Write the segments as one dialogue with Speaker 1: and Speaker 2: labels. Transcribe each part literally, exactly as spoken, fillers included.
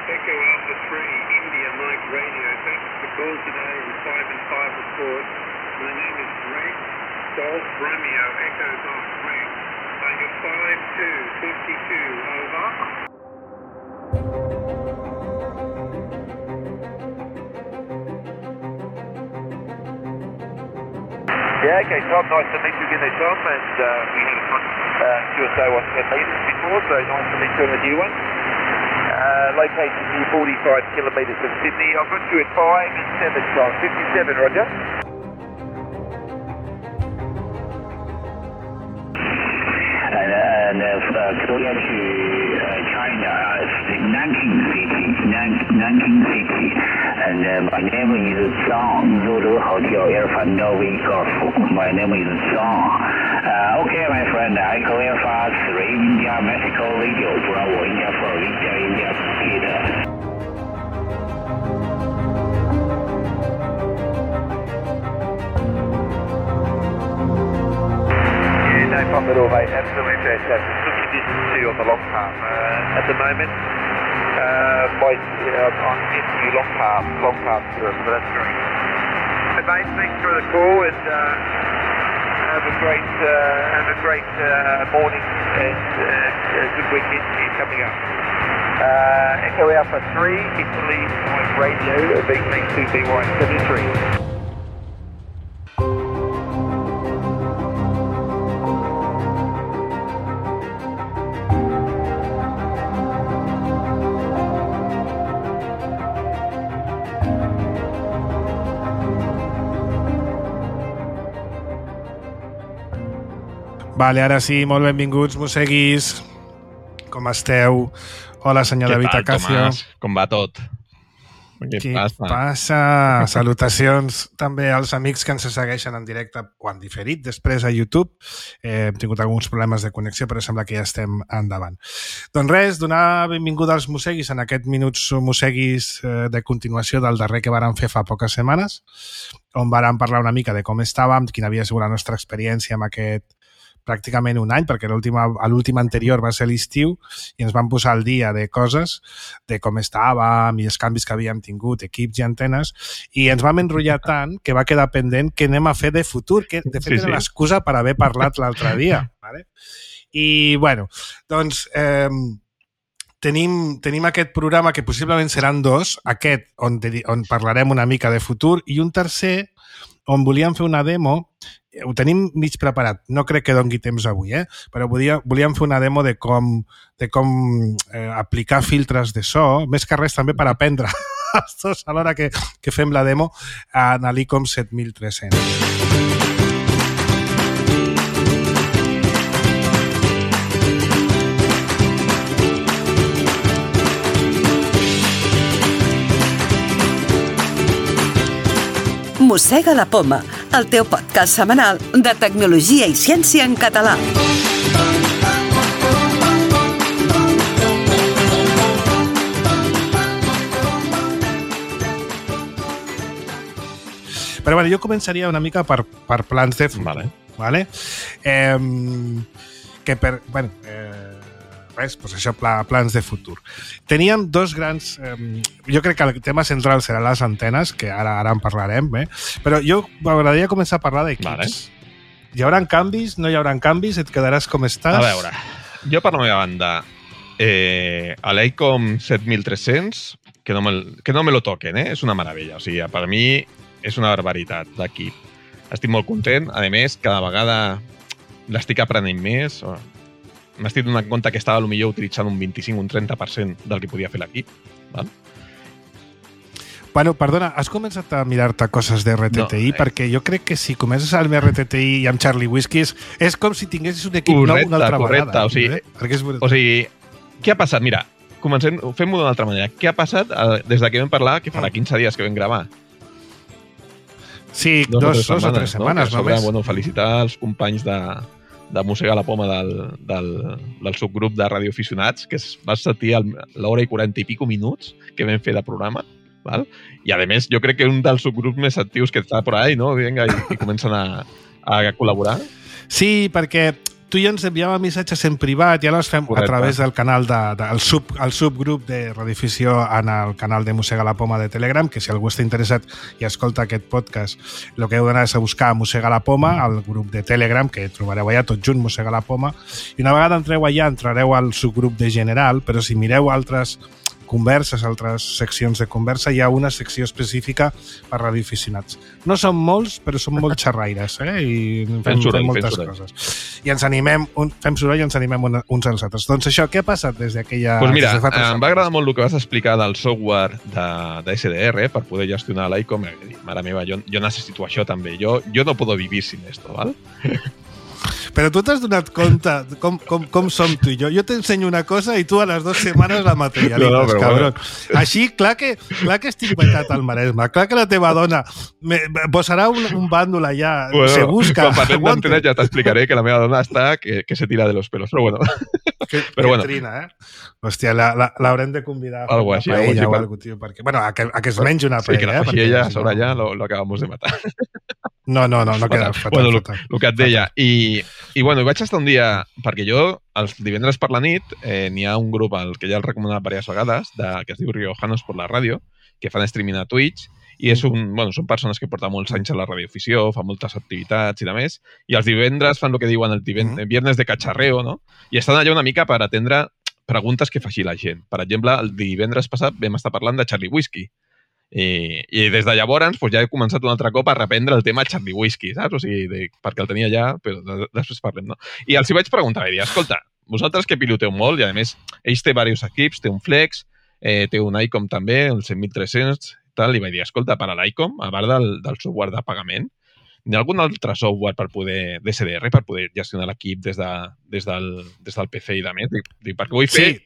Speaker 1: Echo Alpha three, India Mike Radio. Thanks for the call today on five and five report. My name is Greg Golf Romeo, Echo Golf Greg. Target five two fifty-two, over.
Speaker 2: Yeah, okay, Tom, nice to meet you again there, Tom, and uh, we had a fun uh, Q S A one ten metres before, so nice to meet you on a new one. Uh, location near forty-five kilometres from Sydney. I've got you at five and seven, Tom. fifty-seven, Roger.
Speaker 3: And, and uh, Korea to uh, China, uh, Nanking City, Nan- Nanking City. And uh, my name is Zhang, Zulu Hotel, Alpha Novi Golf. My name is Zhang. Uh, okay, my friend, I clear for three India, Mexico radio, Bravo, India four, India, India, Peter.
Speaker 2: Yeah, no problem at all, mate. Absolutely fantastic. Good conditions too on the long path uh, at the moment. Uh, by, you know, I'm getting you long path, long path through it, so that's great. Hey, mate, thanks for the call, and uh, have a great, uh, have a great uh, morning and uh, a good weekend here coming up. Uh, Echo Alpha three, Italy Mike Radio, B T two B Y seventy-three.
Speaker 4: Vale, ara sí, molt benvinguts, mosseguis. Com esteu? Hola, senyor David Acacio.
Speaker 5: Tomàs? Com va tot? Què,
Speaker 4: Què
Speaker 5: passa?
Speaker 4: passa? Salutacions també als amics que ens segueixen en directe o en diferit després a YouTube. Eh, hem tingut alguns problemes de connexió, però sembla que ja estem endavant. Doncs res, donar benvinguda als mosseguis en aquests minuts mosseguis eh, de continuació del darrer que vàrem fer fa poques setmanes, on vàrem parlar una mica de com estàvem, quina havia sigut la nostra experiència amb aquest pràcticament un any, perquè l'últim anterior va ser l'estiu i ens vam posar al dia de coses, de com estàvem i els canvis que havíem tingut, equips i antenes, i ens vam enrotllar tant que va quedar pendent què anem a fer de futur, que de fet
Speaker 5: Sí,
Speaker 4: era
Speaker 5: sí.
Speaker 4: l'excusa per haver parlat l'altre dia. Vale? I, bueno, doncs... Eh, Tenim, tenim aquest programa que possiblement seran dos, aquest on, on parlarem una mica de futur i un tercer on volíem fer una demo, ho tenim mig preparat, no crec que dongui temps avui, eh? Però volia, volíem fer una demo de com, de com eh, aplicar filtres de so, més que res també per aprendre els dos a l'hora que, que fem la demo en l'ICOM set mil tres-cents.
Speaker 6: Mossega la Poma, el teu podcast setmanal de tecnologia i ciència en català.
Speaker 4: Però bueno, jo començaria una mica per, per plans de futur.
Speaker 5: Vale.
Speaker 4: Vale? Eh, que per... Bueno, eh, res, doncs això, pla, plans de futur. Teníem dos grans... Eh, jo crec que el tema central serà les antenes, que ara ara en parlarem, eh? Però jo m'agradaria començar a parlar d'equips.
Speaker 5: Vale.
Speaker 4: Hi haurà canvis? No hi haurà canvis? Et quedaràs com estàs?
Speaker 5: A veure, jo per la meva banda, eh, a l'ICOM set mil tres-cents, que no, me, que no me lo toquen, eh? És una meravella. O sigui, per mi és una barbaritat d'equip. Estic molt content. A més, cada vegada l'estic aprenent més. M'estic donant compte que estava potser utilitzant un vint-i-cinc o un trenta per cent del que podia fer l'equip. Val?
Speaker 4: Bueno, perdona, has començat a mirar-te coses de R T T I? No, eh. Perquè jo crec que si comences amb R T T I i amb Charlie Whiskies és com si tinguessis un equip
Speaker 5: correcte,
Speaker 4: nou una altra
Speaker 5: correcte,
Speaker 4: vegada.
Speaker 5: O sigui,
Speaker 4: eh?
Speaker 5: o sigui, què ha passat? Mira, comencem, fem-ho d'una altra manera. Què ha passat eh, des de que vam parlar, que farà quinze dies que vam gravar?
Speaker 4: Sí, dos, dos, dos o tres setmanes,
Speaker 5: no?
Speaker 4: només.
Speaker 5: Bueno, felicitar els companys de, de Mossegar la Poma del, del, del subgrup de radioaficionats, que es va sentir l'hora i quaranta i pico minuts que vam fer de programa. Val? I, a més, jo crec que un dels subgrups més actius que està por ahí, no? Vinga, i, i comencen a, a col·laborar.
Speaker 4: Sí, perquè tu i ens enviàvem missatges en privat i ara els fem
Speaker 5: Correcte.
Speaker 4: a través del canal de, de, el, sub, el subgrup de radioafició en el canal de Mossega la Poma de Telegram, que si algú està interessat i escolta aquest podcast, el que heu d'anar és a buscar Mossega la Poma, al grup de Telegram, que trobareu allà tot junt, Mossega la Poma, i una vegada entreu allà entrareu al subgrup de general, però si mireu altres converses, altres seccions de conversa, hi ha una secció específica per radioaficionats. No són molts, però són molt xerraires, eh? I fem,
Speaker 5: Fem soroll,
Speaker 4: fem moltes
Speaker 5: fem soroll.
Speaker 4: coses. I ens animem, un, fem soroll i ens animem un, uns als altres. Doncs això, què ha passat des d'aquella...
Speaker 5: Pues mira,
Speaker 4: des de fa tres
Speaker 5: em va
Speaker 4: anys?
Speaker 5: agradar molt el que vas explicar del software de, de S D R per poder gestionar l'ICOM. Mare meva, jo, jo necessito això també. Jo, jo no puedo vivir sin esto, ¿val?
Speaker 4: Però tu t'has donat compte com, com, com som tu i jo. Jo t'ensenyo una cosa i tu a les dues setmanes la materialitzes,
Speaker 5: No, no, però
Speaker 4: cabron.
Speaker 5: bueno.
Speaker 4: Així, clar que, clar que estic vetat al Maresme. Clar que la teva dona me, posarà un, un bàndol allà.
Speaker 5: Bueno,
Speaker 4: se busca.
Speaker 5: quan parlem
Speaker 4: aguante.
Speaker 5: d'antenes ja t'explicaré que la meva dona està que, que se tira de los pelos, però bueno.
Speaker 4: Que,
Speaker 5: Però
Speaker 4: que
Speaker 5: bueno.
Speaker 4: trina, eh? Hòstia, l'haurem de convidar a fer
Speaker 5: Algo
Speaker 4: una
Speaker 5: així,
Speaker 4: paella
Speaker 5: algo així,
Speaker 4: o
Speaker 5: per-
Speaker 4: alguna cosa, perquè... Bueno, a que, a que es mengi una
Speaker 5: Sí, que
Speaker 4: paella,
Speaker 5: la
Speaker 4: eh?
Speaker 5: faci ella
Speaker 4: si
Speaker 5: sobre
Speaker 4: no-
Speaker 5: allà lo, lo acabamos de matar.
Speaker 4: No, no, no, no queda fatal,
Speaker 5: bueno, el,
Speaker 4: fatal.
Speaker 5: el que et deia. I, I bueno, vaig estar un dia, perquè jo, els divendres per la nit, eh, n'hi ha un grup al que ja el he recomanat diverses vegades, de, que es diu Riojanos por la ràdio, que fan streaming a Twitch, i és un, bueno, són persones que porten molts anys a la radioafició, fan moltes activitats i de més, i els divendres fan el que diuen el diven-
Speaker 4: Mhm.
Speaker 5: viernes de cacharreo, no? I estan allà una mica per atendre preguntes que faci la gent. Per exemple, el divendres passat vam estar parlant de Charlie Whiskey. I, i des de llavors pues, ja he començat un altre cop a reprendre el tema Charlie Whiskey, saps? O sigui, de, perquè el tenia ja, però de, després parlem, no? I els hi vaig preguntar, vaig dir, escolta, vosaltres que piloteu molt, i a més, ells té diversos equips, té un Flex, eh, té un ICOM també, el cent mil tres-cents, tal, i vaig dir, escolta, per a l'ICOM, a part del, del software de pagament, hi ha algun altre software per poder, D S D R, per poder gestionar l'equip des, de, des, del, des del P C i de més? Dic, dic, perquè vull fer...
Speaker 4: Sí,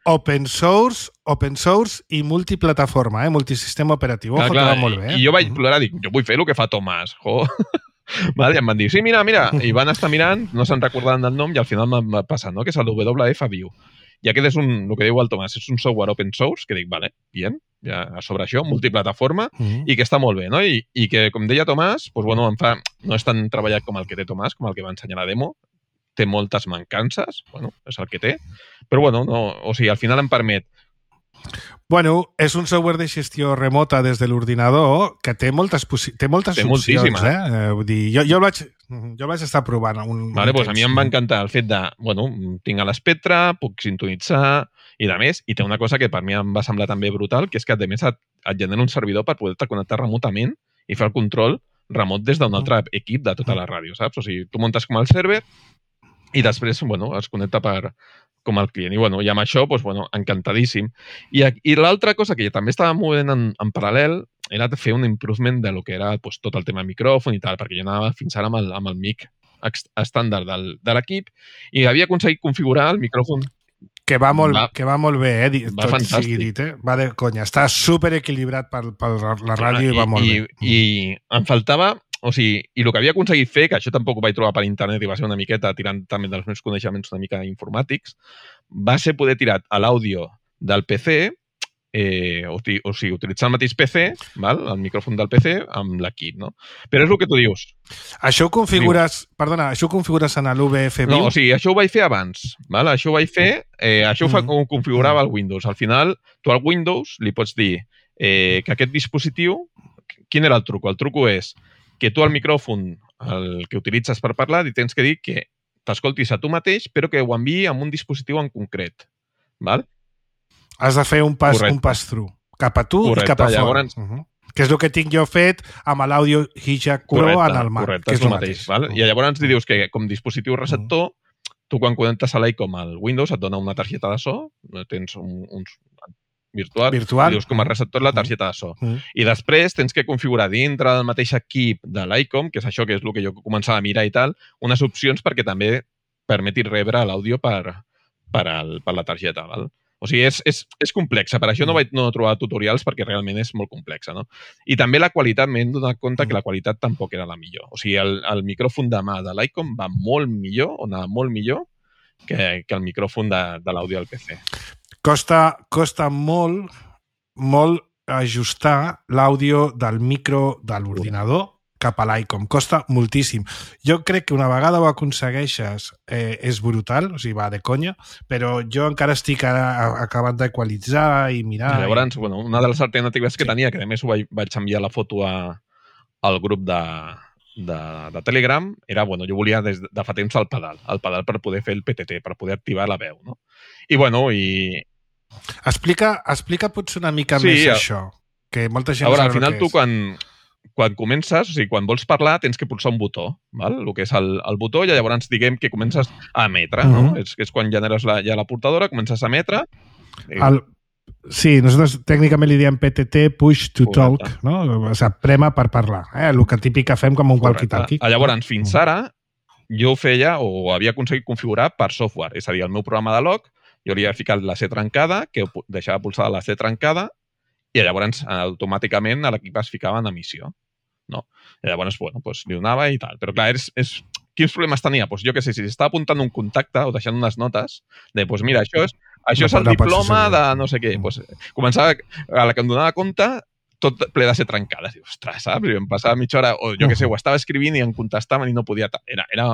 Speaker 4: open source, open source i multiplataforma, eh? Multisistema operatiu. Ojo, que va molt bé. Eh?
Speaker 5: I jo vaig plorar, dic, jo vull fer el que fa Tomàs, jo. Vale, i em van dir, sí, mira, mira, i van estar mirant, no se'n recordaven del nom, i al final m'ha passat, no?, que és el W F View. I aquest és un, el que diu el Tomàs, és un software open source, que dic, vale, bien, ja sobre això, multiplataforma,
Speaker 4: Mm.
Speaker 5: i que està molt bé, no? I, i que, com deia Tomàs, doncs, bueno, em fa, no és tan treballat com el que té Tomàs, com el que va ensenyar la demo, té moltes mancances, bueno, és el que té, però bueno, no, o sigui, al final em permet.
Speaker 4: Bueno, és un software de gestió remota des de l'ordinador que té moltes, té moltes
Speaker 5: Té
Speaker 4: opcions,
Speaker 5: moltíssimes.
Speaker 4: eh? eh? Vull dir, jo, jo, el vaig, jo el vaig estar provant un,
Speaker 5: Vale,
Speaker 4: un
Speaker 5: doncs a mi em va encantar el fet de, bueno, tinc a l'espectre, puc sintonitzar i de més, i té una cosa que per mi em va semblar també brutal, que és que a més et, et genera un servidor per poder-te connectar remotament i fer el control remot des d'un altre equip de tota la ràdio, saps? O sigui, tu muntes com el server i després, bueno, es connecta per, com el client. I, bueno, i amb això, doncs, bueno, encantadíssim. I, i l'altra cosa que també estava movent en, en paral·lel era fer un improvement de lo que era doncs, tot el tema micròfon i tal, perquè jo anava fins ara amb el, amb el mic ex- estàndard del, de l'equip i havia aconseguit configurar el micròfon.
Speaker 4: Que va molt,
Speaker 5: Va-
Speaker 4: que va molt bé, eh? Di-
Speaker 5: va
Speaker 4: Tot
Speaker 5: fantàstic.
Speaker 4: sigui dit, eh? Va de conya. Està super equilibrat per, per la ràdio i, va molt
Speaker 5: i,
Speaker 4: bé.
Speaker 5: I em faltava, o sigui, i el que havia aconseguit fer, que això tampoc ho vaig trobar per internet i va ser una miqueta tirant també dels meus coneixements una mica informàtics, va ser poder tirar a l'àudio del P C, eh, o, ti- o sigui, utilitzar el mateix P C, val? El micròfon del P C, amb l'equip, no? Però és el que tu dius.
Speaker 4: Això ho configures, perdona, això ho configures en l'U V F
Speaker 5: No,
Speaker 4: View?
Speaker 5: o sigui, això ho vaig fer abans, val? Això ho vaig fer, eh, això ho, fa,
Speaker 4: Mm.
Speaker 5: ho configurava el Windows. Al final, tu al Windows li pots dir eh, que aquest dispositiu, quin era el truco? El truco és que tu al micròfon, el que utilitzes per parlar, li tens que dir que t'escoltis a tu mateix, però que ho enviï amb un dispositiu en concret. Val?
Speaker 4: Has de fer un pas,
Speaker 5: Correcte.
Speaker 4: un pass-through cap a tu
Speaker 5: Correcte,
Speaker 4: i cap a fora.
Speaker 5: llavors-
Speaker 4: Uh -huh. Que és el que tinc jo fet amb l'àudio Hijack Pro
Speaker 5: Correcte,
Speaker 4: en el Mac.
Speaker 5: correcte,
Speaker 4: que
Speaker 5: és el mateix. Val? I llavors li dius que com dispositiu receptor, tu quan connectes a l'ICOM al Windows et dona una targeta de so, tens un, uns virtual,
Speaker 4: Virtual.
Speaker 5: i dius com a receptor la targeta de so.
Speaker 4: Mm.
Speaker 5: I després tens que configurar dintre del mateix equip de l'ICOM, que és això que és el que jo començava a mirar i tal, unes opcions perquè també permeti rebre l'àudio per, per, al, per la targeta. Val? O sigui, és, és, és complexa. Per això no vaig no trobar tutorials perquè realment és molt complexa. No? I també la qualitat, m'he donat compte que la qualitat tampoc era la millor. O sigui, el, el micròfon de mà de l'ICOM va molt millor, o anava molt millor, que, que el micròfon de, de l'àudio del P C.
Speaker 4: Costa, costa molt, molt ajustar l'àudio del micro de l'ordinador cap a l'ICOM. Costa moltíssim. Jo crec que una vegada ho aconsegueixes eh, és brutal, o sigui, va de conya, però jo encara estic ara acabant d'equalitzar i mirar...
Speaker 5: I llavors,
Speaker 4: i...
Speaker 5: bueno, una de les alternatives que
Speaker 4: Sí.
Speaker 5: tenia, que a més ho vaig, vaig enviar la foto a, al grup de, de, de Telegram, era, bueno, jo volia des de fa temps el pedal, el pedal per poder fer el P T T, per poder activar la veu, no? I, bueno, i...
Speaker 4: Explica, explica potser una mica
Speaker 5: Sí,
Speaker 4: més
Speaker 5: a-
Speaker 4: això, que molta gent
Speaker 5: A veure,
Speaker 4: no
Speaker 5: al
Speaker 4: sap el
Speaker 5: final
Speaker 4: que
Speaker 5: tu
Speaker 4: és.
Speaker 5: quan, quan comences, o sigui, quan vols parlar, tens que pulsar un botó, val? El que és el, el botó, i llavors diguem que comences a emetre, no?
Speaker 4: Mhm.
Speaker 5: És, és quan generes la, ja la portadora, comences a emetre. i-
Speaker 4: El... Sí, nosaltres tècnicament li diem P T T, push to talk,
Speaker 5: Correcte.
Speaker 4: no? O sigui, prema per parlar. Eh? El que típic que fem com un walkie-talkie.
Speaker 5: Ah, Llavors, fins ara, jo ho feia o havia aconseguit configurar per software. És a dir, el meu programa de log, jo li havia ficat la C trencada, que pu- deixava pulsada la C trencada, i llavors automàticament a l'equip es ficava en emissió. No? I llavors, bueno, doncs li donava i tal. Però clar, és, és... quins problemes tenia? Doncs jo què sé, si estava apuntant un contacte o deixant unes notes de, doncs mira, això és, això
Speaker 4: No
Speaker 5: és el
Speaker 4: pot- no pot ser
Speaker 5: diploma
Speaker 4: segur.
Speaker 5: de no sé què. Doncs començava, a la que em donava compte, tot ple de ser trencades. Dius, ostres, saps? I em passava mitja hora, o jo què sé, ho estava escrivint i em contestaven i no podia... ta- Era, era,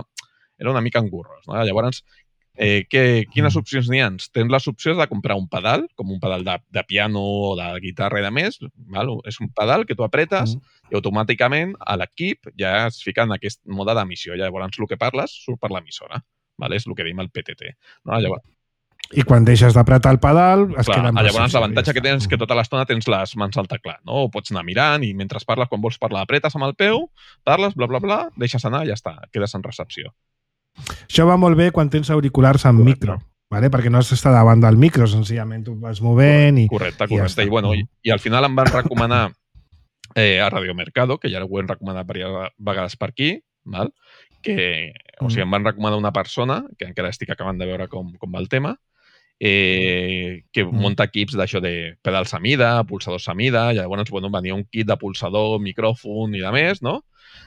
Speaker 5: era una mica engurros, no? Llavors, eh, què, quines opcions n'hi ha? Tens les opcions de comprar un pedal, com un pedal de, de piano o de guitarra i de més, val? És un pedal que tu apretes i automàticament a l'equip ja es fica en aquest mode d'emissió. Llavors, el que parles surt per l'emissora. Vale? És el que diem el P T T. No? Llavors,
Speaker 4: I quan deixes d'apretar el pedal es
Speaker 5: clar,
Speaker 4: queda en
Speaker 5: llavors
Speaker 4: recepció,
Speaker 5: l'avantatge
Speaker 4: ja
Speaker 5: que tens és que
Speaker 4: està.
Speaker 5: tota l'estona tens les mans al teclat, no? O pots anar mirant i mentre parles, quan vols parlar, apretes amb el peu, parles, bla, bla, bla, deixes anar i ja està, quedes en recepció.
Speaker 4: Això va molt bé quan tens auriculars amb
Speaker 5: Correcte.
Speaker 4: micro, vale? Perquè no has d'estar davant del micro, senzillament tu vas movent i...
Speaker 5: Correcte,
Speaker 4: i ja
Speaker 5: correcte.
Speaker 4: està.
Speaker 5: I, bueno, i, i al final em van recomanar eh, a Radio Mercado, que ja ho hem recomanat diverses vegades per aquí, val? Que, o sigui, em van recomanar una persona, que encara estic acabant de veure com, com va el tema, eh, que
Speaker 4: Mm.
Speaker 5: munta equips d'això de pedals a mida, pulsadors a mida, i llavors, bueno, venia un kit de pulsador, micròfon i de més, no?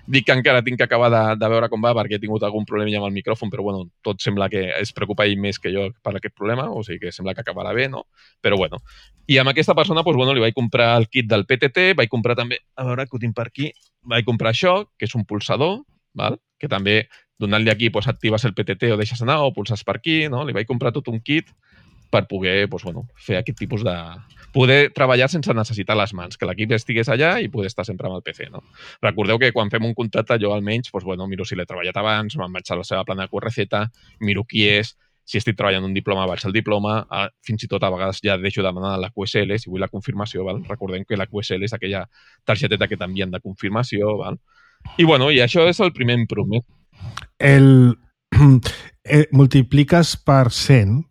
Speaker 5: Dic que encara tinc que acabar de, de veure com va perquè he tingut algun problema amb el micròfon, però bueno, tot sembla que es preocupa ell més que jo per aquest problema, o sigui que sembla que acabarà bé, no? Però bueno. I amb aquesta persona, doncs, bueno, li vaig comprar el kit del P T T, vaig comprar també, a veure que ho tinc per aquí, vaig comprar això, que és un pulsador, val? Que també donant-li aquí doncs, actives el P T T o deixes anar o pulses per aquí, no? Li vaig comprar tot un kit per poder doncs, bueno, fer aquest tipus de... poder treballar sense necessitar les mans, que l'equip estigués allà i poder estar sempre amb el P C. No? Recordeu que quan fem un contacte, jo almenys doncs, bueno, miro si l'he treballat abans, me'n vaig a la seva plana de Q R Z, miro qui és, si estic treballant un diploma, vaig al diploma, a, fins i tot a vegades ja deixo de demanar la Q S L, si vull la confirmació, val? Recordem que la Q S L és aquella targeteta que t'envien de confirmació, val? I bueno, i això és el primer improvement.
Speaker 4: El, eh, multipliques per cent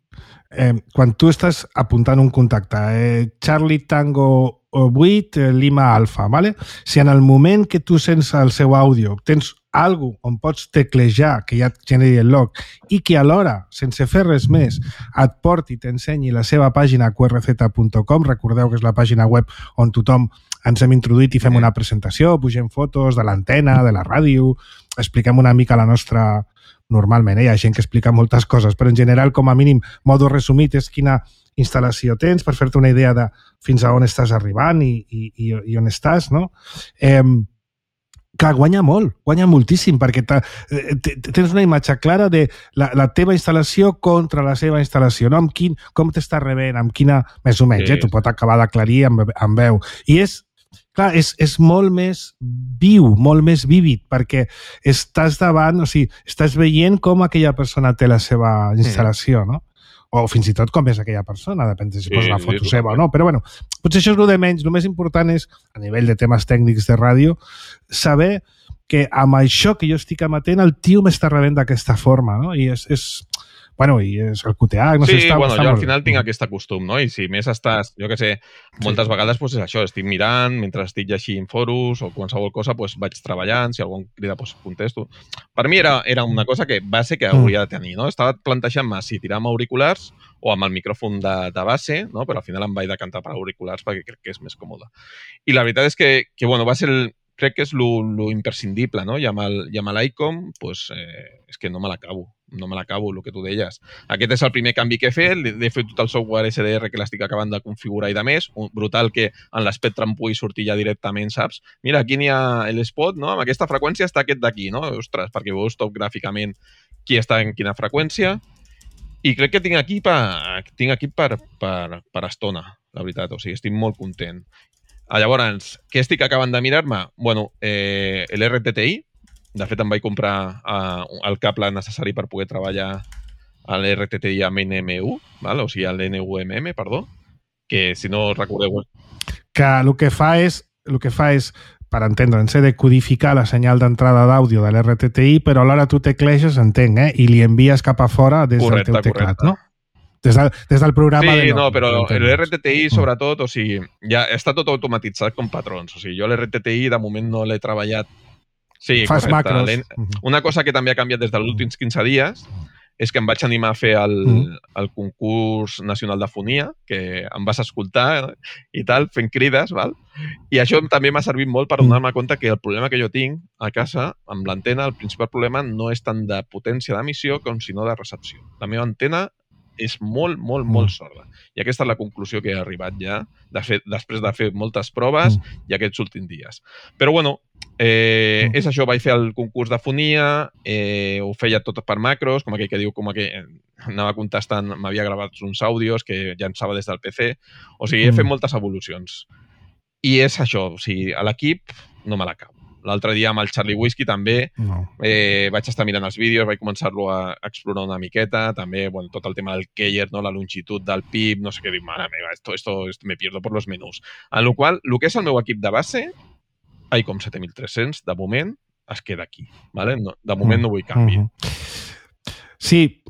Speaker 4: eh, quan tu estàs apuntant un contacte. Eh, Charlie Tango vuit, eh, Lima Alfa, ¿vale? Si en el moment que tu sents el seu àudio tens algo on pots teclejar que ja et generi el log i que alhora, sense fer res més, et porti i t'ensenyi la seva pàgina Q R Z punt com, recordeu que és la pàgina web on tothom ens hem introduït i fem una presentació, pugem fotos de l'antena, de la ràdio, expliquem una mica la nostra... Normalment, eh? Hi ha gent que explica moltes coses, però en general, com a mínim, modo resumit és quina instal·lació tens per fer-te una idea de fins a on estàs arribant i, i, i, i on estàs, no? Eh, que guanya molt, guanya moltíssim, perquè tens una imatge clara de la, la teva instal·lació contra la seva instal·lació, no? Amb quin, com t'està rebent, amb quina... Més o menys,
Speaker 5: Sí.
Speaker 4: eh? Tu pot acabar d'aclarir amb, amb veu. I és, clar, és, és molt més viu, molt més vívid, perquè estàs davant, o sigui, estàs veient com aquella persona té la seva instal·lació, no? O fins i tot com és aquella persona, depèn de si
Speaker 5: Sí,
Speaker 4: posa una
Speaker 5: sí,
Speaker 4: foto
Speaker 5: totalment.
Speaker 4: seva o no. Però bueno, potser això és el de menys. El més important és, a nivell de temes tècnics de ràdio, saber que amb això que jo estic amatent, el tio m'està rebent d'aquesta forma, no? I és... és bueno, i és el Q T H, no
Speaker 5: Sí,
Speaker 4: sé, està,
Speaker 5: bueno,
Speaker 4: està
Speaker 5: jo al
Speaker 4: molt
Speaker 5: final
Speaker 4: bé.
Speaker 5: tinc aquest costum, no? I si més estàs, jo què sé, moltes vegades doncs és això, estic mirant, mentre estic llegint foros o qualsevol cosa, doncs vaig treballant, si algú em crida, doncs contesto. Per mi era, era una cosa que base que hauria de tenir, no? Estava plantejant-me si tirar amb auriculars o amb el micròfon de, de base, no? Però al final em vaig decantar per auriculars perquè crec que és més còmode. I la veritat és que, que bueno, va ser el, crec que és lo, lo imprescindible, no? I amb el, i amb l'ICOM, pues, eh, és que no me l'acabo. no me l'acabo, el que tu deies. Aquest és el primer canvi que he fet, he fet tot el software S D R que l'estic acabant de configurar i de més, brutal que en l'espectre em pugui sortir ja directament, saps? Mira, aquí n'hi ha l'spot, no? Amb aquesta freqüència està aquest d'aquí, no? Ostres, perquè veus tot gràficament qui està en quina freqüència, i crec que tinc aquí per, tinc aquí per, per, per estona, la veritat, o sigui, estic molt content. Llavors, què estic acabant de mirar-me? Bueno, eh, l'R T T I, de fet em vaig comprar uh, el cable necessari per poder treballar a l'R T T I amb N M U, val? O sigui, l'N U M M, perdó, que si no recordeu...
Speaker 4: Que el que fa és, el que fa és per entendre'ns, de codificar la senyal d'entrada d'àudio de l'R T T I, però alhora tu tecleges, entenc, eh? I li envies cap a fora des correcte, del teu teclat, correcte. No? Des, de, des del programa
Speaker 5: sí,
Speaker 4: de...
Speaker 5: Sí, no, però l'R T T I, sobretot, o sigui, ja està tot automatitzat com patrons. O sigui, jo l'R T T I, de moment, no l'he treballat. Sí,
Speaker 4: fas
Speaker 5: correcte.
Speaker 4: macros.
Speaker 5: Una cosa que també ha canviat des dels últims quinze dies és que em vaig animar a fer el, mm. el concurs nacional de fonia, que em vas escoltar i tal, fent crides, val? I això també m'ha servit molt per donar-me compte que el problema que jo tinc a casa, amb l'antena, el principal problema no és tant de potència d'emissió com sinó de recepció. La meva antena és molt, molt, molt sorda. I aquesta és la conclusió que he arribat ja, de fet, després de fer moltes proves mm. i aquests últims dies. Però, bueno, eh, mm. és això, vaig fer el concurs de fonia, eh, ho feia tot per macros, com aquell que diu, com aquell, anava contestant, m'havia gravat uns àudios que llançava des del P C, o sigui, he fet moltes evolucions. I és això, o sigui, a l'equip no me l'acabo. L'altre dia amb el Charlie Whiskey també no. eh, vaig estar mirant els vídeos, vaig començar-lo a explorar una miqueta, també bueno, tot el tema del keyer, no? La longitud del P I B, no sé què dir, mare meva, esto, esto, esto me pierdo por los menús. En la qual, el que és el meu equip de base, ICOM set mil tres-cents, de moment, es queda aquí. ¿vale? No, de moment no vull canvi.
Speaker 4: Uh-huh. Sí,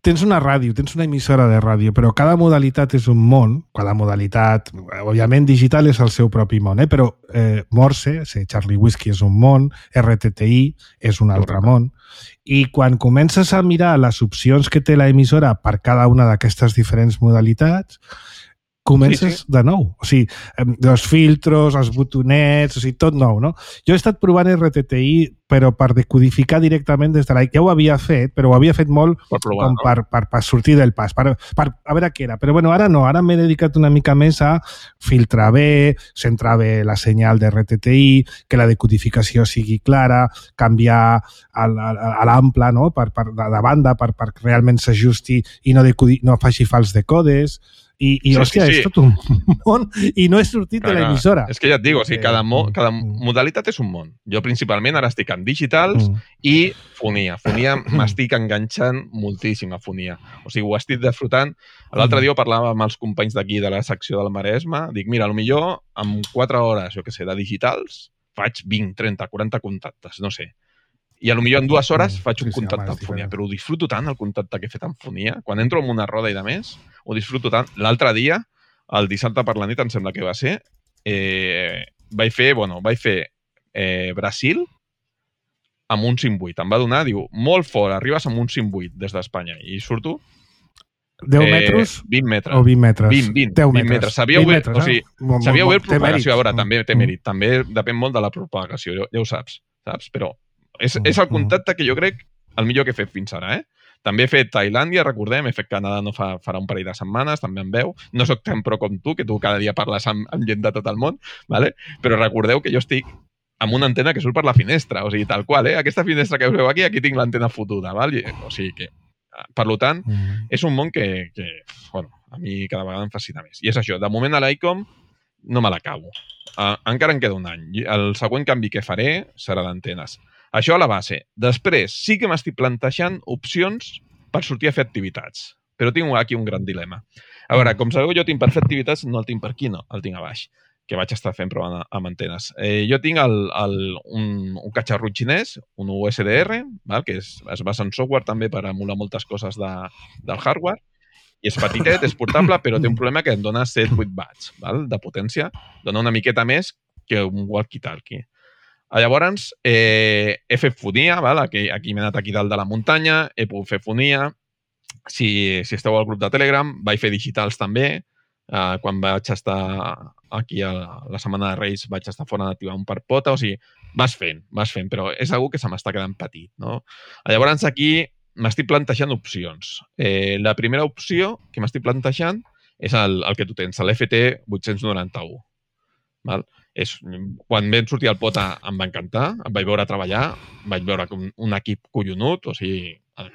Speaker 4: tens una ràdio, tens una emissora de ràdio, però cada modalitat és un món, cada modalitat, òbviament digital és el seu propi món, eh? Però eh, Morse, sí, Charlie Whiskey és un món, R T T I és un altre món, i quan comences a mirar les opcions que té l'emissora per cada una d'aquestes diferents modalitats, comences sí, sí. de nou. O sigui, els filtros, els botonets, o sigui, tot nou, no? Jo he estat provant R T T I, però per decodificar directament des de la... Ja ho havia fet, però ho havia fet molt per, provar, com no? per, per, per sortir del pas, per, per a veure què era. Però bueno, ara no, ara m'he dedicat una mica més a filtrar bé, centrar bé la senyal de R T T I, que la decodificació sigui clara, canviar a, a, a l'ample, no? per, per, de, de banda per, per que realment s'ajusti i no, decodi, no faci fals decodes. I, i sí, hòstia, sí, sí. és tot un món i no he sortit clar, de l'emissora.
Speaker 5: És que ja et dic, o sigui, cada, mo, cada modalitat és un món. Jo principalment ara estic en digitals mm. i fonia. Fonia m'estic enganxant moltíssim a fonia. O sigui, ho estic desfrutant. L'altre dia parlava amb els companys d'aquí de la secció del Maresme. Dic, mira, potser amb quatre hores, jo què sé, de digitals, faig vint, trenta, quaranta contactes, no sé. I potser en dues hores faig un sí, sí, contacte amb fonia, però ho disfruto tant, el contacte que he fet amb fonia. Quan entro en una roda i de més, ho disfruto tant. L'altre dia, el dissabte per la nit, em sembla que va ser, eh, vaig fer, bueno, vaig fer eh, Brasil amb un cinc vuit. Em va donar, diu, molt fort, arribes amb un cinc vuit des d'Espanya. I surto...
Speaker 4: deu metres?
Speaker 5: Eh, vint metres.
Speaker 4: O vint metres?
Speaker 5: vint, vint.
Speaker 4: deu
Speaker 5: vint metres. Sabia obert,
Speaker 4: metres,
Speaker 5: o sigui,
Speaker 4: eh?
Speaker 5: sabia obert propagació. A veure, també té mèrit. També depèn molt de la propagació, ja, ja ho saps, saps? Però és, és el contacte que jo crec el millor que he fet fins ara, eh? També he fet Tailàndia, recordem, he fet Canadà no fa, farà un parell de setmanes, també em veu. No soc tan pro com tu, que tu cada dia parles amb, amb gent de tot el món, ¿vale? Però recordeu que jo estic amb una antena que surt per la finestra, o sigui, tal qual, eh? Aquesta finestra que us veu aquí, aquí tinc l'antena fotuda, ¿val? O sigui que, per tant, mm. és un món que, que, bueno, a mi cada vegada em fascina més. I és això, de moment a l'ICOM no me l'acabo. Uh, encara em queda un any. El següent canvi que faré serà d'antenes. Això a la base. Després, sí que m'estic plantejant opcions per sortir a fer activitats. Però tinc aquí un gran dilema. A veure, com sabeu, jo tinc per fer activitats, no el tinc per aquí, no, el tinc a baix, que vaig estar fent provant amb antenes. Eh, jo tinc el, el, un, un catxarro xinès, un U S D R, val? Que és, es basa en software també per emular moltes coses de, del hardware, i és petitet, és portable, però té un problema que em dona set vuit watts, val? De potència. Dona una miqueta més que un walkie-talkie. Llavors, eh, he fet fonia, val? Aquí, aquí m'he anat aquí dalt de la muntanya, he pogut fer fonia. Si, si esteu al grup de Telegram, vaig fer digitals també. Eh, quan vaig estar aquí a la, a la setmana de Reis, vaig estar fora d'activar un per pota. O sigui, vas fent, vas fent, però és algo que se m'està quedant petit, no? Llavors, aquí m'estic plantejant opcions. Eh, la primera opció que m'estic plantejant és el, el que tu tens, l'F T vuit-cents noranta-u. Val? És, quan vam sortir al Pota em va encantar, em vaig veure treballar, vaig veure un, un equip collonut, o sigui, a,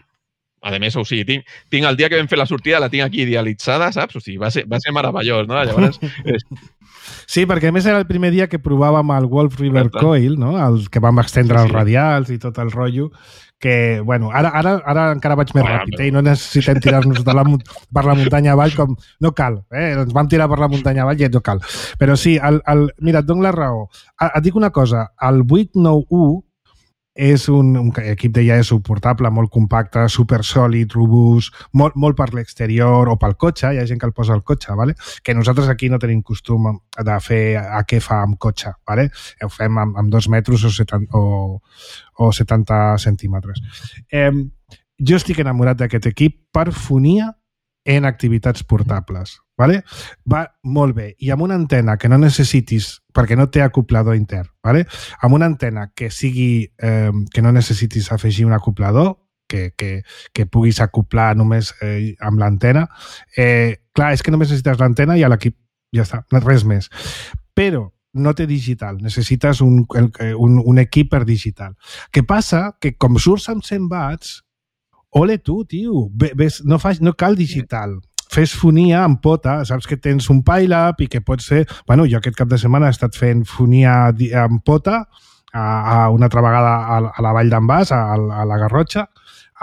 Speaker 5: a més, o sigui, tinc, tinc el dia que vam fer la sortida, la tinc aquí idealitzada, saps? O sigui, va ser, va ser meravellós, no? Llavors, és,
Speaker 4: sí, perquè a més era el primer dia que provàvem el Wolf River Coil, no? El que vam extendre sí, sí. els radials i tot el rotllo, que, bueno, ara, ara, ara encara vaig més ah, ràpid, eh? I no necessitem tirar-nos de la, per la muntanya avall com... No cal, eh? Ens vam tirar per la muntanya avall i no cal. Però sí, el, el, mira, et dono la raó. Et dic una cosa, el vuit nou u és un, un equip de iaeso portable, molt compacte, supersòlid, robust, molt, molt per l'exterior o pel cotxe, hi ha gent que el posa al cotxe, ¿vale? Que nosaltres aquí no tenim costum de fer a què fa amb cotxe, ¿vale? Ho fem amb, amb dos metres o setanta, o, o setanta centímetres. Eh, jo estic enamorat d'aquest equip per fonia en activitats portables. ¿Vale? Va molt bé. I amb una antena que no necessitis, perquè no té acoplador intern, ¿vale? Amb una antena que sigui eh, que no necessitis afegir un acoplador, que, que, que puguis acoplar només eh, amb l'antena, eh, clar, és que només necessites l'antena i a l'equip ja està, res més. Però no té digital, necessites un, un, un equip per digital. Què passa? Que com surts amb cent watts, ole tu, tio, ves, no, fas, no cal digital. Fes fonia amb Pota, saps que tens un pile-up i que pot ser... Bueno, jo aquest cap de setmana he estat fent fonia amb Pota a, a una altra vegada a, a la Vall d'en Bas, a, a la Garrotxa,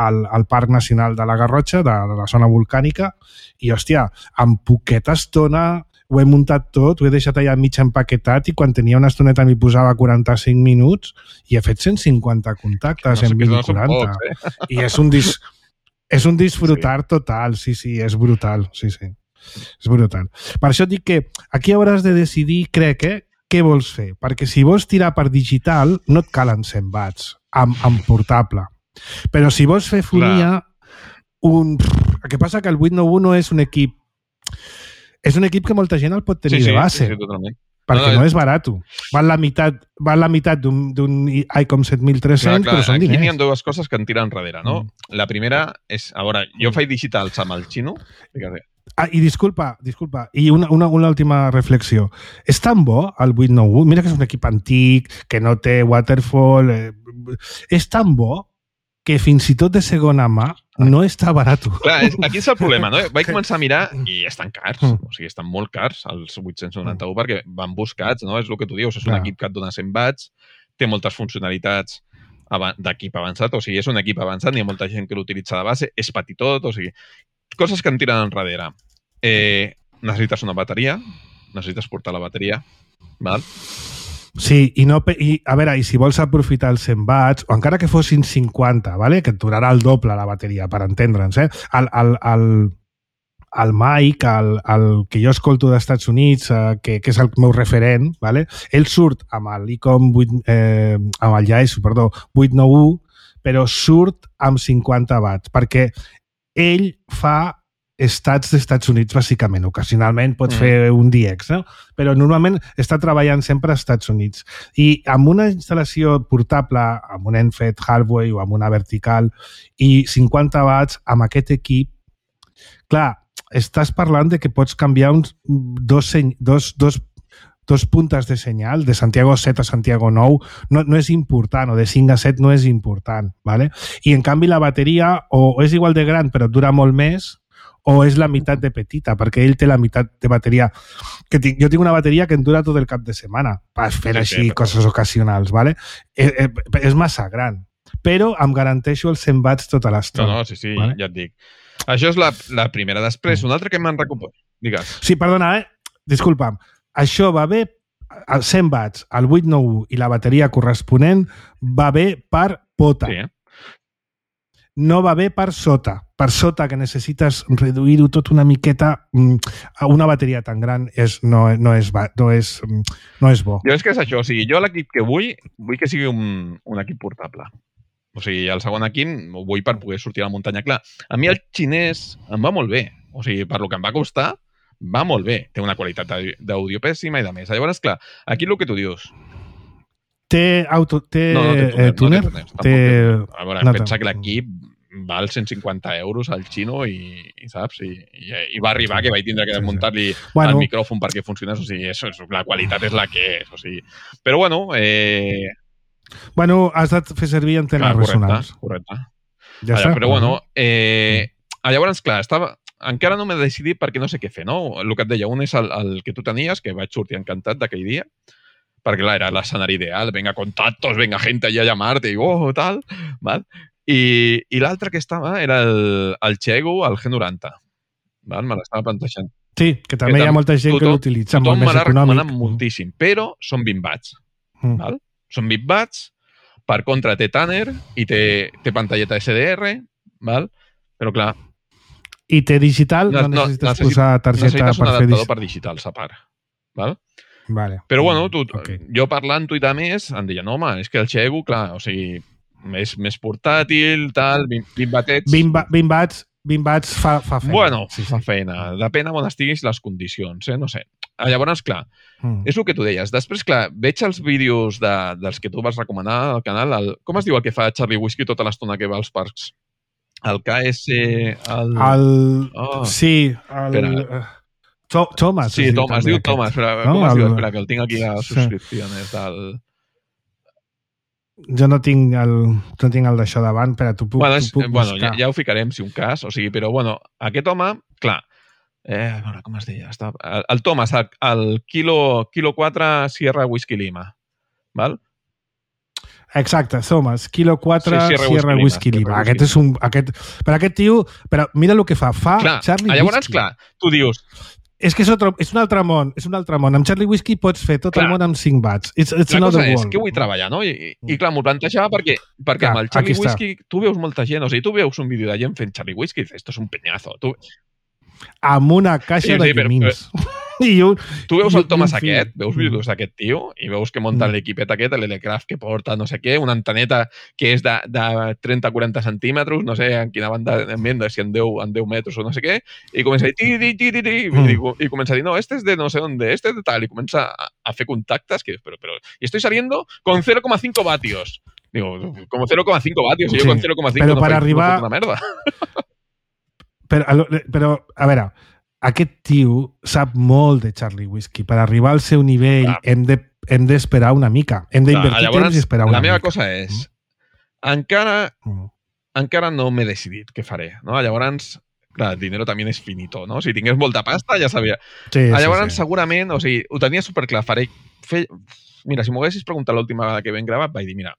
Speaker 4: al, al Parc Nacional de la Garrotxa, de, de la zona volcànica, i, hòstia, en poqueta estona ho he muntat tot, ho he deixat allà mig empaquetat i quan tenia una estoneta m'hi posava quaranta-cinc minuts i he fet cent cinquanta contactes no sé en vint i quaranta. Pocs, eh? I és un dis... És un disfrutar sí. total, sí, sí, és brutal, sí, sí, és brutal. Per això et dic que aquí hauràs de decidir, crec, eh, què vols fer, perquè si vols tirar per digital no et calen cent watts amb, amb portable, però si vols fer fonia, un... el que passa que el vuit nou u no és un equip, és un equip que molta gent el pot tenir
Speaker 5: sí, sí,
Speaker 4: de base.
Speaker 5: Sí, sí, totalment.
Speaker 4: Perquè no, no, no és barat. Val la meitat, val la meitat d'un ICOM set mil tres-cents, però són diners.
Speaker 5: Aquí n'hi ha dues coses que en tiren enrere, no? Mm. La primera és, a veure, jo faig digitals amb el xino.
Speaker 4: Ah, i disculpa, disculpa, i una, una, una última reflexió. És tan bo el vuit nou u, mira que és un equip antic, que no té waterfall, eh, és tan bo que fins i tot de segona mà no està barat.
Speaker 5: Clar, és, aquí és el problema, no? Vaig començar a mirar i estan cars, o sigui, estan molt cars els vuit-cents noranta-u perquè van buscats, no? És el que tu dius, és un equip que et dona cent watts, té moltes funcionalitats d'equip avançat, o sigui, és un equip avançat, n'hi ha molta gent que l'utilitza de base, és petitot, o sigui, coses que en tiren enrere. Eh, necessites una bateria, necessites portar la bateria, val?
Speaker 4: Sí, i, no, i a veure, i si vols aprofitar els cent watts, o encara que fossin cinquanta, ¿vale? Que et durarà el doble la bateria, per entendre'ns, eh? El, el, el, el Mike, el, el que jo escolto dels Estats Units, eh, que, que és el meu referent, ¿vale? Ell surt amb l'ICOM eh, amb el iaeso, perdó, vuit nou u, però surt amb cinquanta watts, perquè ell fa estats dels Estats Units, bàsicament. Ocasionalment pots mm. fer un D X, no? Però normalment està treballant sempre als Estats Units. I amb una instal·lació portable, amb un Enfed Halfway o amb una vertical, i cinquanta watts amb aquest equip, clar, estàs parlant de que pots canviar uns dos, dos, dos, dos puntes de senyal, de Santiago set a Santiago nou, no, no és important, o de cinc a set no és important, ¿vale? I en canvi la bateria o és igual de gran però dura molt més, o és la meitat de petita, perquè ell té la meitat de bateria. Que tinc, jo tinc una bateria que em dura tot el cap de setmana per fer sí, així sí, coses ocasionals, ¿vale? Eh, eh, és massa gran, però em garanteixo els cent watts tota l'estona.
Speaker 5: No, no, sí, sí, ¿vale? Ja et dic. Això és la, la primera. Després, una altra que m'han recuperat. Digues.
Speaker 4: Sí, perdona, eh? Disculpa'm. Això va bé, els cent watts, el vuit nou u i la bateria corresponent va bé per Pota. Sí, eh? No va bé per sota. Per sota, que necessites reduir-ho tot una miqueta, una bateria tan gran és, no, no, és, no, és, no és bo.
Speaker 5: Jo és que és això, o sigui, jo l'equip que vull, vull que sigui un, un equip portable. O sigui, el segon equip ho vull per poder sortir a la muntanya. Clar, a mi el xinès em va molt bé. O sigui, per lo que em va costar, va molt bé. Té una qualitat d'àudio pèssima i de més. Llavors, clar, aquí el que tu dius...
Speaker 4: Té auto... Té,
Speaker 5: no, no té túnel.
Speaker 4: Eh, túnel?
Speaker 5: No té túnel. Té... A veure, no pensa que l'equip val cent cinquanta euros al xino i, i saps? I, i, i va arribar que vaig tindre que desmuntar-li sí, sí. bueno. el micròfon perquè funcionés. O sigui, eso, eso, la qualitat és la que és. O sigui. Però bueno... Eh...
Speaker 4: Bueno, has de fer servir antenes
Speaker 5: clar, correcte,
Speaker 4: resonants.
Speaker 5: Correcte.
Speaker 4: Ja
Speaker 5: Ara, però bueno, eh... llavors, clar, estava... encara no m'he decidit perquè no sé què fer, no? El que et deia, un és el, el que tu tenies, que vaig sortir encantat d'aquell dia, perquè clar, era l'escenari ideal, venga contactos, venga gente allà a llamar-te, i oh, tal, val? I, i l'altre que estava era el, el Chegu, el G noranta, val? Me l'estava plantejant.
Speaker 4: Sí, que també que hi ha molta gent tothom, que l'utilitza, molt més econòmic. Tothom me l'ha recomanat
Speaker 5: moltíssim, però són vint watts, mm. val? Són vint watts, per contra té Tanner i té, té pantalleta S D R, val? Però clar...
Speaker 4: I té digital? No, no necessites necessit, posar targeta
Speaker 5: necessites un
Speaker 4: per
Speaker 5: adaptador
Speaker 4: fer...
Speaker 5: per digital, a part. Val?
Speaker 4: Vale.
Speaker 5: Però bueno, tu,
Speaker 4: okay.
Speaker 5: jo parlant tuitar més, em deien, home, és que el Chegu, clar, o sigui, més, més portàtil, tal, vint, vint batets...
Speaker 4: vint, vint watts, vint watts fa, fa feina.
Speaker 5: Bueno, sí, fa feina. Depèn on estiguis les condicions, eh? No sé. Llavors, clar, mm. és el que tu deies. Després, clar, veig els vídeos de, dels que tu vas recomanar al canal. El, com es diu el que fa Charlie Whiskey tota l'estona que va als parcs? El K S... El...
Speaker 4: el...
Speaker 5: Oh.
Speaker 4: Sí, el... To Thomas.
Speaker 5: Sí, es Thomas, diu Thomas. Però, no? Com es diu? Espera, que el tinc aquí a les subscripcions. Sí. Del...
Speaker 4: Jo no tinc el, no tinc el d'això davant, però tu puc,
Speaker 5: bueno, és,
Speaker 4: tu puc
Speaker 5: bueno,
Speaker 4: buscar.
Speaker 5: Ja, ja ho ficarem, si un cas. O sigui, però, bueno, aquest home, clar, eh, a veure, com es deia? Està, el, el Thomas, el, el kilo, kilo quatre Sierra Whisky Lima, val?
Speaker 4: Exacte, Thomas, Kilo quatre,
Speaker 5: sí, Sierra,
Speaker 4: Sierra
Speaker 5: Whisky,
Speaker 4: Whisky Lima. Lima. Aquest és un... Aquest, però aquest tio... Però mira el que fa. Fa
Speaker 5: clar,
Speaker 4: Charlie
Speaker 5: llavors,
Speaker 4: Whisky.
Speaker 5: Clar, tu dius...
Speaker 4: És que és, otro, és un altre món, és un altre món. Amb Charlie Whisky pots fer tot clar, el món amb cinc watts. It's, it's
Speaker 5: la cosa
Speaker 4: world.
Speaker 5: és que vull treballar, no? I, i clar, m'ho plantejava perquè, perquè clar, amb el Charlie Whisky tu veus molta gent, o sigui, tu veus un vídeo de gent fent Charlie Whisky i dius, esto és un peñazo. Tu...
Speaker 4: Amb una caixa sí, de llamins. I un,
Speaker 5: tu veus el Thomas aquest, veus vídeos d'aquest tio i veus que munta mm. l'equipet aquest, l'Elecraft que porta no sé què, una anteneta que és de, de trenta a quaranta centímetres, no sé en quina banda en venda, si en deu, en deu metres o no sé què, i comença a dir ti, ti, ti, ti, ti, mm. i, i comença a dir, no, este es de no sé dónde, este es de tal, i comença a, a fer contactes, que però, però, y estoy saliendo con cero coma cinco vatios. Digo, como cero coma cinco vatios, y sí. yo con cero coma cinco
Speaker 4: no
Speaker 5: faig
Speaker 4: arribar...
Speaker 5: no una merda.
Speaker 4: Però, però, a veure, aquest tio sap molt de Charlie Whisky. Per arribar al seu nivell clar. hem de hem d'esperar una mica. Hem d'invertir temps i esperar una
Speaker 5: mica. La meva
Speaker 4: mica.
Speaker 5: cosa és, mm. encara, mm. encara no m'he decidit què faré. No? Llavors, clar, el dinero també és finito. No? Si tingués molta pasta, ja sabia.
Speaker 4: Sí,
Speaker 5: Llavors,
Speaker 4: sí, sí.
Speaker 5: segurament, o sigui, ho tenia superclar. Faré, fe... Mira, si m'ho haguessis preguntat l'última vegada que vam gravar, vaig dir, mira,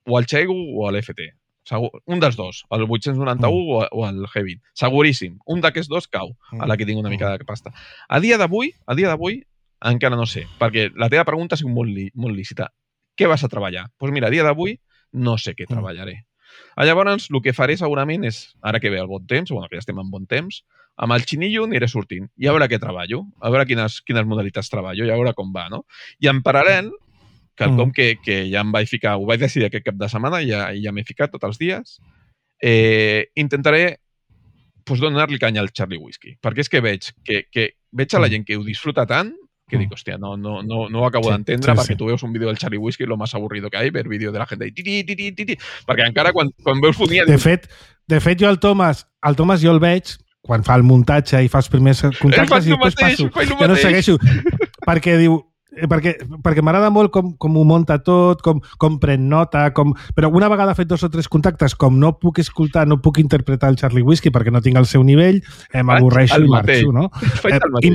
Speaker 5: o el Chegu o l'F T. Segur, un dels dos, el vuit-cents noranta-u mm. o, o el G vint. Seguríssim. Un d'aquests dos cau, a la que tinc una mica de pasta. A dia d'avui, a dia d'avui, encara no sé, perquè la teva pregunta ha sigut molt, li, molt lícita. Què vas a treballar? Doncs pues mira, a dia d'avui no sé què treballaré. Mm. Llavors, el que faré segurament és, ara que ve el bon temps, bueno, que ja estem en bon temps, amb el xinillo aniré sortint i a veure què treballo, a veure quines, quines modalitats treballo i a veure com va, no? I en paral·lel, quelcom mm. que, que ja em vaig ficar, ho vaig decidir aquest cap de setmana i ja, ja m'he ficat tots els dies, eh, intentaré pues, donar-li canya al Charlie Whisky, perquè és que veig que, que veig a la gent que ho disfruta tant que mm. dic, hòstia, no, no, no, no ho acabo sí, d'entendre sí, perquè sí. Tu veus un vídeo del Charlie Whisky lo más aburrido que hay, ver vídeo de la gent de tiri, tiri, tiri, perquè encara quan, quan veus fonia...
Speaker 4: De fet, de fet jo el Thomas, el Thomas jo el veig quan fa el muntatge i fa els primers contactes i després
Speaker 5: mateix,
Speaker 4: passo. Jo no segueixo, perquè diu perquè, perquè m'agrada molt com, com ho munta tot, com, com pren nota, com... però una vegada fet dos o tres contactes, com no puc escoltar, no puc interpretar el Charlie Whisky perquè no tinc el seu nivell, eh, m'avorreixo i marxo, no? Eh, I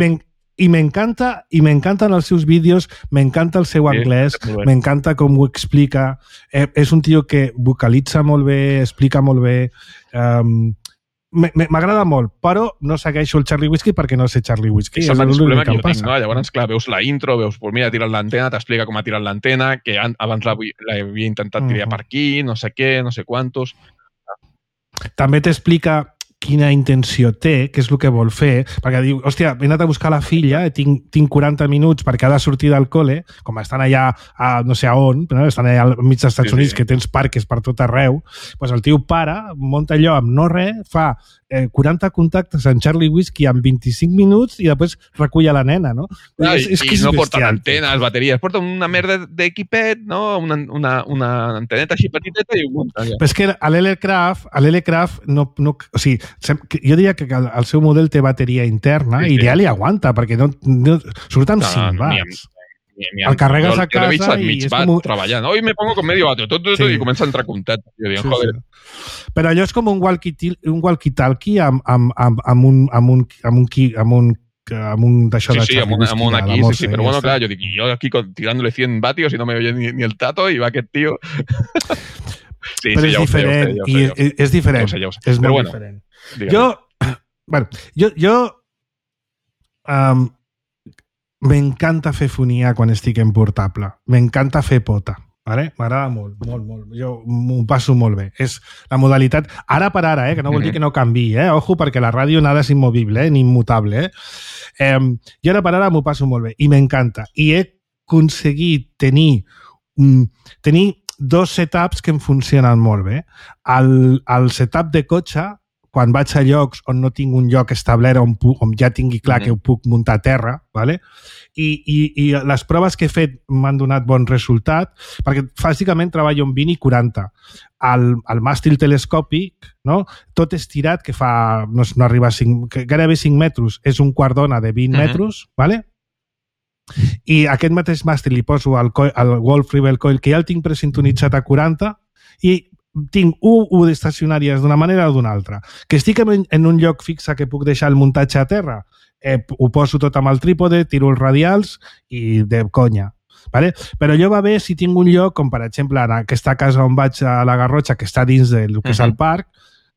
Speaker 4: I m'encanta, i m'encanten els seus vídeos, m'encanta el seu anglès, sí, m'encanta com ho explica, eh, és un tio que vocalitza molt bé, explica molt bé, um, m'agrada molt, però no segueixo el Charlie Whisky perquè no sé Charlie Whisky.
Speaker 5: És el mateix problema que jo tinc, no? Llavors, clar, veus la intro, veus, pues mira, ha tirat l'antena, t'explica com ha tirat l'antena, que abans l'havia intentat tirar per aquí, no sé què, no sé quantos.
Speaker 4: També t'explica quina intenció té, què és el que vol fer, perquè diu, hòstia, he anat a buscar la filla, tinc, tinc quaranta minuts perquè ha de sortir del col·le, com estan allà, a, no sé a on, no? Estan allà al mig dels Estats sí, Units, sí. Que tens parques per tot arreu, doncs el tio para, munta allò amb no res, fa eh, quaranta contactes en Charlie Whiskey en vint-i-cinc minuts i després recull a la nena, no?
Speaker 5: Ah,
Speaker 4: és, és
Speaker 5: I
Speaker 4: que és
Speaker 5: no
Speaker 4: bestial.
Speaker 5: porten antenes, bateries, porten una merda d'equipet, no? Una, una, una anteneta així petiteta i un munta.
Speaker 4: Però és que a l'L-Craft, a l'L-Craft no, no, o sigui, jo diria que el, el seu model té bateria interna
Speaker 5: Sí,
Speaker 4: i
Speaker 5: sí.
Speaker 4: ja li aguanta, perquè no, no surt amb
Speaker 5: No,
Speaker 4: cinc
Speaker 5: no, ni
Speaker 4: watts.
Speaker 5: Ni, ni,
Speaker 4: El carregues
Speaker 5: jo,
Speaker 4: a
Speaker 5: jo l'he vist
Speaker 4: casa
Speaker 5: al
Speaker 4: i
Speaker 5: mig
Speaker 4: és
Speaker 5: bat
Speaker 4: com un-
Speaker 5: treballant. Hoy me pongo con medio vatio, tot, tot, tot,
Speaker 4: Sí.
Speaker 5: i comença a entrar comptat. Jo dic,
Speaker 4: Sí,
Speaker 5: joder.
Speaker 4: sí. Però allò és com un walkie-talkie un walkie amb, amb, amb, amb un amb un amb un, qui- amb un, amb un d'això
Speaker 5: Sí,
Speaker 4: de
Speaker 5: sí, amb
Speaker 4: Charlie
Speaker 5: un, amb un
Speaker 4: Whiskey,
Speaker 5: aquí,
Speaker 4: la
Speaker 5: sí,
Speaker 4: Morse,
Speaker 5: sí,
Speaker 4: i
Speaker 5: pero
Speaker 4: ja
Speaker 5: bueno,
Speaker 4: està.
Speaker 5: claro, yo digo, yo aquí con- tirándole cien vatios y no me oye ni, ni el tato y va aquest tío. Sí,
Speaker 4: Però
Speaker 5: sí,
Speaker 4: és
Speaker 5: ja ho sé, ja ho sé,
Speaker 4: diferent,
Speaker 5: ja ho sé,
Speaker 4: i
Speaker 5: ja ho sé.
Speaker 4: és, és diferent,
Speaker 5: Ja ho sé, ja ho sé.
Speaker 4: és
Speaker 5: Però
Speaker 4: molt
Speaker 5: bueno,
Speaker 4: diferent.
Speaker 5: Digue'm.
Speaker 4: Jo, bueno, jo, jo um, m'encanta fer fonia quan estic en portable. M'encanta fer pota. Vale? M'agrada molt, molt, molt. Jo m'ho passo molt bé. És la modalitat, ara per ara, eh, que no vol dir que no canvi, eh? Ojo, perquè la ràdio nada és immovible, eh? Ni immutable. Eh? Eh, jo ara per ara m'ho passo molt bé i m'encanta. I he aconseguit tenir, mm, tenir dos setups que em funcionen molt bé. El, el setup de cotxe, quan vaig a llocs on no tinc un lloc establert on, pu- on ja tingui clar
Speaker 5: Mhm.
Speaker 4: que ho puc muntar a terra, ¿vale? I, i, i les proves que he fet m'han donat bon resultat, perquè bàsicament treballo amb vint i quaranta. El, el màstil telescòpic, no? Tot estirat, que fa, no, no arriba a cinc, que gairebé cinc metres, és un quart d'ona de vint
Speaker 5: Mhm.
Speaker 4: metres, ¿vale? I aquest mateix màstil li poso el, coil, el Wolf Rebel Coil, que ja el tinc presintonitzat a quaranta, i tinc un U d'estacionàries d'una manera o d'una altra. Que estic en, en un lloc fixe que puc deixar el muntatge a terra, eh, ho poso tot amb el trípode, tiro els radials i de conya. Vale? Però allò va bé si tinc un lloc, com per exemple en aquesta casa on vaig a la Garrotxa, que està dins del que és el parc,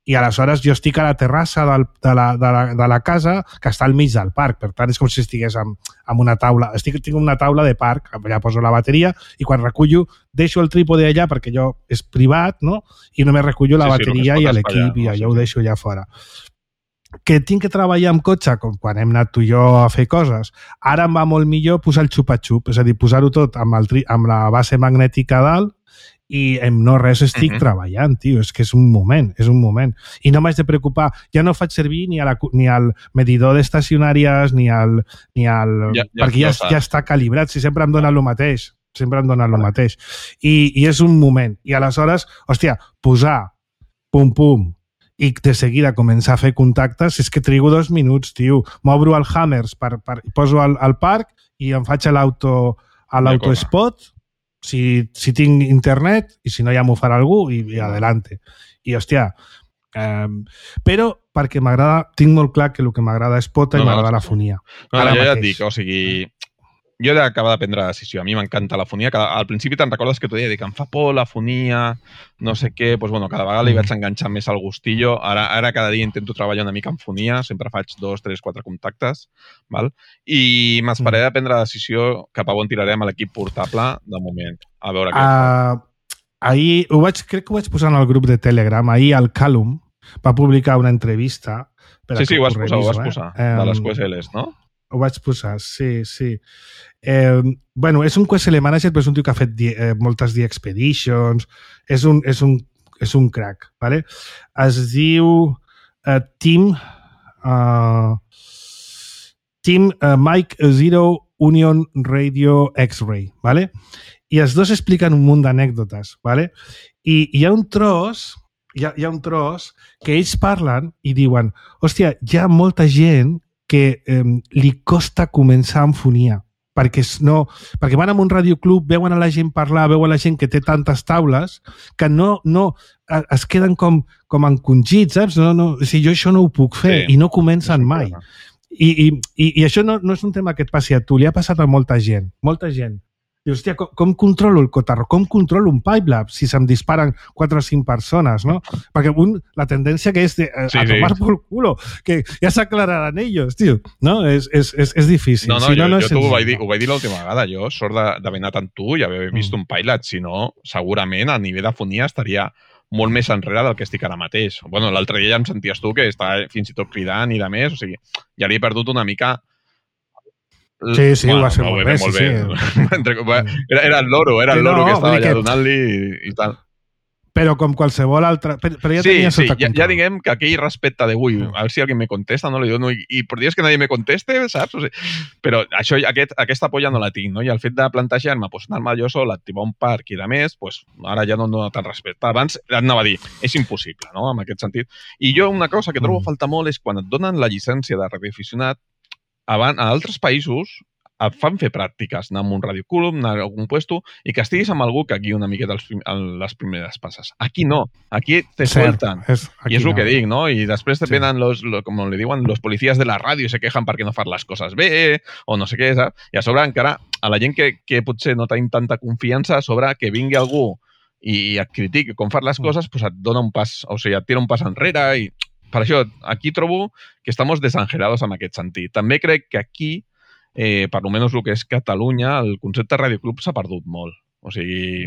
Speaker 4: i aleshores jo estic a la terrassa del, de, la, de, la, de la casa que està al mig del parc, per tant és com si estigués amb, amb una taula, estic, tinc una taula de parc, allà poso la bateria i quan recullo deixo el trípode allà perquè jo és privat, no? I només recullo la
Speaker 5: Sí, sí,
Speaker 4: bateria
Speaker 5: només
Speaker 4: i
Speaker 5: pot
Speaker 4: l'equip
Speaker 5: espatllar,
Speaker 4: i
Speaker 5: no?
Speaker 4: allò
Speaker 5: Sí,
Speaker 4: ho
Speaker 5: sí.
Speaker 4: deixo allà fora. Que tinc que treballar amb cotxe, com quan hem anat tu i jo a fer coses, ara em va molt millor posar el xupa-xup, és a dir, posar-ho tot amb, el tri, amb la base magnètica a dalt i en no res estic uh
Speaker 5: Mhm.
Speaker 4: -huh. treballant, tio, és que és un moment, és un moment. I no m'haig de preocupar, ja no faig servir ni, a la, ni al medidor d'estacionàries ni al... Ni al
Speaker 5: Ja- ja-
Speaker 4: perquè ja,
Speaker 5: ja
Speaker 4: ja,
Speaker 5: saps.
Speaker 4: està calibrat, si sempre em dona el mateix, sempre em dona el mateix. I, I és un moment. I aleshores, hòstia, posar pum, pum, i de seguida començar a fer contactes, és que trigo dos minuts, tio. M'obro el Hammers, per, per, poso al, al parc i em faig a l'auto a l'autospot, si, si tinc internet, i si no ja m'ho farà algú, i, i adelante. I, hòstia, eh, però perquè m'agrada, tinc molt clar que el que m'agrada és pota
Speaker 5: No,
Speaker 4: i
Speaker 5: no,
Speaker 4: m'agrada
Speaker 5: sí,
Speaker 4: la
Speaker 5: sí.
Speaker 4: fonia.
Speaker 5: No,
Speaker 4: Ara
Speaker 5: no, jo ja et
Speaker 4: mateix.
Speaker 5: dic, o sigui, jo he d'acabar de prendre la decisió. A mi m'encanta la fonia. Cada, al principi te'n recordes que t'ho deia, que em fa por la fonia, no sé què, doncs, bueno, cada vegada li
Speaker 4: Mm.
Speaker 5: vaig enganxar més al gustillo. Ara, ara cada dia intento treballar una mica en fonia, sempre faig dos, tres, quatre contactes, val? I m'esperaré de prendre la decisió cap a on tirarem a l'equip portable de moment. A veure què fa.
Speaker 4: Uh, ahir, ho vaig, crec que ho vaig posar en el grup de Telegram, ahir el Callum va publicar una entrevista. Espera
Speaker 5: Sí, sí,
Speaker 4: que
Speaker 5: ho vas posar, ho vas
Speaker 4: reviso,
Speaker 5: posar,
Speaker 4: eh?
Speaker 5: de les
Speaker 4: Em,
Speaker 5: Q S Ls, no?
Speaker 4: Ho vaig posar, sí, sí. Eh, bueno, és un Q S L Manager, però és un tio que ha fet die, eh, moltes The Expeditions, és un, és un, és un crack, ¿vale? Es diu eh, Tim uh, Tim uh, Mike Zero Union Radio X-Ray, ¿vale? I els dos expliquen un munt d'anècdotes, ¿vale? I hi ha un tros, hi ha, hi ha un tros que ells parlen i diuen, hòstia, hi ha molta gent que eh, li costa començar amb fonia, perquè, no, perquè van a un radioclub, veuen a la gent parlar, veuen a la gent que té tantes taules, que no, no eh, es queden com, com encongits, saps? No, no, o sigui, jo això no ho puc fer,
Speaker 5: Sí,
Speaker 4: i no comencen mai. I, i, i, I això no, no és un tema que et passi a tu, li ha passat a molta gent, molta gent. I, hòstia, com, com controlo el cotarro? Com controlo un Pipelab si se'm disparen quatre o cinc persones, no? Perquè un, la tendència que és de, eh,
Speaker 5: Sí,
Speaker 4: a tomar
Speaker 5: sí.
Speaker 4: por culo, que ja s'aclararan ells, tio. No? És, és, és, és difícil.
Speaker 5: No, no,
Speaker 4: si
Speaker 5: jo,
Speaker 4: no, no
Speaker 5: jo
Speaker 4: és
Speaker 5: t'ho
Speaker 4: senzill,
Speaker 5: vaig dir,
Speaker 4: no.
Speaker 5: ho vaig dir l'última vegada. Jo, sort de- d'haver anat amb tu i haver vist
Speaker 4: Mm.
Speaker 5: un pilot. Si no, segurament a nivell de fonia estaria molt més enrere del que estic ara mateix. Bueno, l'altre dia ja em senties tu que estava fins i tot cridant i de més, o sigui, ja li he perdut una mica...
Speaker 4: Sí, sí, ho va fer molt bé,
Speaker 5: molt
Speaker 4: sí,
Speaker 5: bé.
Speaker 4: sí.
Speaker 5: Entre- Era, era el loro, era el
Speaker 4: Sí,
Speaker 5: loro
Speaker 4: no,
Speaker 5: que estava
Speaker 4: vull dir
Speaker 5: allà
Speaker 4: que-
Speaker 5: donant-li i, i tal.
Speaker 4: però com qualsevol altra... Però, però ja
Speaker 5: sí,
Speaker 4: tenia
Speaker 5: sí,
Speaker 4: sota
Speaker 5: ja,
Speaker 4: control.
Speaker 5: ja diguem que aquell respecte de, ui, a ver si alguien me contesta, no? Digo, no, i, i por Dios que nadie me conteste, saps? O sigui, però això, aquest, aquesta por ja no la tinc, no? I el fet de plantejar-me, pues, anar-me jo sol, activar un parc i de més, pues, ara ja no em dona tant respecte. Abans anava a dir, és impossible, no?, en aquest sentit. I jo una cosa que trobo a falta molt és quan et donen la llicència de radioaficionat, abans, a altres països et fan fer pràctiques, anar a un radioclub, anar a algun puesto, i que estiguis amb algú que aquí una miqueta els, les primeres passes. Aquí no, aquí te sueltan.
Speaker 4: És,
Speaker 5: I és el
Speaker 4: no.
Speaker 5: que dic, no? I després te
Speaker 4: Sí.
Speaker 5: venen, los, lo, com li diuen, los policías de la ràdio se quejan perquè no fan les coses bé, o no sé què, saps? I a sobre encara, a la gent que, que potser no tenim tanta confiança, a sobre que vingui algú i et critiqui com fan les coses, pues et dona un pas, o sigui, et tira un pas enrere i per això, aquí trobo que estamos desangelados en aquest sentit. També crec que aquí, eh, per almenys el que és Catalunya, el concepte de radioclub s'ha perdut molt. O sigui,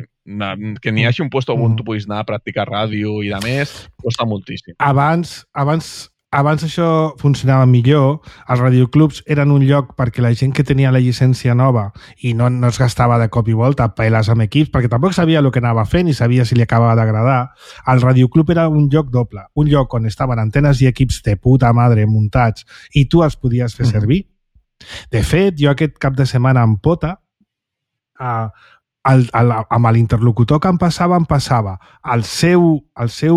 Speaker 5: que n'hi hagi un lloc on tu puguis anar a practicar ràdio i de més, costa moltíssim.
Speaker 4: Abans, abans, abans això funcionava millor. Els radioclubs eren un lloc perquè la gent que tenia la llicència nova i no, no es gastava de cop i volta a peles amb equips, perquè tampoc sabia el que anava fent i sabia si li acabava d'agradar. El radioclub era un lloc doble, un lloc on estaven antenes i equips de puta madre muntats i tu els podies fer servir. De fet, jo aquest cap de setmana en Pota, uh, el, el, amb l'interlocutor que em passava, em passava el seu, el seu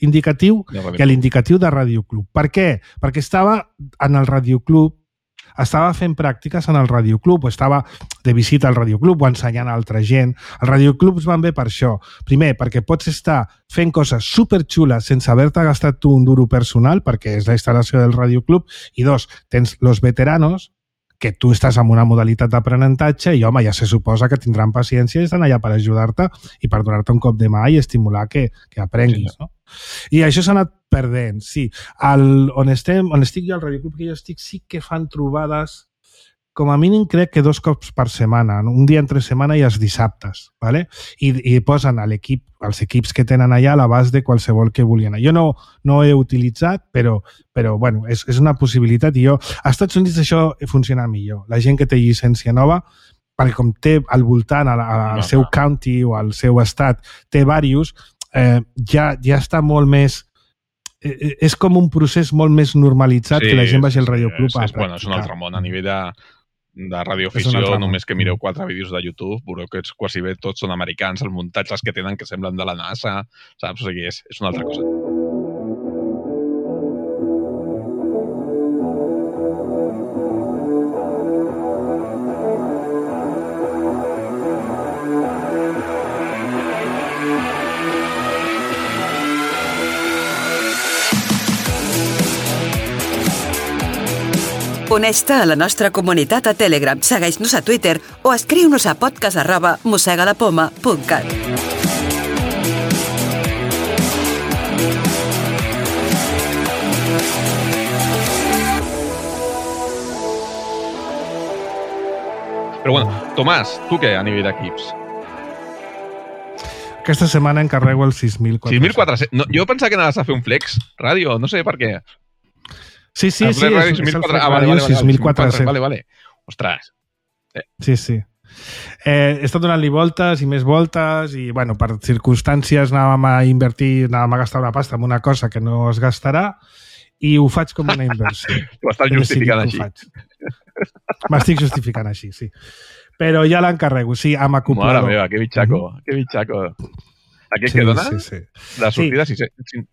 Speaker 4: indicatiu i l'indicatiu de radioclub. Per què? Perquè estava en el radioclub, estava fent pràctiques en el radioclub, o estava de visita al radioclub o ensenyant a altra gent. Els radioclubs van bé per això. Primer, perquè pots estar fent coses superxules sense haver-te gastat tu un duro personal, perquè és la instal·lació del radioclub, i dos, tens los veteranos, que tu estàs en una modalitat d'aprenentatge i, home, ja se suposa que tindran paciència i estan allà per ajudar-te i per donar-te un cop de mà i estimular que, que aprenguis, no? I això s'ha anat perdent, sí. El, on, estem, on estic jo, al radioclub que jo estic, sí que fan trobades, com a mínim crec que dos cops per setmana, no? Un dia entre setmana i els dissabtes, ¿vale? I, i posen a l'equip, els equips que tenen allà a l'abast de qualsevol que vulguin. Jo no, no he utilitzat, però, però bueno, és, és una possibilitat i jo... Als Estats Units això funciona millor. La gent que té llicència nova, perquè com té al voltant, al, al seu county o al seu estat, té diversos, eh, ja, ja està molt més... Eh, és com un procés molt més normalitzat sí, que la gent vagi al radioclub
Speaker 5: sí,
Speaker 4: a
Speaker 5: és, bueno, és un altre món a nivell de, de radioafició, només que mireu quatre vídeos de YouTube, veureu que quasi bé tots són americans, els muntatges que tenen que semblen de la NASA, saps? O sigui, és, és una altra cosa.
Speaker 6: Uneix-te a la nostra comunitat a Telegram, segueix-nos a Twitter o escriu-nos a podcast arroba mossegalapoma punt cat.
Speaker 5: Però bueno, Tomàs, tu què a nivell d'equips?
Speaker 4: Aquesta setmana encarrego el sis mil quatre-cents.
Speaker 5: sis mil quatre-cents? No, jo pensava que anaves a fer un flex ràdio, no sé per què.
Speaker 4: Sí, sí, sí, és, és el Flex
Speaker 5: ah, vale,
Speaker 4: Ràdio
Speaker 5: vale,
Speaker 4: sis mil quatre-cents.
Speaker 5: Vale, vale. Ostres.
Speaker 4: Eh. Sí, sí. Eh, he estat donant-li voltes i més voltes i, bueno, per circumstàncies anàvem a invertir, anàvem a gastar una pasta en una cosa que no es gastarà i ho faig com una inversió.
Speaker 5: Ho estàs justificant així.
Speaker 4: M'estic justificant així, sí. Però ja l'encarrego, sí, amb acoplador.
Speaker 5: Mare meva, que bitxaco, mm-hmm. que bitxaco. Aquest sí, que dona? Sí, sí. De sortida, sí. sí, sí.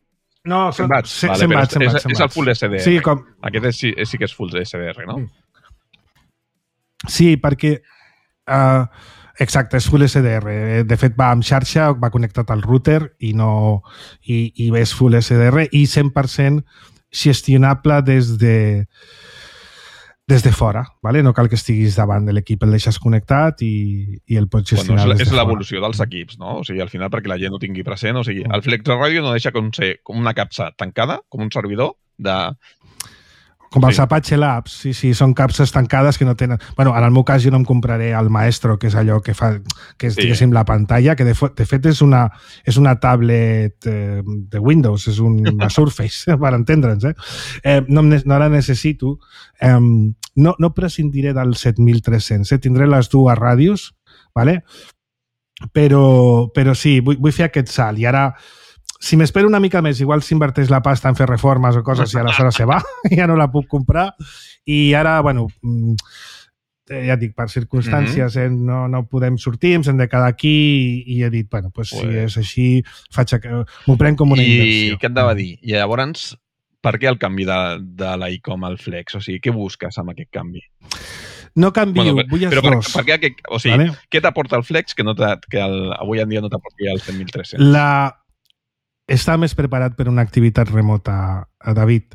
Speaker 4: No, són
Speaker 5: cent watts. Vale,
Speaker 4: watts,
Speaker 5: és, és, és el full S D R.
Speaker 4: Sí, com...
Speaker 5: Aquest és, sí, sí que és full S D R, no?
Speaker 4: Sí, perquè... Uh, exacte, és full S D R. De fet, va amb xarxa, va connectat al router i, no, i, i és full S D R i cent per cent gestionable des de... des de fora, ¿vale? No cal que estiguis davant de l'equip, el deixes connectat i, i el pots gestionar
Speaker 5: bueno, és,
Speaker 4: des de
Speaker 5: és
Speaker 4: fora.
Speaker 5: l'evolució dels equips, no? O sigui, al final, perquè la gent ho tingui present, o sigui, el Flex Ràdio no deixa com ser com una capsa tancada, com un servidor de...
Speaker 4: Com els
Speaker 5: sí.
Speaker 4: Apache Labs, sí, sí, són capses tancades que no tenen... Bueno, en el meu cas jo no em compraré el Maestro, que és allò que fa, que és, sí. diguéssim, la pantalla, que de, de fet és una, és una tablet eh, de Windows, és una Surface, per entendre'ns, eh? eh no, no la necessito. Eh, no, no prescindiré del set mil tres-cents, eh? Tindré les dues ràdios, ¿vale? però, però sí, vull, vull fer aquest salt. I ara, si m'espero una mica més, igual s'inverteix la pasta en fer reformes o coses i aleshores se va, ja no la puc comprar. I ara, bueno, ja et dic, per circumstàncies mm-hmm. eh, no, no podem sortir, ens hem de quedar aquí i, i he dit, bueno, pues, si és així, faig a... m'ho prenc com una
Speaker 5: I
Speaker 4: inversió.
Speaker 5: I què et anava a dir? I llavors, per què el canvi de, de l'Icom al Flex? O sigui, què busques amb aquest canvi?
Speaker 4: No canvio, bueno, vull els
Speaker 5: però
Speaker 4: dos.
Speaker 5: Per, per què, o sigui, vale? Què t'aporta el Flex que, no que el, avui en dia no t'aporta el set mil tres-cents?
Speaker 4: La... Està més preparat per una activitat remota, David.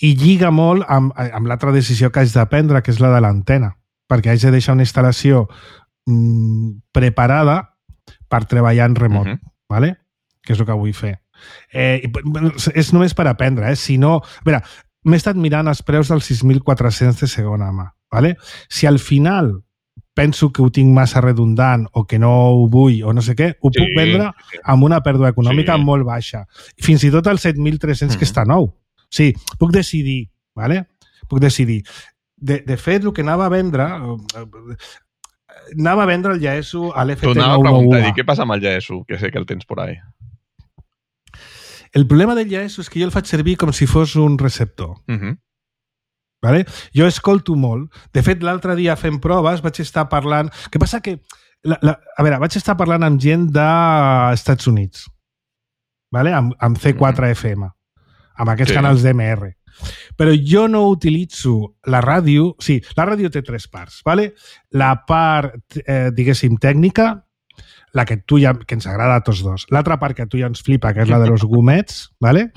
Speaker 4: I lliga molt amb, amb l'altra decisió que haig de prendre, que és la de l'antena. Perquè haig de deixar una instal·lació mmm, preparada per treballar en remot. Uh-huh. ¿Vale? Que és el que vull fer. Eh, és només per aprendre. Eh? Si no... A veure, m'he estat mirant els preus dels sis mil quatre-cents de segona mà. ¿Vale? Si al final penso que ho tinc massa redundant o que no ho vull o no sé què, ho sí, puc vendre sí. amb una pèrdua econòmica sí. molt baixa. Fins i tot el set mil tres-cents mm-hmm. que està nou. Sí, puc decidir, ¿vale? Puc decidir. De, de fet, el que anava a vendre anava a vendre el Yaesu a l'F T nou nou u.
Speaker 5: T'ho anava a preguntar, i què passa amb el Yaesu? Que sé que el tens por ahí.
Speaker 4: El problema del Yaesu és que jo el faig servir com si fos un receptor. Mhm. Vale? Jo escolto molt. De fet, l'altre dia fent proves vaig estar parlant... Què passa que... La, la, a veure, vaig estar parlant amb gent dels Estats Units, vale? amb, amb C quatre F M, amb aquests sí. canals d'M R. Però jo no utilitzo la ràdio... Sí, la ràdio té tres parts. Vale? La part, eh, diguéssim, tècnica, la que tu ja, que ens agrada a tots dos. L'altra part que tu ja ens flipa, que és la de los gomets, vale?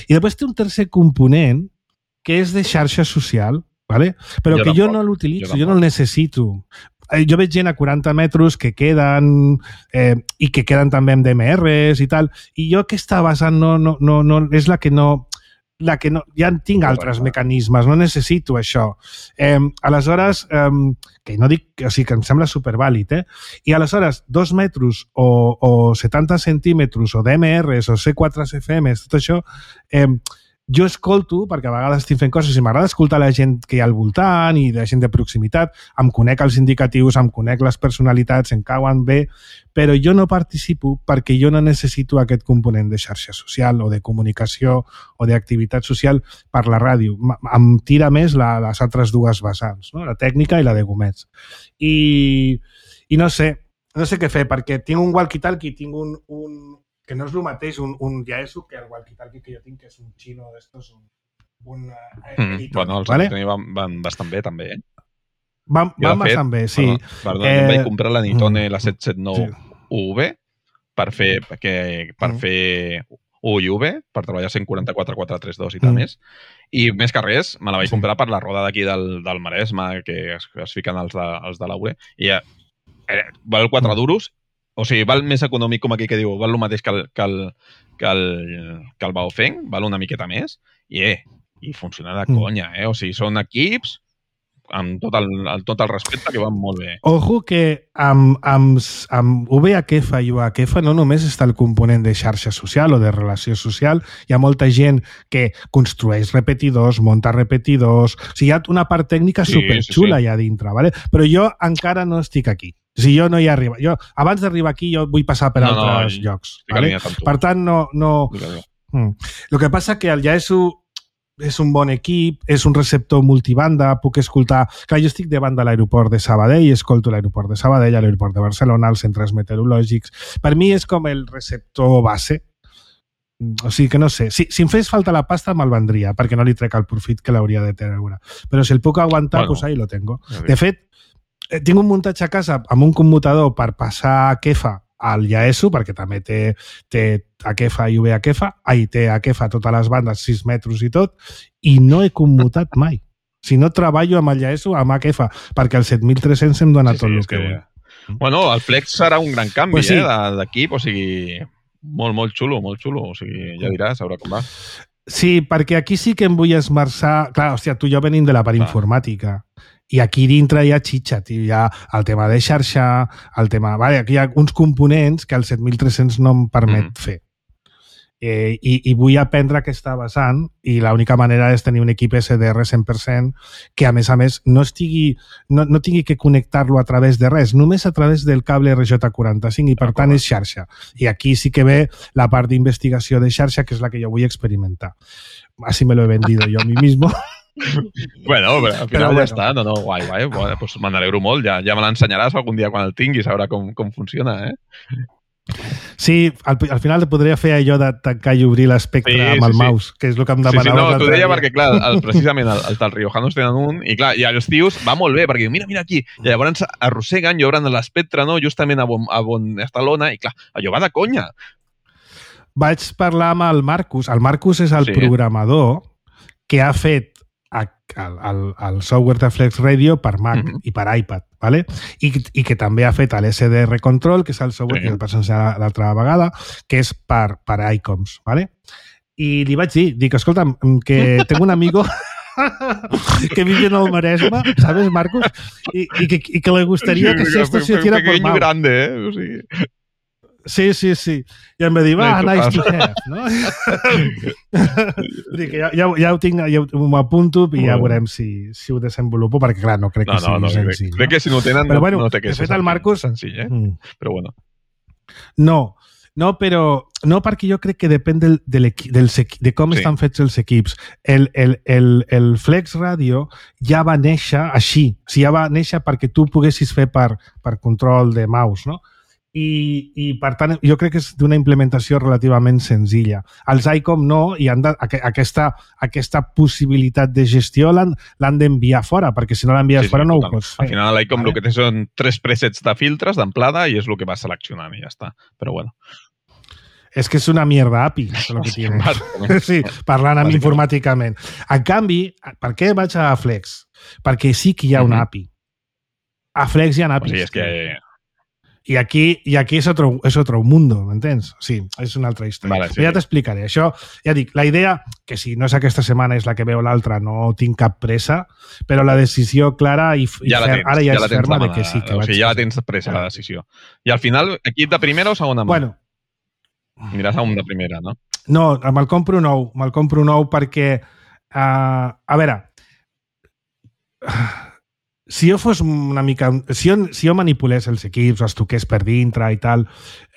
Speaker 4: I després té un tercer component que és de xarxa social, ¿vale? Però jo que jo no l'utilitzo, jo, jo no el necessito. Jo veig gent a quaranta metres que queden eh, i que queden també amb D M Rs i tal, i jo aquesta base no, no, no, no, és la que no... la que no, ja en tinc altres mecanismes, no necessito això. Eh, aleshores, eh, que no dic, o sigui, que em sembla supervàlid, eh? I aleshores, dos metres o, o setanta centímetres o D M Rs o C quatre F Ms, tot això, eh, jo escolto, perquè a vegades estic fent coses i m'agrada escoltar la gent que hi ha al voltant i la gent de proximitat, em conec els indicatius, em conec les personalitats, em cauen bé, però jo no participo perquè jo no necessito aquest component de xarxa social o de comunicació o d'activitat social per la ràdio. Em tira més la, les altres dues vessants, no? La tècnica i la de gomets. I, i no sé, no sé què fer, perquè tinc un walkie-talkie, tinc un... un que no és el mateix un, un Yaesu que el walkie-talkie que jo tinc, que és un xino d'estos, un... un eh,
Speaker 5: mm, bueno, els ¿vale? van, van bastant bé, també, eh?
Speaker 4: Van, van bastant bé, sí.
Speaker 5: Perdó, perdó eh, em vaig comprar la Nitone, mm, la set set nou U V, per fer, perquè, per mm. fer U I U V, per treballar cent quaranta-quatre quatre trenta dos i tal mm. més. I més que res, me la vaig sí. comprar per la roda d'aquí del, del Maresme, que es, es fiquen els de, els de l'Aure, i ja, eh, val quatre mm. duros. O sigui, val més econòmic, com aquí que diu, val el mateix que el, que el, que el, que el Baofeng, val una miqueta més, i, eh, i funciona de conya, eh? O sigui, són equips amb tot el, el, tot el respecte que van molt bé.
Speaker 4: Ojo que amb, amb, amb U V H F i U H F no només està el component de xarxa social o de relació social, hi ha molta gent que construeix repetidors, munta repetidors, o sigui, hi ha una part tècnica sí, superxula sí, sí. allà dintre, ¿vale? Però jo encara no estic aquí. Si jo no hi arribo. Jo, abans d'arribar aquí, jo vull passar per no, altres no, llocs. Vale? Per tant, no... no... Mm. El que passa que el Yaesu és un bon equip, és un receptor multibanda, puc escoltar... Clar, jo estic davant de l'aeroport de Sabadell, escolto l'aeroport de Sabadell, l'aeroport de Barcelona, els centres meteorològics... Per mi és com el receptor base. O sigui que no sé. Si, si em fes falta la pasta, me'l vendria, perquè no li trec el profit que l'hauria de treure. Però si el puc aguantar, bueno, pues ahí lo tengo. De fet, tinc un muntatge a casa amb un commutador per passar a Kefa al Yaesu, perquè també té, té a Kefa i U V H F, ai, té a Kefa totes les bandes, sis metres i tot, i no he commutat mai. Si no treballo amb el Yaesu, amb A K F, perquè el set mil tres-cents em dona sí, tot sí, el que, que vull.
Speaker 5: Bueno, el Flex serà un gran canvi pues sí. eh, d'equip, o sigui, molt, molt xulo, molt xulo, o sigui, ja diràs, a veure com va.
Speaker 4: Sí, perquè aquí sí que em vull esmerçar... Clar, hòstia, tu i jo venim de la part ah. informàtica. I aquí dintre hi ha xitxa, tio. Hi ha el tema de xarxa, el tema... Vale, aquí hi ha uns components que el set mil tres-cents no em permet mm. fer. eh, i, i vull aprendre aquesta vessant i l'única manera és tenir un equip S D R cent per cent que, a més a més, no estigui no, no tingui que connectar-lo a través de res, només a través del cable R J quaranta-cinc i, per tant, és xarxa. I aquí sí que ve la part d'investigació de xarxa, que és la que jo vull experimentar. Así me lo he vendido yo a mí mismo.
Speaker 5: Bueno, però al final
Speaker 4: Però
Speaker 5: ja
Speaker 4: bueno.
Speaker 5: està. No, no, guai, guai. Bueno, pues me n'alegro molt. Ja, ja me l'ensenyaràs algun dia quan el tinguis, a veure com, com funciona, eh?
Speaker 4: Sí, al, al final te podria fer allò de tancar i obrir l'espectre
Speaker 5: Sí,
Speaker 4: amb
Speaker 5: sí,
Speaker 4: el
Speaker 5: sí.
Speaker 4: mouse, que és el que em
Speaker 5: Sí, sí,
Speaker 4: demanava
Speaker 5: no, t'ho deia
Speaker 4: dia.
Speaker 5: perquè, clar, el, precisament el, el tal Riojanos tenen un, i clar, i els tios va molt bé, perquè mira, mira aquí, i llavors arrosseguen i obren l'espectre, no?, justament a on, a on està l'ona, i clar, allò va de conya.
Speaker 4: Vaig parlar amb el Marcus. El Marcus és el
Speaker 5: Sí.
Speaker 4: programador que ha fet a, el, el, el software de Flex Radio per Mac
Speaker 5: Mhm.
Speaker 4: i per iPad, ¿vale? I, i que també ha fet l'S D R Control, que és el software
Speaker 5: Sí.
Speaker 4: que vaig ensenyar l'altra vegada, que és per, per iComs, ¿vale? I li vaig dir, dic, escolta'm, que tengo un amigo que vive en el Maresme, ¿sabes, Marcus? Y, y, que, y que le gustaría que si esto se hiciera por
Speaker 5: pequeño
Speaker 4: mouse.
Speaker 5: grande, eh? O sigui...
Speaker 4: Sí, sí, sí. I em va dir, va,
Speaker 5: No hi
Speaker 4: nice to
Speaker 5: passa.
Speaker 4: have, no? Dic, ja, ja, ja ho tinc, ja m'ho apunto i ja
Speaker 5: Bueno.
Speaker 4: veurem si, si ho desenvolupo, perquè, clar, no crec
Speaker 5: No,
Speaker 4: que sigui
Speaker 5: no, no, crec,
Speaker 4: senzill.
Speaker 5: crec que si no ho tenen,
Speaker 4: Però,
Speaker 5: no,
Speaker 4: bueno,
Speaker 5: no té que
Speaker 4: de
Speaker 5: ser
Speaker 4: fet, el Marcus-
Speaker 5: senzill, eh?
Speaker 4: Mm.
Speaker 5: Però bueno.
Speaker 4: No, no, però no, perquè jo crec que depèn del, del equi, del, de com
Speaker 5: Sí.
Speaker 4: estan fets els equips. El, el, el, el Flex Radio ja va néixer així. O sigui, ja va néixer perquè tu poguessis fer per, per control de mouse, no? I, i per tant, jo crec que és d'una implementació relativament senzilla. Els ICOM no, i han de, aqu aquesta, aquesta possibilitat de gestió l'han l'han d'enviar fora, perquè si no l'envies
Speaker 5: Sí, sí,
Speaker 4: fora no
Speaker 5: total.
Speaker 4: ho pots fer.
Speaker 5: Al final l'ICOM
Speaker 4: Vale.
Speaker 5: el que té són tres presets de filtres d'amplada i és el que vas seleccionant i ja està. Però bueno.
Speaker 4: És que és una mierda A P I, és el que
Speaker 5: Sí,
Speaker 4: tiene.
Speaker 5: bàsicament.
Speaker 4: Sí, parlant amb
Speaker 5: Bàsicament.
Speaker 4: informàticament. En canvi, per què vaig a Flex? Perquè sí que hi ha una
Speaker 5: Mhm.
Speaker 4: A P I. A Flex hi ha
Speaker 5: O
Speaker 4: A P Is.
Speaker 5: sigui, és que...
Speaker 4: I aquí, i aquí és otro, és otro mundo, m'entens? Sí, és una altra història.
Speaker 5: Vale, sí.
Speaker 4: Però ja t'explicaré. Això, ja dic, la idea, que si no és aquesta setmana és la que veu l'altra, no tinc cap pressa, però la decisió clara i, i
Speaker 5: Ja la
Speaker 4: fer,
Speaker 5: tens,
Speaker 4: ara ja,
Speaker 5: ja la
Speaker 4: és
Speaker 5: tens
Speaker 4: ferma de
Speaker 5: demanada.
Speaker 4: que sí, que
Speaker 5: o
Speaker 4: vaig
Speaker 5: sigui, ja la
Speaker 4: fer.
Speaker 5: tens presa, la decisió. I al final, equip de primera o segona mà?
Speaker 4: Bueno,
Speaker 5: Aniràs a un de primera, no?
Speaker 4: no, me'l compro nou. Me'l compro nou perquè, uh, a veure, si jo fos una mica... Si jo, si jo manipulés els equips, els toqués per dintre i tal,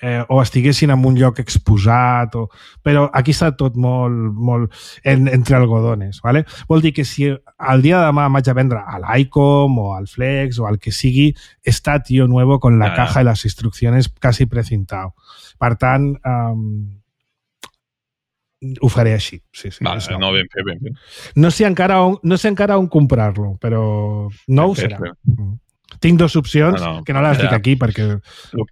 Speaker 4: eh, o estiguessin en un lloc exposat, o, però aquí està tot molt, molt en, entre algodones, ¿vale? Vol dir que si el dia de demà vaig a vendre a l'ICOM o al Flex o al que sigui, està tío nuevo con la
Speaker 5: Ah.
Speaker 4: caja y las instrucciones casi precintado. Per tant, um, ho faré així. Sí, sí,
Speaker 5: Vale,
Speaker 4: és nou.
Speaker 5: no, ben fet, ben fet.
Speaker 4: No sé encara on, no sé encara on comprar-lo, però no ho
Speaker 5: Ben fet,
Speaker 4: serà.
Speaker 5: ben
Speaker 4: Mm. Tinc dues opcions,
Speaker 5: No, no,
Speaker 4: que no les
Speaker 5: ja.
Speaker 4: dic aquí, perquè...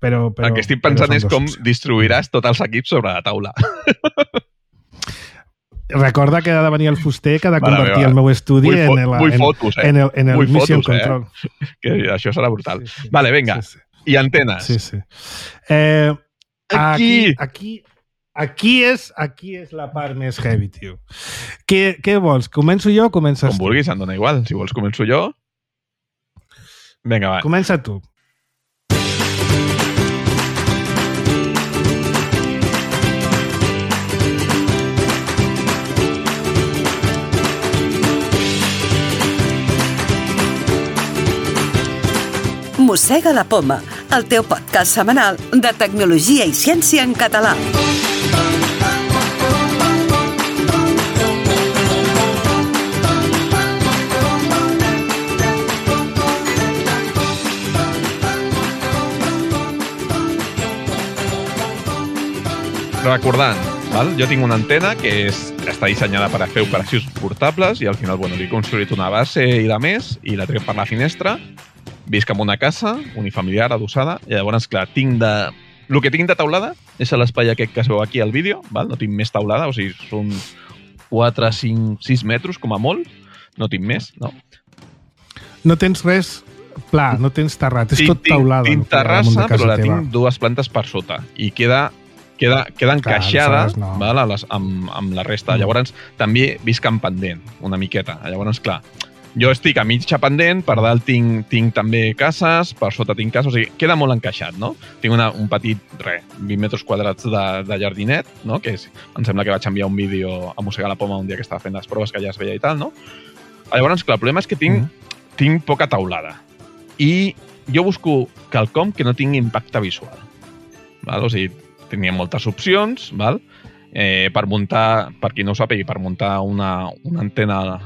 Speaker 4: Però, però,
Speaker 5: El que estic
Speaker 4: però
Speaker 5: pensant
Speaker 4: són
Speaker 5: és
Speaker 4: dues
Speaker 5: com
Speaker 4: opcions.
Speaker 5: distribuiràs tots els equips sobre la taula.
Speaker 4: Recorda que ha de venir el fuster que ha de
Speaker 5: Mare
Speaker 4: convertir
Speaker 5: meva.
Speaker 4: el meu estudi
Speaker 5: Vull, fo
Speaker 4: en el,
Speaker 5: vull
Speaker 4: en,
Speaker 5: fotos, eh?
Speaker 4: en el, en el
Speaker 5: Vull
Speaker 4: Mission
Speaker 5: fotos, eh?
Speaker 4: Control.
Speaker 5: Que això serà brutal.
Speaker 4: Sí, sí.
Speaker 5: Vale, vinga.
Speaker 4: Sí, sí.
Speaker 5: I antenes.
Speaker 4: Sí, sí. Eh,
Speaker 5: Aquí.
Speaker 4: Aquí, aquí, aquí, és, aquí és la part més heavy, tio. Què, què vols? Començo jo o comences
Speaker 5: Com
Speaker 4: tu?
Speaker 5: vulguis, em dona igual. Si vols començo jo. Vinga, va.
Speaker 4: Comença tu.
Speaker 6: Mossega la Poma, el teu podcast setmanal de tecnologia i ciència en català.
Speaker 5: Recordant, val? Jo tinc una antena que és, està dissenyada per a fer operacions portables i al final, bueno, li he construït una base i de més i la trec per la finestra. Visc en una casa unifamiliar adossada i llavors, clar, tinc de... El que tinc de taulada és l'espai aquest que es veu aquí al vídeo, val? No tinc més taulada, o sigui, són quatre, cinc, sis metres com a molt, no tinc més, no?
Speaker 4: No tens res pla, no tens terrat, és
Speaker 5: Tinc-
Speaker 4: tot taulada.
Speaker 5: Tinc, tinc
Speaker 4: el que hi ha damunt
Speaker 5: terrassa,
Speaker 4: de casa
Speaker 5: però la
Speaker 4: teva.
Speaker 5: tinc dues plantes per sota i queda, queda, queda encaixada
Speaker 4: aleshores no.
Speaker 5: val, a les, amb, amb la resta.
Speaker 4: Mm.
Speaker 5: Llavors, també visc en pendent, una miqueta. Llavors, clar, jo estic a mitja pendent, per dalt tinc, tinc també cases, per sota tinc cases, o sigui, queda molt encaixat, no? Tinc una, un petit, res, vint metres quadrats de, de jardinet, no? Que és, em sembla que vaig enviar un vídeo a Mossegar la Poma un dia que estava fent les proves que ja es veia i tal, no? Llavors, clar, el problema és que tinc, mm. tinc poca taulada i jo busco quelcom que no tingui impacte visual, val? O sigui, tenia moltes opcions, val? Eh, per muntar, per qui no ho sàpiga, per muntar una, una antena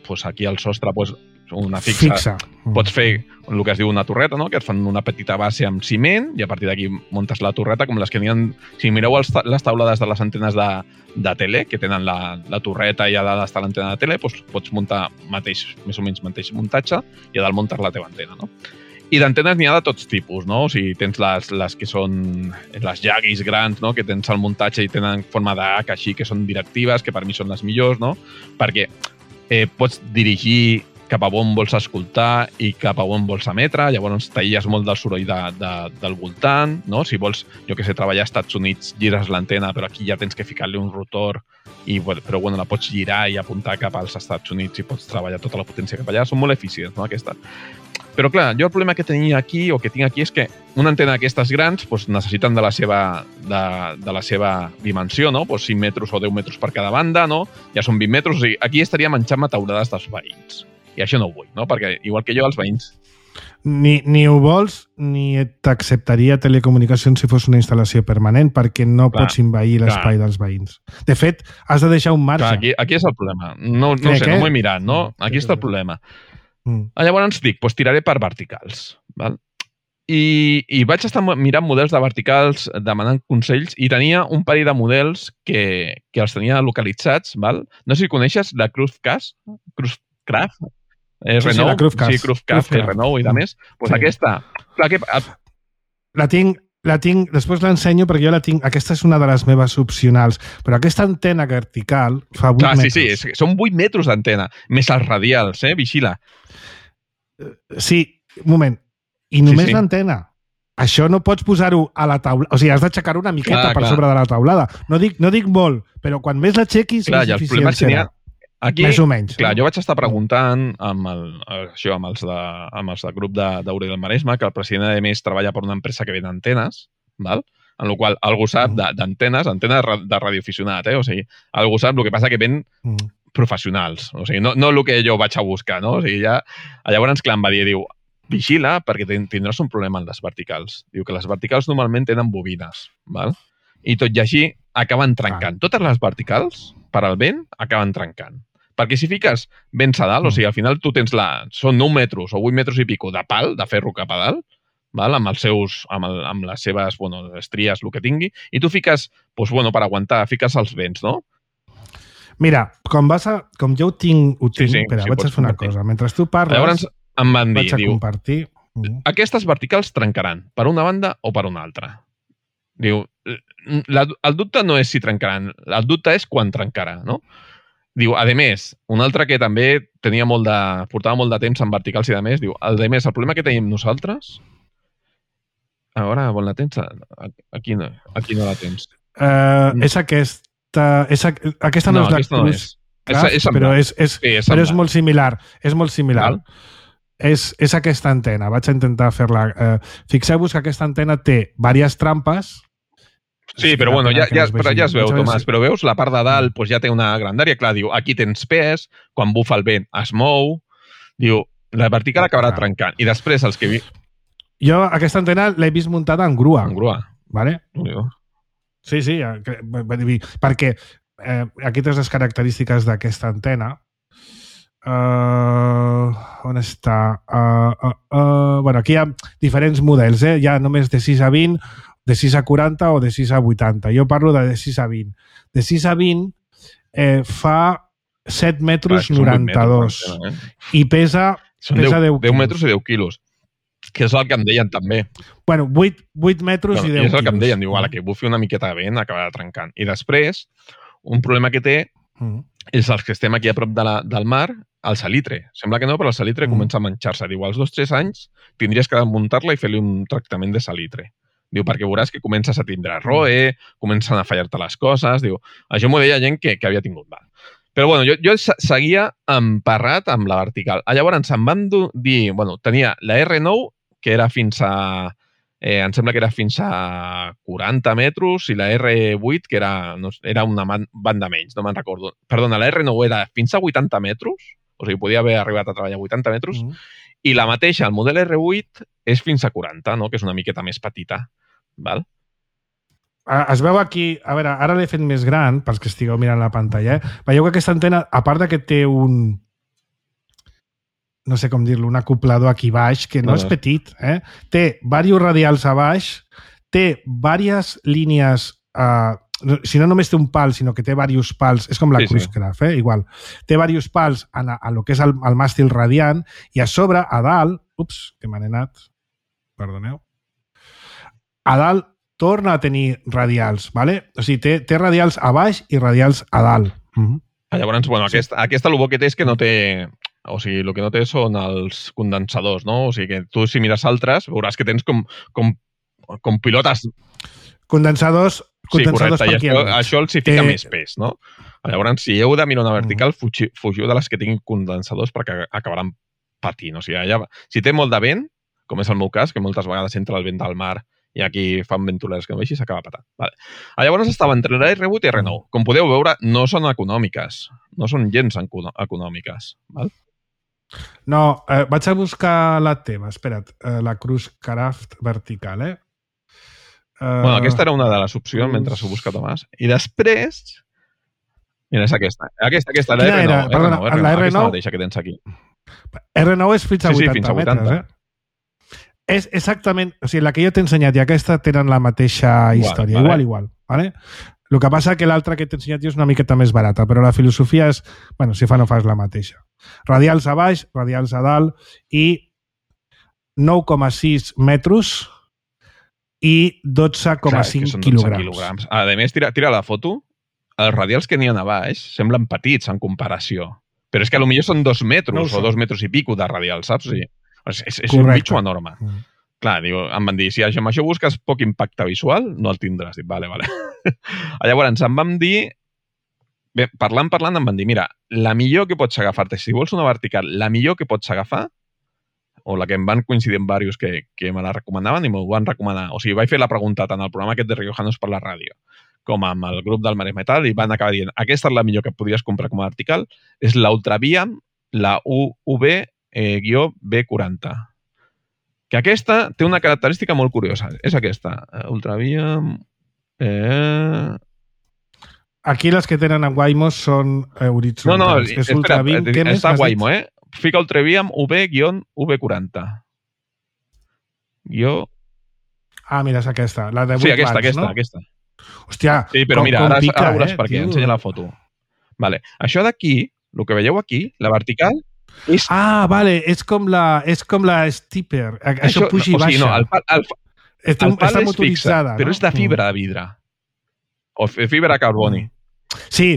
Speaker 5: pues aquí al sostre, pues, una fixa,
Speaker 4: fixa.
Speaker 5: Pots fer el que es diu una torreta, no? Que et fan una petita base amb ciment i a partir d'aquí muntes la torreta com les que n'hi ha... Si mireu els, les taulades de les antenes de, de tele, que tenen la, la torreta i a dalt està l'antena de tele, doncs pots muntar mateix, més o menys mateix muntatge i a dalt muntes la teva antena, no? I d'antenes n'hi ha de tots tipus, no? O sigui, tens les, les que són les Yagis grans, no? Que tens el muntatge i tenen forma d'H, així, que són directives, que per mi són les millors, no? Perquè eh, pots dirigir cap a on vols escoltar i cap a on vols emetre, llavors t'aïlles molt del soroll de, de, del voltant, no? Si vols, jo que sé, treballar als Estats Units, gires l'antena, però aquí ja tens que ficar-li un rotor, i, però bueno, la pots girar i apuntar cap als Estats Units i pots treballar tota la potència cap allà. Són molt eficients, no, aquestes. Però clar, jo el problema que tenia aquí, o que tinc aquí, és que una antena d'aquestes grans pues, necessiten de la seva, de, de la seva dimensió, no? Pues cinc metres o deu metres per cada banda, no? Ja són vint metres, o sigui, aquí estaria menjant-me taulades dels veïns. I això no ho vull, no? Perquè, igual que jo, els veïns...
Speaker 4: Ni, ni ho vols, ni t'acceptaria telecomunicacions si fos una instal·lació permanent, perquè no clar, pots envair l'espai dels veïns. De fet, has de deixar un marge.
Speaker 5: Clar, aquí, aquí és el problema. No, no sé, que... no m'ho he mirat, no? Aquí està el problema. Mm. Llavors dic, doncs tiraré per verticals. Val? I, I vaig estar mirant models de verticals, demanant consells, i tenia un parell de models que, que els tenia localitzats. Val? No sé si coneixes la Cruzcast, Cruzcraft, eh,
Speaker 4: sí,
Speaker 5: Renault,
Speaker 4: sí, la Cruzcast,
Speaker 5: sí, Cruzcast, que Renault i de més. Pues sí. Aquesta... Clar, que...
Speaker 4: La tinc... La tinc, després l'ensenyo perquè jo la tinc, aquesta és una de les meves opcionals, però aquesta antena vertical fa vuit
Speaker 5: Clar,
Speaker 4: metres.
Speaker 5: Sí, sí, és, són vuit metres d'antena, més els radials, eh? Vigila.
Speaker 4: Sí, un moment. I només
Speaker 5: sí, sí.
Speaker 4: l'antena. Això no pots posar-ho a la taula... O sigui, has d'aixecar una miqueta clar, per clar. sobre de la taulada. No dic, no dic molt, però quan més l'aixequis,
Speaker 5: clar,
Speaker 4: més eficient serà.
Speaker 5: Aquí,
Speaker 4: més o menys.
Speaker 5: Clar, no? Jo vaig estar preguntant amb el, això, amb els, de, amb els del grup d'Aureli del Maresme, que el president, a més, treballa per una empresa que ven antenes, val? En la qual algú sap d'antenes, antenes de radioaficionat, eh? O sigui, algú sap, el que passa que ven mm. professionals, o sigui, no, no el que jo vaig a buscar, no? O sigui, ja... Llavors, clar, em va dir, diu, vigila, perquè tindràs un problema en les verticals. Diu que les verticals normalment tenen bobines, val? I tot i així acaben trencant. Ah. Totes les verticals, per al vent, acaben trencant. Perquè si fiques vents a dalt, mm. o sigui, al final tu tens la... Són nou metres o vuit metres i pico de pal, de ferro cap a dalt, val? Amb, els seus, amb, el, amb les seves bueno, estries, el que tingui, i tu fiques, doncs, bueno, per aguantar, fiques els vents, no?
Speaker 4: Mira, com vas a... Com jo ho tinc... Ho tinc sí, sí, espera, sí, vaig a fer una compartir. cosa. Mentre tu parles... Llavors
Speaker 5: em van dir,
Speaker 4: vaig a
Speaker 5: diu,
Speaker 4: compartir... Mm.
Speaker 5: Aquestes verticals trencaran per una banda o per una altra. Diu, la, el dubte no és si trencaran, el dubte és quan trencarà, no? Diu, a més, un altre que també tenia molt de, portava molt de temps en verticals i de més, diu, a més, el problema que tenim nosaltres... A veure, on la tens? Aquí no, aquí no la tens.
Speaker 4: Uh, és aquesta... És, aquesta no, no és la Cruz, no és.
Speaker 5: Craft, és, és
Speaker 4: però, és, és,
Speaker 5: sí, és,
Speaker 4: però és molt similar. És molt similar. És, és aquesta antena. Vaig a intentar fer-la. Uh, Fixeu-vos que aquesta antena té diverses trampes.
Speaker 5: Sí, però bueno, ja, ja, però ja es veu, Tomàs, però veus, la part de dalt pues, ja té una grandària, clar, diu, aquí tens pes, quan bufa el vent es mou, diu, la vertical acabarà trencant, i després els que...
Speaker 4: Jo aquesta antena l'he vist muntada en grua.
Speaker 5: En grua.
Speaker 4: Vale?
Speaker 5: Diu.
Speaker 4: Sí, sí, perquè eh, aquí tens les característiques d'aquesta antena. Uh, on està? Uh, uh, uh, bueno, aquí hi ha diferents models, eh? Hi ha només de sis a vint, de sis a quaranta o de sis a vuitanta. Jo parlo de, de sis a vint. De sis a vint eh, fa set metres noranta-dos eh? I pesa, pesa deu,
Speaker 5: deu metres i deu quilos. Que és el que em deien també.
Speaker 4: Bueno, vuit, vuit metres bueno, i deu quilos.
Speaker 5: És el que em deien, diu, a la que bufi una miqueta de vent acabarà trencant. I després, un problema que té mm. és els que estem aquí a prop de la, del mar, el salitre. Sembla que no, però el salitre mm. comença a manxar-se. Diu, als dos o tres anys tindries que desmuntar-la i fer-li un tractament de salitre. Diu, perquè veuràs que comences a tindre roe, comencen a fallar-te les coses. Diu, això m'ho deia gent que, que havia tingut mal. Però bueno, jo, jo seguia emparrat amb la vertical. Llavors em van dir, bueno, tenia la erre nou, que era fins a, eh, em sembla que era fins a quaranta metres, i la erre vuit, que era, no, era una banda menys, no me'n recordo. Perdona, la erre nou era fins a vuitanta metres, o sigui, podia haver arribat a treballar a vuitanta metres, mm. i la mateixa, el model erre vuit, és fins a quaranta, no? Que és una miqueta més petita. Val?
Speaker 4: Es veu aquí, a veure, ara l'he fet més gran, pels que estigueu mirant la pantalla, eh? Veieu que aquesta antena, a part que té un, no sé com dir-lo, un acoplador aquí baix, que no, no és petit, eh? Té diversos radials a baix, té diverses línies, eh, si no només té un pal, sinó que té diversos pals, és com la sí, Cruisecraft, eh? Igual. Té diversos pals a, a lo que és el, el màstil radiant, i a sobre, a dalt, ups, que m'han anat, perdoneu, a dalt torna a tenir radials, ¿vale? O sigui, té, té radials a baix i radials a dalt. Mm-hmm.
Speaker 5: Llavors, bueno, sí. aquesta, aquesta el bo que té és que no té... O sigui, el que no té són els condensadors, no? O sigui, que tu, si mires altres, veuràs que tens com, com, com pilotes...
Speaker 4: Condensadors, condensadors
Speaker 5: sí, correcte,
Speaker 4: per
Speaker 5: això, això els hi fica té... més pes, no? Llavors, si heu de mirar una vertical, fugiu, fugiu de les que tinguin condensadors perquè acabaran patint. O sigui, allà, si té molt de vent, com és el meu cas, que moltes vegades entra el vent del mar i aquí fan ventoleres que no veixis, s'acaba patant. Vale. Llavors estava entre la erre vuit i erre nou. Com podeu veure, no són econòmiques. No són gens econòmiques. Val?
Speaker 4: No, eh, vaig a buscar la teva. Espera't, eh, la Cruisecraft vertical, eh? Uh,
Speaker 5: bueno, aquesta era una de les opcions Cruz... mentre s'ho busca Tomàs. I després... Mira, és aquesta. Aquesta, aquesta, la erre nou.
Speaker 4: Perdona,
Speaker 5: erre nou,
Speaker 4: la erre nou...
Speaker 5: Aquesta mateixa que tens aquí.
Speaker 4: erre nou és fins a
Speaker 5: sí, sí,
Speaker 4: vuitanta
Speaker 5: fins a vuitanta
Speaker 4: metres, eh? És exactament... O sigui, la que jo t'he ensenyat i aquesta tenen la mateixa història. Igual, vale. igual. Vale? El que passa que l'altra que t'he ensenyat jo és una miqueta més barata, però la filosofia és... Bueno, si fa no fas la mateixa. Radials a baix, radials a dalt i nou coma sis metres i dotze coma cinc quilograms.
Speaker 5: quilograms. A més, tira, tira la foto. Els radials que n'hi ha a baix semblen petits en comparació. Però és que potser són dos metres no o dos metres i pico de radial, saps? O sigui, és, és, és un bitxo enorme. Mm. Clar, diu, em van dir, si amb això busques poc impacte visual, no el tindràs. Dic, vale, vale. Llavors, em van dir, bé, parlant, parlant, em van dir, mira, la millor que pots agafar-te, si vols una vertical, la millor que pots agafar, o la que em van coincidir amb diversos que, que me la recomanaven i m'ho van recomanar. O sigui, vaig fer la pregunta tant al programa aquest de Riojanos per la ràdio com amb el grup del Maresme Metal i van acabar dient, aquesta és la millor que podries comprar com a vertical, és la Ultraviam, la U V B quaranta. Que aquesta té una característica molt curiosa. És aquesta. Ultraviam... Eh...
Speaker 4: Aquí les que tenen en Waymo són eh, horitzontals.
Speaker 5: No, no,
Speaker 4: és
Speaker 5: espera,
Speaker 4: Ultraviam, què més
Speaker 5: està Waymo, eh? Fica Ultraviam U V quaranta. Jo...
Speaker 4: Ah, mira, és aquesta. La de vuit
Speaker 5: sí, aquesta,
Speaker 4: watts,
Speaker 5: aquesta,
Speaker 4: no?
Speaker 5: aquesta.
Speaker 4: Hòstia,
Speaker 5: sí, però
Speaker 4: com,
Speaker 5: mira,
Speaker 4: com
Speaker 5: ara,
Speaker 4: pica,
Speaker 5: ara veuràs
Speaker 4: eh,
Speaker 5: per què.
Speaker 4: tio.
Speaker 5: Ensenya la foto. Vale. Això d'aquí, el que veieu aquí, la vertical, és...
Speaker 4: Ah, vale, és com la, és com la Stipper. Això, Això puja i baixa. O sigui,
Speaker 5: no, el pal, el, el,
Speaker 4: el pal
Speaker 5: és fixe, no? Però és de fibra de vidre. O fibra de carboni.
Speaker 4: Sí,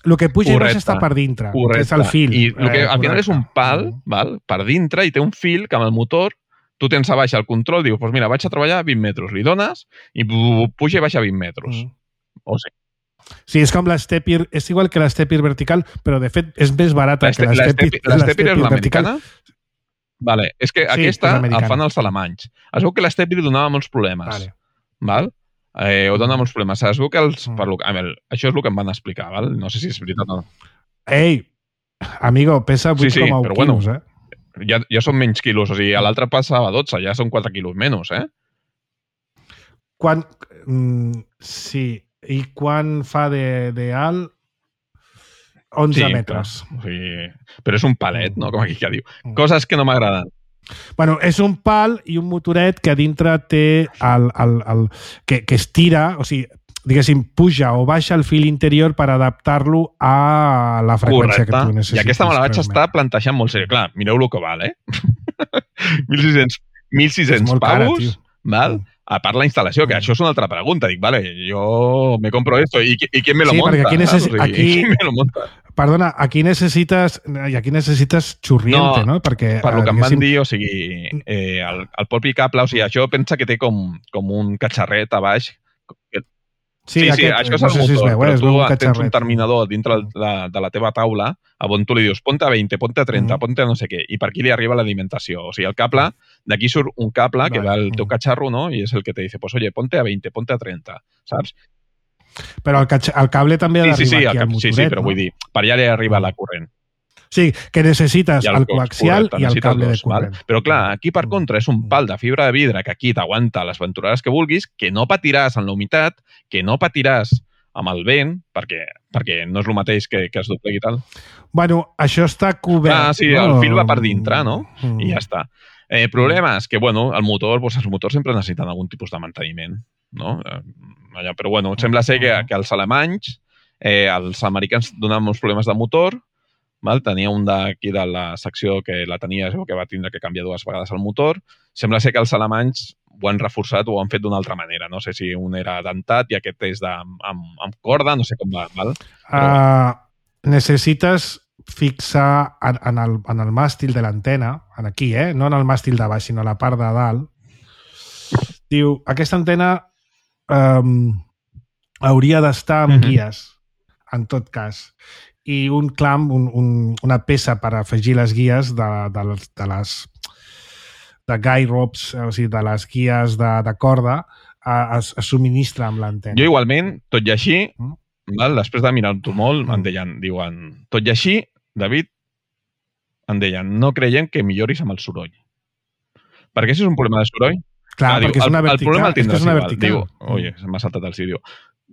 Speaker 4: el que puja
Speaker 5: correcte,
Speaker 4: i baixa està per dintre.
Speaker 5: Correcte.
Speaker 4: És el fil.
Speaker 5: I el que,
Speaker 4: eh,
Speaker 5: al final és un pal, val, per dintre, i té un fil que amb el motor tu tens a baix el control, dius, pues mira, vaig a treballar a vint metres, li dones i puja i baixa a vint metres. Mm. O sigui.
Speaker 4: Sí, és com l'Stepir, és igual que l'Stepir vertical, però de fet és més barata que l'Stepir
Speaker 5: vertical. L'Stepir és l'americana? Vale, és que sí, aquesta el fan els alemanys. Es veu que l'Stepir donava molts problemes.
Speaker 4: Vale.
Speaker 5: Val? Eh, o dona molts problemes. Es veu que els... Mm. Per lo, a veure, això és el que em van explicar, val? No sé si és veritat o no.
Speaker 4: Ei, amigo, pesa vuit coma u sí, sí, quilos,
Speaker 5: bueno, eh? Ja, ja són menys quilos, o sigui, a l'altre passava dotze, ja són quatre quilos menys, eh?
Speaker 4: Quan... Mm, sí... I quan fa de, de alt? onze
Speaker 5: sí,
Speaker 4: metres.
Speaker 5: Clar. O sigui, però és un palet, no? Com aquí que diu. Coses que no m'agraden.
Speaker 4: Bueno, és un pal i un motoret que a dintre té el, el, el, que, que estira, o sigui, diguéssim, puja o baixa el fil interior per adaptar-lo a la freqüència
Speaker 5: correcte.
Speaker 4: Que tu necessites.
Speaker 5: I aquesta me la vaig estar plantejant molt seriós. Clar, mireu el que val, eh? mil sis-cents pavos, cara, val? A part la instal·lació, que això és una altra pregunta. Dic, vale, jo me compro esto. ¿Y, y quién me lo
Speaker 4: sí,
Speaker 5: monta?
Speaker 4: Aquí necess... o sigui, aquí...
Speaker 5: ¿Quién me lo monta?
Speaker 4: Perdona, aquí necessites i aquí necessites xurriente, no? no? Perquè,
Speaker 5: per lo que em van dir, o sigui, eh, el, el propi cable, o sigui, això pensa que té com, com un catxarret a baix.
Speaker 4: Sí,
Speaker 5: sí,
Speaker 4: aquest,
Speaker 5: això és
Speaker 4: no
Speaker 5: el
Speaker 4: sé si es
Speaker 5: motor,
Speaker 4: veu, eh?
Speaker 5: però
Speaker 4: Es
Speaker 5: tu
Speaker 4: veu un
Speaker 5: tens un
Speaker 4: catxarret.
Speaker 5: terminador dintre
Speaker 4: Mm.
Speaker 5: la, de la teva taula on tu li dius ponte a vint, ponte a trenta,
Speaker 4: Mm.
Speaker 5: ponte a no sé què, i per aquí li arriba l'alimentació. O sigui, el cable, d'aquí surt un cable que
Speaker 4: Vale.
Speaker 5: va al teu
Speaker 4: Mm.
Speaker 5: catxarro, no? I és el que te dice, pues oye, ponte a vint, ponte a trenta, saps?
Speaker 4: Però el, catx- el cable també ha
Speaker 5: Sí,
Speaker 4: d'arribar
Speaker 5: sí, sí,
Speaker 4: aquí
Speaker 5: el,
Speaker 4: al
Speaker 5: cap-
Speaker 4: motoret,
Speaker 5: sí, sí, però
Speaker 4: no?
Speaker 5: vull dir, per allà li arriba
Speaker 4: Mm.
Speaker 5: la corrent.
Speaker 4: Sí, que necessites
Speaker 5: I
Speaker 4: el,
Speaker 5: el
Speaker 4: coaxial
Speaker 5: correcte,
Speaker 4: i el
Speaker 5: necessites
Speaker 4: cable de
Speaker 5: dos, val?
Speaker 4: corrent.
Speaker 5: Però clar, aquí per
Speaker 4: Mm.
Speaker 5: contra és un pal de fibra de vidre que aquí t'aguanta les venturades que vulguis, que no patiràs en la humitat, que no patiràs amb el vent, perquè, perquè no és el mateix que, que es doblegui i tal.
Speaker 4: Bueno, això està cobert.
Speaker 5: Ah, sí,
Speaker 4: no?
Speaker 5: el fil va per dintre, no?
Speaker 4: Mm.
Speaker 5: I ja està. Eh, problema és que, bueno, el motor, doncs els motors sempre necessiten algun tipus de manteniment, no? Eh, allà, però, bueno, sembla ser que, que els alemanys, eh, els americans donaven uns problemes de motor, val? Tenia un d'aquí de la secció que la tenia, que va tindre que canviar dues vegades el motor. Sembla ser que els alemanys ho han reforçat o ho han fet d'una altra manera. No sé si un era dentat i aquest és de, amb, amb corda, no sé com va. Val?
Speaker 4: Però... Uh, necessites fixar en, en, el, en el màstil de l'antena, en aquí, eh? No en el màstil de baix, sinó a la part de dalt. Diu, aquesta antena um, hauria d'estar amb
Speaker 5: Mhm.
Speaker 4: guies, en tot cas. I un clamp, un, un, una peça per afegir les guies de, de, les, de les de guy ropes, o sigui, de les guies de, de corda, a, es, es subministra amb l'antena.
Speaker 5: Jo igualment, tot i així,
Speaker 4: Mm.
Speaker 5: val? Després de mirar-t'ho molt,
Speaker 4: Mm.
Speaker 5: em deien, diuen, tot i així, David, em deien, no creiem que milloris amb el soroll. Perquè si és un problema de soroll,
Speaker 4: Clar,
Speaker 5: diu,
Speaker 4: perquè és
Speaker 5: el,
Speaker 4: una
Speaker 5: el
Speaker 4: vertical.
Speaker 5: problema el
Speaker 4: és que
Speaker 5: tindràs
Speaker 4: és una
Speaker 5: igual.
Speaker 4: vertical.
Speaker 5: Diu, oye, m'ha saltat el sí, diu,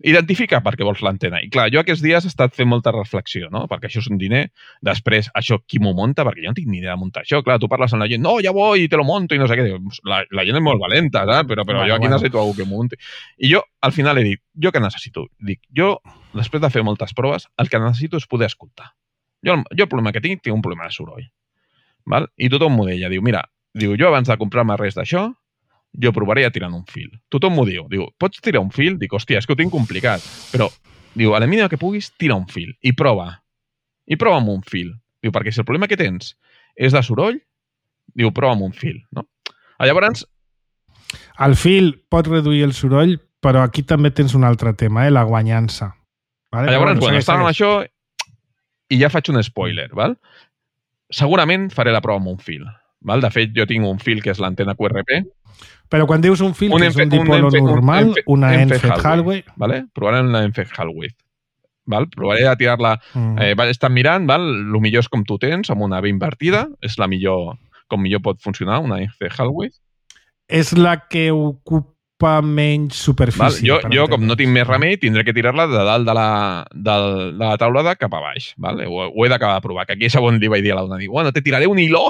Speaker 5: identifica per què vols l'antena. I clar, jo aquests dies he estat fent molta reflexió, no? Perquè això és un diner. Després, això, qui m'ho monta? Perquè jo no tinc ni idea de muntar això. Clar, tu parles amb la gent, no, ja voy, te lo monto, i no sé què. Diu, la, la gent és molt valenta, saps? Però, però
Speaker 4: Bueno,
Speaker 5: jo aquí
Speaker 4: bueno.
Speaker 5: necessito algú que m'ho munti. I jo, al final, he dit, jo què necessito? Dic, jo, després de fer moltes proves, el que necessito és poder escoltar. Jo, jo el problema que tinc, tinc un problema de soroll. Val? I tothom m'ho deia. Diu, mira, diu, jo abans de comprar-me res d'això, jo provaria tirant un fil. Tothom m'ho diu. Diu, pots tirar un fil? Dic, hòstia, és que ho tinc complicat. Però, diu, a la mínima que puguis, tira un fil i prova. I prova amb un fil. Diu, perquè si el problema que tens és de soroll, diu, prova amb un fil, no? Llavors...
Speaker 4: El fil pot reduir el soroll, però aquí també tens un altre tema, eh? La guanyança. Vale?
Speaker 5: Llavors,
Speaker 4: Però
Speaker 5: bueno,
Speaker 4: segueix,
Speaker 5: estàvem amb
Speaker 4: segueix.
Speaker 5: això i ja faig un spoiler, val? Segurament faré la prova amb un fil. Val? De fet, jo tinc un fil que és l'antena Q R P.
Speaker 4: Però quan dius un fil,
Speaker 5: Un
Speaker 4: que és un
Speaker 5: Enfe- un
Speaker 4: dipolo
Speaker 5: Enfe- un
Speaker 4: normal,
Speaker 5: Enfe-
Speaker 4: una
Speaker 5: Enfe
Speaker 4: Enfed
Speaker 5: Hallway.
Speaker 4: Hallway...
Speaker 5: Vale? Provarem la Enfed Hallway. Val? Provaré de tirar-la...
Speaker 4: Mm.
Speaker 5: Eh, vaig estar mirant, val? El millor és com tu tens, amb una B invertida. És la millor, com millor pot funcionar, una Enfed Hallway.
Speaker 4: És la que ocupa menys superfície.
Speaker 5: Val? Jo,
Speaker 4: per
Speaker 5: jo, com no
Speaker 4: entendre'ns.
Speaker 5: tinc més remei, tindré que tirar-la de dalt de la, de, de la taulada cap a baix. Val? Ho, ho he d'acabar de provar. Que aquí és on li vaig dir a la dona. Dic, bueno, te tiraré un hilo.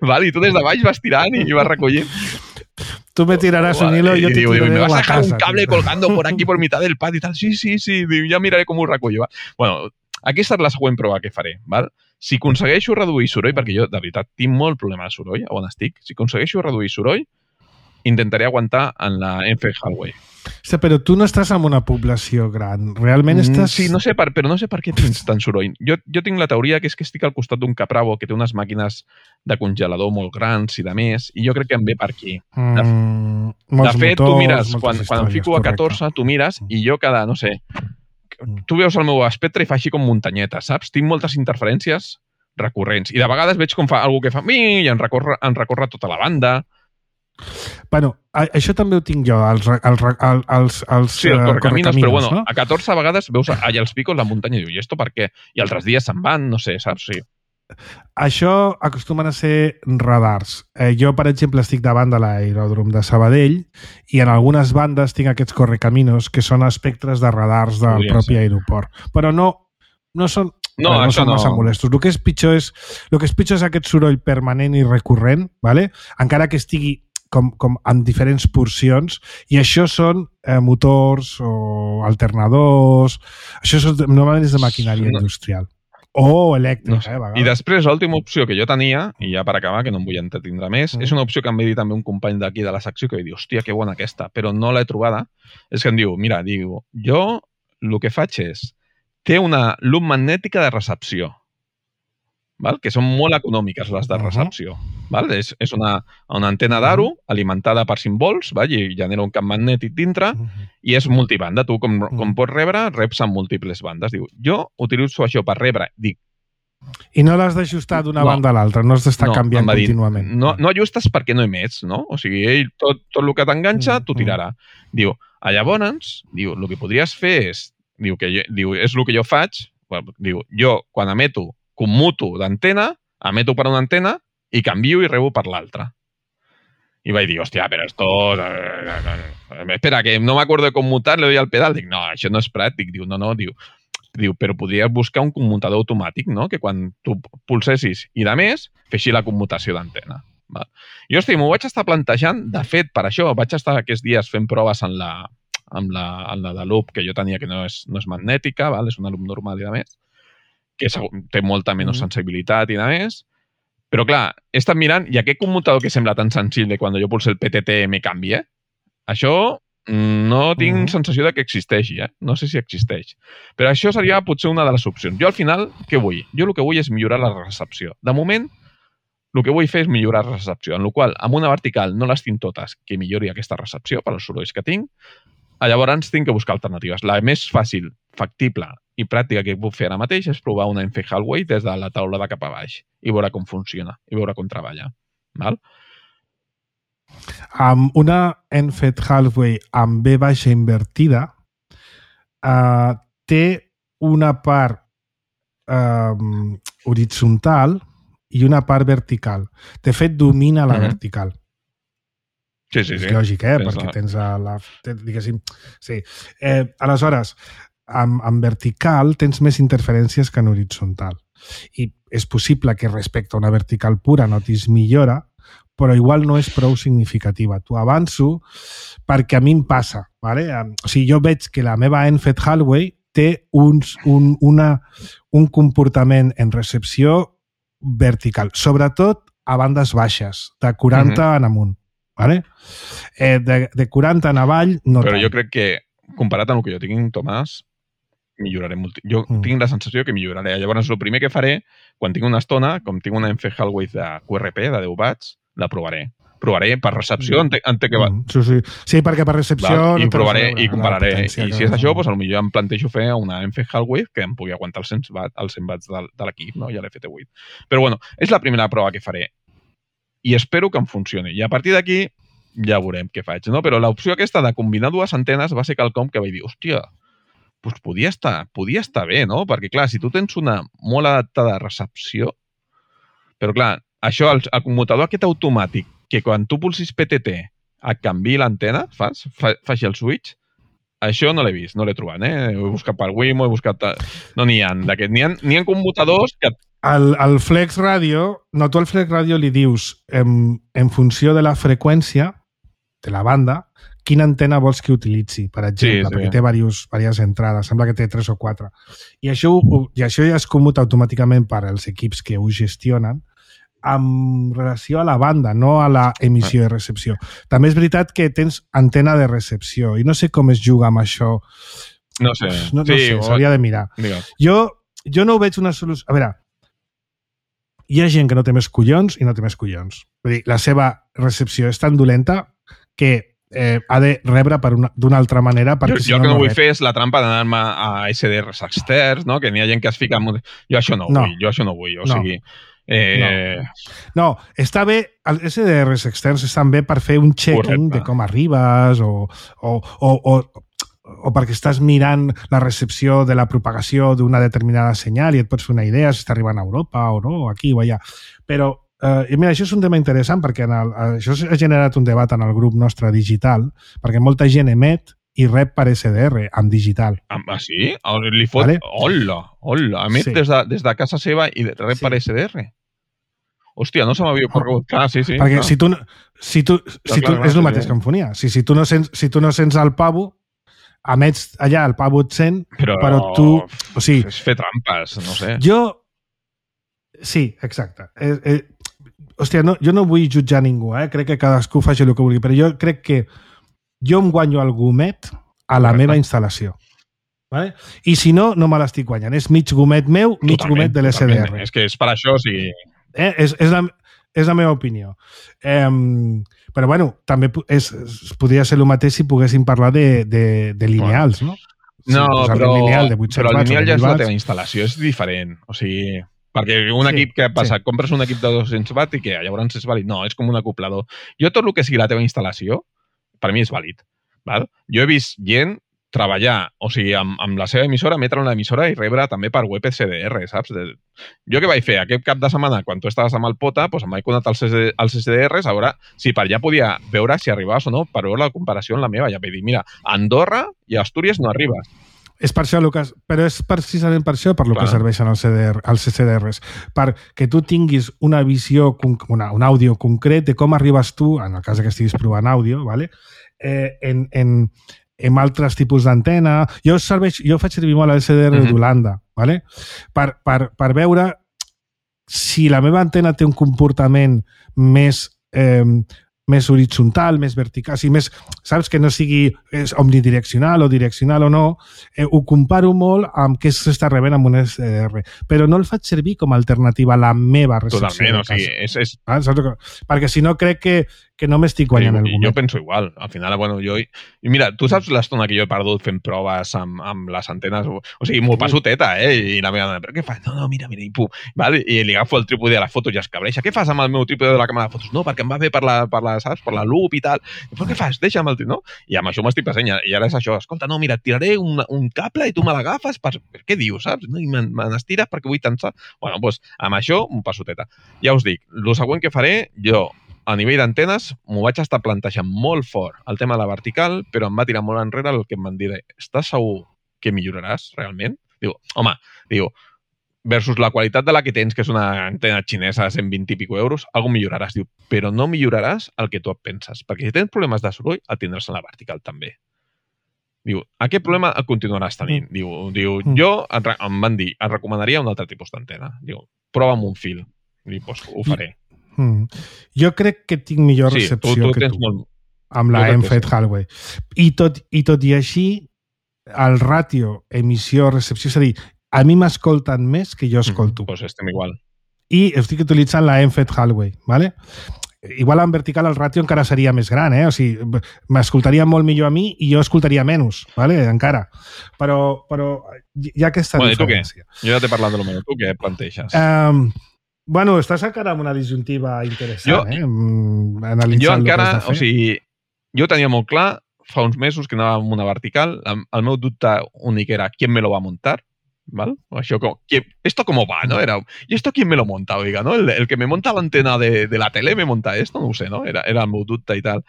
Speaker 5: Val? I tu des de baix vas tirant i vas recollint.
Speaker 4: Tú me tirarás un hilo y yo
Speaker 5: y
Speaker 4: te
Speaker 5: digo,
Speaker 4: tiraré
Speaker 5: me vas a
Speaker 4: la
Speaker 5: dejar
Speaker 4: casa,
Speaker 5: un cable
Speaker 4: tío.
Speaker 5: colgando por aquí, por mitad del patio y tal. Sí, sí, sí. Diu, ja miraré com ho recullo. Va? Bueno, aquesta és la següent prova que faré. Val? Si aconsegueixo reduir soroll, perquè jo, de veritat, tinc molt problema de soroll, on estic, si aconsegueixo reduir soroll, intentaré aguantar en la Enfed Hallway.
Speaker 4: Hòstia, però tu no estàs en una població gran. Realment
Speaker 5: Mm,
Speaker 4: estàs...
Speaker 5: Sí, no sé per, però no sé per què tens tant soroll. Jo, jo tinc la teoria que és que estic al costat d'un Capravo que té unes màquines de congelador molt grans i de més, i jo crec que em ve per aquí.
Speaker 4: Mm,
Speaker 5: De
Speaker 4: molts
Speaker 5: fet,
Speaker 4: motors,
Speaker 5: tu mires,
Speaker 4: moltes
Speaker 5: quan, quan em
Speaker 4: històries,
Speaker 5: fico a
Speaker 4: correcte.
Speaker 5: catorze, tu mires i jo cada, no sé, tu veus el meu espectre i fa així com muntanyeta, saps? Tinc moltes interferències recurrents. I de vegades veig com fa algú que fa i em recorre, em recorre tota la banda.
Speaker 4: Bueno, a- això també ho tinc jo, els, re- els, re- el- els, els
Speaker 5: Sí, el
Speaker 4: eh,
Speaker 5: correcaminos, però bueno,
Speaker 4: no?
Speaker 5: a catorze vegades veus allà els picos, la muntanya, i diu, i esto per què? I altres dies se'n van, no sé, saps? Sí.
Speaker 4: Això acostumen a ser radars. Eh, jo, per exemple, estic davant de l'aeròdrom de Sabadell i en algunes bandes tinc aquests correcaminos que són espectres de radars del
Speaker 5: Podria
Speaker 4: propi
Speaker 5: ser.
Speaker 4: aeroport. Però no, no són...
Speaker 5: No,
Speaker 4: a veure,
Speaker 5: això
Speaker 4: són
Speaker 5: no.
Speaker 4: massa molestos. El que és pitjor és, el que és pitjor és aquest soroll permanent i recurrent, ¿vale? Encara que estigui com, com en diferents porcions, i això són eh, motors o alternadors, això són, normalment és de maquinària
Speaker 5: No.
Speaker 4: industrial. O elèctrica,
Speaker 5: No sé.
Speaker 4: eh, a vegades.
Speaker 5: I després, l'última opció que jo tenia, i ja per acabar, que no em vull entretindre més,
Speaker 4: Mm.
Speaker 5: és una opció que em va dir també un company d'aquí de la secció que va dir, hòstia, que bona aquesta, però no l'he trobada. És que em diu, mira, diu, jo el que faig és, té una llum magnètica de recepció. val? Que són molt econòmiques les de recepció. Uh-huh. Val? És, és una, una antena d'aro uh-huh. alimentada per cinc volts, val? I genera un camp magnètic dintre uh-huh. i és multibanda. Tu, com, uh-huh. com pots rebre, reps en múltiples bandes. Diu, jo utilitzo això per rebre. Dic,
Speaker 4: i no l'has d'ajustar d'una no. banda a l'altra, no has d'estar no, canviant contínuament.
Speaker 5: No, no ajustes perquè no emets, no? O sigui, ell, tot, tot el que t'enganxa, t'ho tirarà. Diu, a llavors, diu, el que podries fer és, diu, que jo, diu, és el que jo faig, diu, jo, quan emeto, commuto d'antena, emeto per una antena i canvio i rebo per l'altra. I vaig dir, hòstia, però esto... Espera, que no m'acordo de commutar, le doy al pedal. Dic, no, això no és pràctic. Diu, no, no, diu... Diu, però podries buscar un commutador automàtic, no? Que quan tu pulsessis i de més, feixi la commutació d'antena. Jo, hosti, m'ho vaig estar plantejant, de fet, per això, vaig estar aquests dies fent proves en la, amb la, en la de loop que jo tenia, que no és, no és magnètica, val? És una loop normal i de més, que té molta menys sensibilitat i de més, però clar, he estat mirant, i aquest commutador que sembla tan senzill de quan jo pulso el P T T me canvia, això... No tinc uh-huh. sensació de que existeixi, eh? No sé si existeix. Però això seria potser una de les opcions. Jo al final, què vull? Jo el que vull és millorar la recepció. De moment, el que vull fer és millorar la recepció, en la qual amb una vertical no les tinc totes que millori aquesta recepció per als sorolls que tinc. Llavors tinc que buscar alternatives. La més fàcil, factible i pràctica que puc fer ara mateix és provar una Enfe Hallway des de la taula de cap a baix i veure com funciona, i veure com treballa. Val?
Speaker 4: Amb una Enfe Hallway amb V baixa invertida uh, té una part uh, horitzontal i una part vertical. De fet, domina la uh-huh. vertical.
Speaker 5: Sí, sí, sí.
Speaker 4: És lògic, eh? Tens Perquè la... tens la... Diguéssim... Sí. Eh, aleshores, amb, amb vertical tens més interferències que en horitzontal. I és possible que respecte a una vertical pura notis millora, però igual no és prou significativa. T'ho avanço perquè a mi em passa. Vale? O sigui, jo veig que la meva Enfe Hallway té uns, un, una, un comportament en recepció vertical, sobretot a bandes baixes, de quaranta uh-huh. en amunt. Vale? Eh, de, de quaranta en avall, no
Speaker 5: Però
Speaker 4: tant.
Speaker 5: Jo crec que, comparat amb el que jo tinc, Tomàs, milloraré molt. Jo mm. tinc la sensació que milloraré. Llavors, el primer que faré, quan tinc una estona, com tinc una Enfe Hallway de Q R P, de deu watts, la provaré. Provaré per recepció, entenc ente que va...
Speaker 4: Mm, sí, sí. sí, perquè per recepció...
Speaker 5: Val? I no provaré i compararé. I si és això, doncs, potser em plantejo fer una Enfe Hallway que em pugui aguantar els cent watts, els cent watts de, de l'equip, no? I l'F T vuit. Però, bueno, és la primera prova que faré. I espero que em funcioni. I a partir d'aquí ja veurem què faig, no? Però l'opció aquesta de combinar dues antenes va ser quelcom que vaig dir, hòstia, doncs podia estar, podia estar bé, no? Perquè, clar, si tu tens una molt adaptada recepció, però, clar, això, el, el commutador aquest automàtic, que quan tu pulsis P T T et canvi l'antena, fas, fa, faci el switch, això no l'he vist, no l'he trobat, eh? Ho he buscat per Wimo, he buscat... No n'hi ha d'aquest. N'hi ha, n'hi ha commutadors que...
Speaker 4: El, el Flex Radio, no, tu al Flex Radio li dius, en, en funció de la freqüència de la banda, quina antena vols que utilitzi, per exemple, sí, sí. perquè té diverses, diverses entrades, sembla que té tres o quatre. I això, i això ja es commuta automàticament per als equips que ho gestionen, amb relació a la banda, no a la emissió i recepció. També és veritat que tens antena de recepció i no sé com es juga amb això.
Speaker 5: No sé.
Speaker 4: No, no
Speaker 5: sí,
Speaker 4: sé, s'hauria de mirar. Jo, jo no ho veig una solució... A veure, hi ha gent que no té més collons i no té més collons. Vull dir, la seva recepció és tan dolenta que eh, ha de rebre d'una altra manera perquè
Speaker 5: jo,
Speaker 4: si
Speaker 5: jo
Speaker 4: no,
Speaker 5: que no,
Speaker 4: no
Speaker 5: vull
Speaker 4: rep.
Speaker 5: fer és la trampa d'anar-me a S D Rs externs, no? Que n'hi ha gent que es fica... En... Jo això no ho
Speaker 4: no.
Speaker 5: vull, jo això no ho vull. O
Speaker 4: no.
Speaker 5: sigui... Eh...
Speaker 4: No. no, està bé, els S D Rs externs estan bé per fer un checking Correcte. De com arribes o, o, o, o, o perquè estàs mirant la recepció de la propagació d'una determinada senyal i et pots fer una idea si està arribant a Europa o no, aquí o allà. Però, eh, mira, això és un tema interessant perquè en el, això ha generat un debat en el grup nostre digital, perquè molta gent emet i rep per S D R, amb digital.
Speaker 5: Ah, sí? Li fot... Vale? Hola, hola. Emet sí. des, de, des de casa seva i rep sí. per S D R? Hòstia, no se m'havia ocorregut. Clar, sí, sí.
Speaker 4: Perquè
Speaker 5: clar.
Speaker 4: si tu... Si tu, si
Speaker 5: clar,
Speaker 4: tu
Speaker 5: clar,
Speaker 4: és el
Speaker 5: sí,
Speaker 4: mateix
Speaker 5: sí.
Speaker 4: que en fonia. Si, si, tu no sents, si tu no sents el pavo, emets allà, el pavo et sent, però, però tu... O sigui,
Speaker 5: és fer trampes, no sé.
Speaker 4: Jo... Sí, exacte. Eh, eh, hòstia, no, jo no vull jutjar ningú, eh? Crec que cadascú faci el que vulgui, però jo crec que jo em guanyo el gomet a la Correcte. Meva instal·lació. Vale? I si no, no me l'estic guanyant. És mig gomet meu, mig
Speaker 5: Totalment,
Speaker 4: gomet de l'S D R.
Speaker 5: És que és per això, o sigui...
Speaker 4: Eh? És, és, la, és la meva opinió. Eh, però, bueno, també és, es podria ser el mateix si poguéssim parlar de, de, de lineals, no? Si
Speaker 5: no, però,
Speaker 4: lineal de
Speaker 5: però el lineal ja és la teva instal·lació, és diferent. O sigui, perquè un sí, equip que passa, sí. compres un equip de dos-cents watts i que llavors és vàlid. No, és com un acoplador. Jo tot el que sigui la teva instal·lació, per mi és vàlid. Val? Jo he vist gent treballar, o sigui, amb, amb la seva emissora, emetre una emissora i rebre també per web C D R, saps? De... Jo què vaig fer? Aquest cap de setmana, quan tu estaves amb el Pota, doncs em vaig connectar als, als C D Rs, a veure si per allà podia veure si arribaves o no, per veure la comparació amb la meva. Ja vaig dir, mira, a Andorra i a Astúries no arribes.
Speaker 4: És per això, Lucas, però és precisament per això per lo que serveixen els, C D R, els C D Rs, perquè tu tinguis una visió, una, un àudio concret de com arribes tu, en el cas que estiguis provant àudio, ¿vale? eh, en, en, en altres tipus d'antena. Jo, serveix, jo faig servir molt el C D R mm-hmm. d'Holanda, ¿vale? per, per, per veure si la meva antena té un comportament més... Eh, més horitzontal, més vertical, o sigui, més, saps, que no sigui és omnidireccional o direccional o no, eh, ho comparo molt amb què s'està rebent amb un S D R, però no el faig servir com a alternativa a la meva recepció.
Speaker 5: Totalment, o sigui, és... és...
Speaker 4: Ah, saps? Perquè si no crec que, que no m'estic guanyant el moment.
Speaker 5: Jo penso igual, al final, bueno, jo... I mira, tu saps l'estona que jo he perdut fent proves amb, amb les antenes? O, o sigui, m'ho passo teta, eh? I la meva dona, però què fas? No, no, mira, mira, i pum. Vale? I li agafo el trípode de la foto i es cabreixa. Què fas amb el meu trípode de la càmera de fotos? No, perquè em va bé per la, per la, saps? Per la loop i tal. Però què fas? Deixa'm el trípode, no? I amb això m'estic passant. I ara és això. Escolta, no, mira, et tiraré un, un cable i tu me l'agafes per... Què dius, saps? No? I me n'estires perquè vull tensar. Bueno, doncs amb això m'ho passo teta. Ja us dic, el següent que faré, jo, a nivell d'antenes, m'ho vaig estar plantejant molt fort el tema de la vertical, però em va tirar molt enrere el que em van dir, estàs segur que milloraràs realment? Diu, home, diu, versus la qualitat de la que tens, que és una antena xinesa de cent vint i pico euros, algo milloraràs, diu, però no milloraràs el que tu et penses, perquè si tens problemes de soroll, el tindràs en la vertical també. Diu, aquest problema el continuaràs tenint. Mm. Diu, diu mm. jo, em van dir, et recomanaria un altre tipus d'antena. Diu, prova amb un fil. Diu, doncs ho faré. Mm.
Speaker 4: Jo crec que tinc millor
Speaker 5: sí,
Speaker 4: recepció
Speaker 5: tu, tu
Speaker 4: que tu,
Speaker 5: molt...
Speaker 4: amb la Enfed Hallway. I tot, I tot i així, el ràtio emissió-recepció, és a dir, a mi m'escolten més que jo escolto.
Speaker 5: Mm, doncs estem igual.
Speaker 4: I estic utilitzant la Enfed Hallway, ¿vale? Igual en vertical el ràtio encara seria més gran, eh? O sigui, m'escoltaria molt millor a mi i jo escoltaria menys, ¿vale? Encara. Però, però hi ha aquesta
Speaker 5: bueno,
Speaker 4: diferència.
Speaker 5: I tu què? Jo ja t'he parlat de lo meu. Tu què planteges?
Speaker 4: Um, bueno, estàs encara amb una disjuntiva interessant,
Speaker 5: jo,
Speaker 4: eh? Analitzant
Speaker 5: jo encara,
Speaker 4: el que has de fer.
Speaker 5: O sigui, jo tenia molt clar fa uns mesos que anava amb una vertical. El meu dubte únic era ¿quién me lo va a montar? ¿Vale? Això com, ¿esto cómo va? ¿No? Era, ¿y esto quién me lo monta? Oiga, ¿no? El, el que me monta l'antena de, de la tele me monta esto? No ho sé, no? Era, era el meu dubte i tal.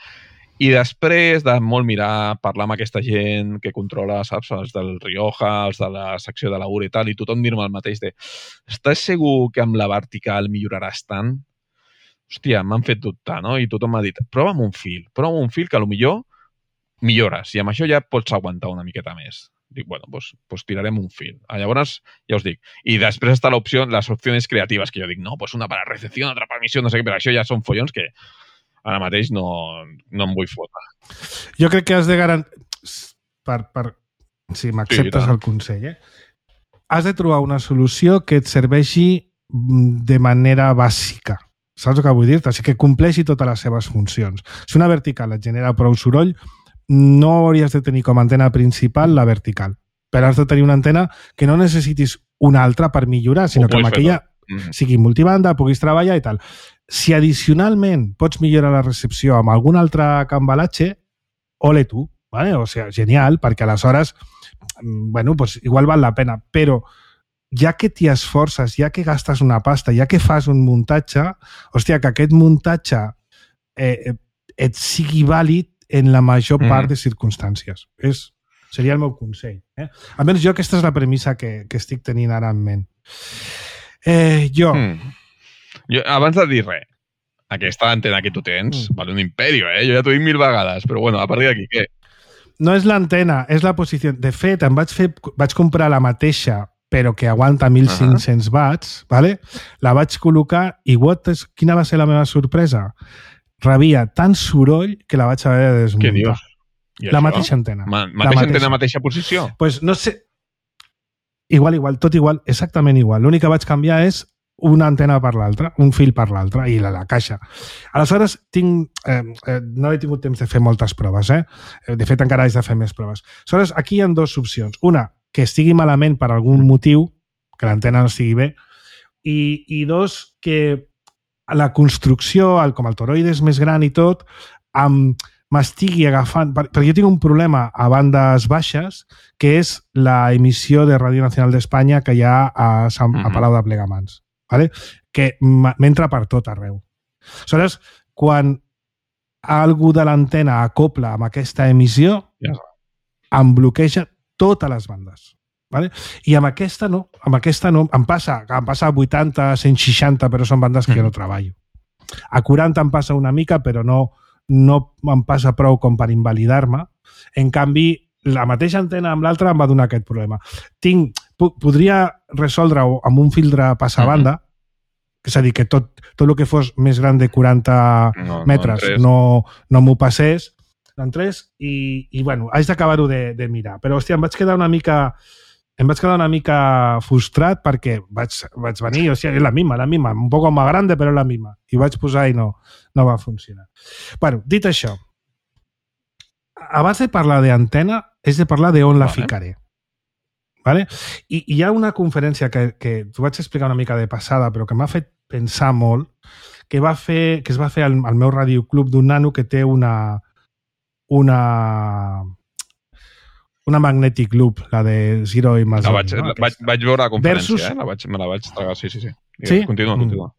Speaker 5: I després de molt mirar, parlar amb aquesta gent que controla, saps, els del Rioja, els de la secció de la U R i tal, i tothom dir-me el mateix de estàs segur que amb la vertical milloraràs tant? Hòstia, m'han fet dubtar, no? I tothom m'ha dit, prova amb un fil, prova amb un fil que potser millores, i amb això ja pots aguantar una miqueta més. Dic, bueno, pues, pues tirarem un fil. Llavors, ja us dic. I després està l'opció, les opcions creatives, que jo dic, no, pues una para recepció, otra para emisión, no sé què, però això ja són follons que ara mateix no, no em vull fotre.
Speaker 4: Jo crec que has de garantir... Per, per... Si m'acceptes sí, el consell, eh? Has de trobar una solució que et serveixi de manera bàsica. Saps el que vull dir-te? O sigui, que compleixi totes les seves funcions. Si una vertical et genera prou soroll, no hauries de tenir com a antena principal la vertical, però has de tenir una antena que no necessitis una altra per millorar, sinó que amb aquella mm-hmm. sigui multibanda, puguis treballar i tal. Si addicionalment pots millorar la recepció amb algun altre cambalatge, ole tu, ¿vale? O sigui, genial, perquè aleshores, bueno, pues igual val la pena, però ja que t'hi esforces, ja que gastes una pasta, ja que fas un muntatge, hòstia, que aquest muntatge eh, et sigui vàlid en la major part mm. de circumstàncies. És, seria el meu consell. Eh? Almenys jo aquesta és la premissa que, que estic tenint ara en ment. Eh, jo... Mm.
Speaker 5: jo... Abans de dir res, aquesta antena que tu tens mm. vale un imperio, eh? Jo ja t'ho dic mil vegades, però bueno, a partir d'aquí, què?
Speaker 4: No és l'antena, és la posició. De fet, em vaig, fer, vaig comprar la mateixa, però que aguanta mil cinc-cents uh-huh. watts, ¿vale? La vaig col·locar i what is, quina va ser la meva sorpresa? Rebia tant soroll que la vaig haver de desmuntar.
Speaker 5: Què dius?
Speaker 4: La mateixa antena.
Speaker 5: Ma mateixa la mateixa. antena, mateixa posició?
Speaker 4: Pues no sé, igual, igual, tot igual, exactament igual. L'únic que vaig canviar és una antena per l'altra, un fil per l'altra i la, la caixa. Aleshores, tinc, eh, eh, no he tingut temps de fer moltes proves, eh? De fet, encara haig de fer més proves. Aleshores, aquí hi ha dues opcions. Una, que estigui malament per algun motiu, que l'antena no estigui bé, i, i dos, que la construcció, el, com el toroide és més gran i tot, amb m'estigui agafant... Perquè jo tinc un problema a bandes baixes, que és la emissió de Ràdio Nacional d'Espanya que hi ha a, Sant, a Palau de Plegamans. ¿Vale? Que m'entra per tot arreu. Aleshores, quan algú de l'antena acopla amb aquesta emissió, ja. em bloqueja totes les bandes. ¿Vale? I amb aquesta no, amb aquesta no, em passa, em passa a vuitanta, cent seixanta, però són bandes que jo no treballo. A quaranta em passa una mica, però no, no em passa prou com per invalidar-me. En canvi, la mateixa antena amb l'altra em va donar aquest problema. Tinc, podria resoldre-ho amb un filtre passabanda, mm-hmm. és a dir, que tot, tot el que fos més gran de quaranta no, metres no, no m'ho passés, no entrés, i, i bueno, haig d'acabar-ho de, de mirar. Però, hòstia, em vaig quedar una mica... Em vaig quedar una mica frustrat perquè vaig, vaig venir, o sigui, és la misma, la misma, un poc més grande, però la misma. I vaig posar i no, no va funcionar. Bueno, dit això, abans de parlar d'antena, és de parlar d'on la ficaré. Vale? I, I hi ha una conferència que, que t'ho vaig explicar una mica de passada, però que m'ha fet pensar molt, que, va fer, que es va fer al, al meu radioclub d'un nano que té una... una una Magnetic Loop, la de Zero i Mazon.
Speaker 5: La vaig, no? vaig, vaig veure la conferència, Versus... eh? la vaig, me la vaig tragar, sí, sí, sí.
Speaker 4: sí?
Speaker 5: Continua, continua.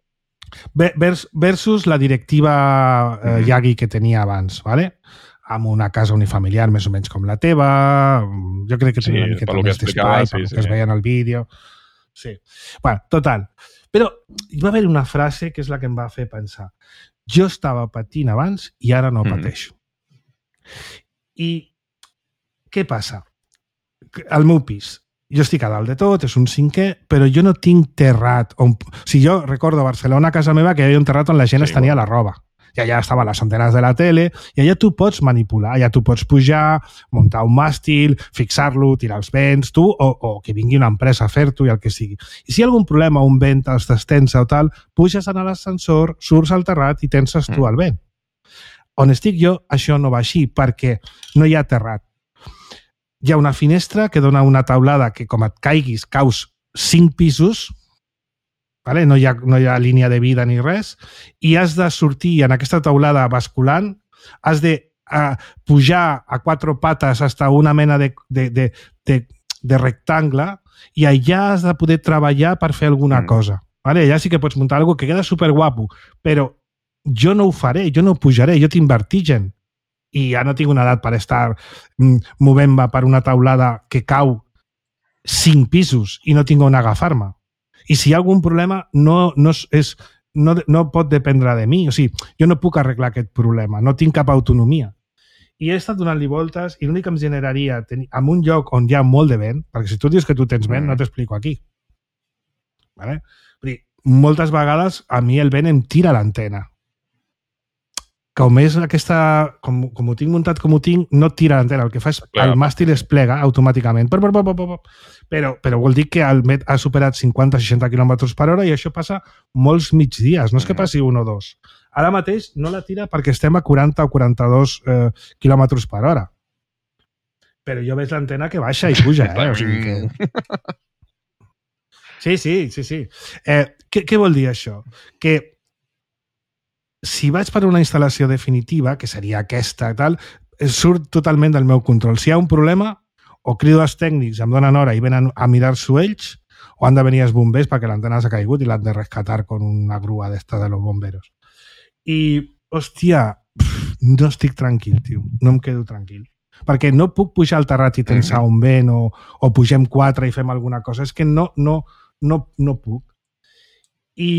Speaker 4: Versus la directiva eh, mm-hmm. Yagi que tenia abans, ¿vale? Amb una casa unifamiliar més o menys com la teva, jo crec que tenia sí, una miqueta més d'espai, sí, sí, que es veia en el vídeo. Sí. Bueno, total. Però hi va haver una frase que és la que em va fer pensar. Jo estava patint abans i ara no mm-hmm. pateixo. I què passa? Al meu pis, jo estic a dalt de tot, és un cinquè, però jo no tinc terrat. On... O sigui, jo recordo a Barcelona, a casa meva, que hi havia un terrat on la gent sí, es tenia bueno. la roba. I allà estaven les antenes de la tele, i allà tu pots manipular, allà tu pots pujar, muntar un màstil, fixar-lo, tirar els vents, tu, o, o que vingui una empresa a fer-t'ho i el que sigui. I si hi ha algun problema, un vent es destensa o tal, puges en l'ascensor, surts al terrat i tenses tu el vent. On estic jo, això no va així, perquè no hi ha terrat. Hi ha una finestra que dona una taulada que com et caiguis caus cinc pisos, vale? no, hi ha, no hi ha línia de vida ni res, i has de sortir en aquesta taulada basculant, has de uh, pujar a quatre pates hasta una mena de, de, de, de, de rectangle i allà has de poder treballar per fer alguna mm. cosa. Vale? Allà sí que pots muntar alguna cosa que queda superguapo, però jo no ho faré, jo no pujaré, jo tinc vertigen. I ja no tinc una edat per estar movent-me per una taulada que cau cinc pisos i no tinc on agafar-me. I si hi ha algun problema, no, no, és, no, no pot dependre de mi. O sigui, jo no puc arreglar aquest problema, no tinc cap autonomia. I he estat donant-li voltes i l'únic que em generaria tenir, en un lloc on hi ha molt de vent, perquè si tu dius que tu tens vent, no t'explico aquí. Vale? Vull dir, moltes vegades a mi el vent em tira l'antena. Com és aquesta, com, com ho tinc muntat com ho tinc, no tira l'antena. El que fa és Clar, el màstil es plega automàticament. Però, però vol dir que el Met ha superat cinquanta a seixanta quilòmetres per hora i això passa molts migdies. No és que passi un o dos. Ara mateix no la tira perquè estem a quaranta o quaranta-dos eh, quilòmetres per hora. Però jo veig l'antena que baixa i puja. Eh? O sigui que... Sí, sí, sí. sí. Eh, què, què vol dir això? Que si vaig per una instal·lació definitiva, que seria aquesta i tal, surt totalment del meu control. Si hi ha un problema, o crido els tècnics, em donen hora i venen a mirar-s'ho ells, o han de venir els bombers perquè l'antena s'ha caigut i l'han de rescatar con una grua d'esta de los bomberos. I, hòstia, no estic tranquil, tio. No em quedo tranquil. Perquè no puc pujar al terrat i tensar un vent o, o pugem quatre i fem alguna cosa. És que no, no, no, no puc. I...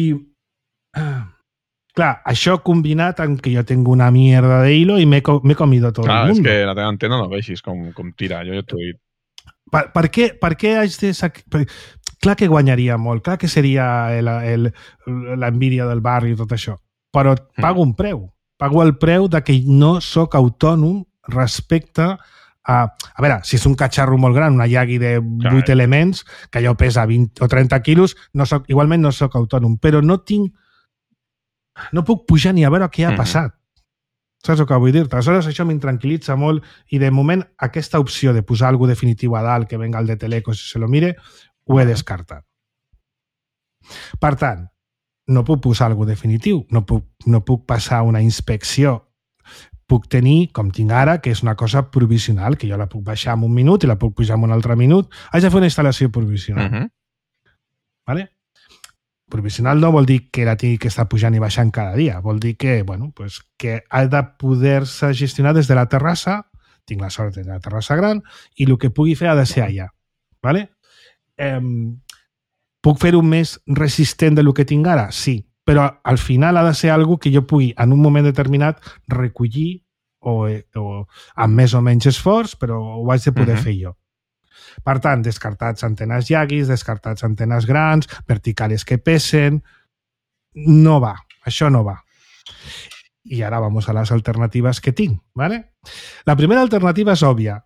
Speaker 4: Clar, això combinat amb que jo tinc una mierda de hilo i m'he comido tot
Speaker 5: Clar,
Speaker 4: el mundo.
Speaker 5: És que la teva antena no veixis com, com tira, jo ja t'ho he dit.
Speaker 4: Per, per, què, per què haig de... Sac... Clar que guanyaria molt, clar que seria l'envídia del barri i tot això, però pago un preu. Pago el preu de que no sóc autònom respecte Uh, a veure, si és un catxarro molt gran, una Yagi de vuit elements, que allò pesa vint o trenta quilos, no soc, igualment no sóc autònom, però no tinc... No puc pujar ni a veure què ha passat. Mm-hmm. Saps el que vull dir-te? Aleshores, això m'intranquil·litza molt i, de moment, aquesta opció de posar alguna definitiu a dalt, que venga el de Teleco si se lo mire, ho he descartat. Per tant, no puc posar alguna definitiu, no puc, no puc passar una inspecció. Puc tenir, com tinc ara, que és una cosa provisional, que jo la puc baixar en un minut i la puc pujar en un altre minut. Haig de fer una instal·lació provisional. Uh-huh. Vale? Provisional no vol dir que la tingui que estar pujant i baixant cada dia. Vol dir que, bueno, pues, que ha de poder-se gestionar des de la terrassa, tinc la sort de la terrassa gran, i el que pugui fer ha de ser allà. Vale? Eh, puc fer-ho més resistent del que tinc ara? Sí. Però al final ha de ser algo que jo pugui, en un moment determinat, recollir o, o amb més o menys esforç, però ho haig de poder uh-huh. fer jo. Per tant, descartats antenes Yagis, descartats antenes grans, verticales que pesen... No va, això no va. I ara vamos a les alternatives que tinc, ¿vale? La primera alternativa és òbvia.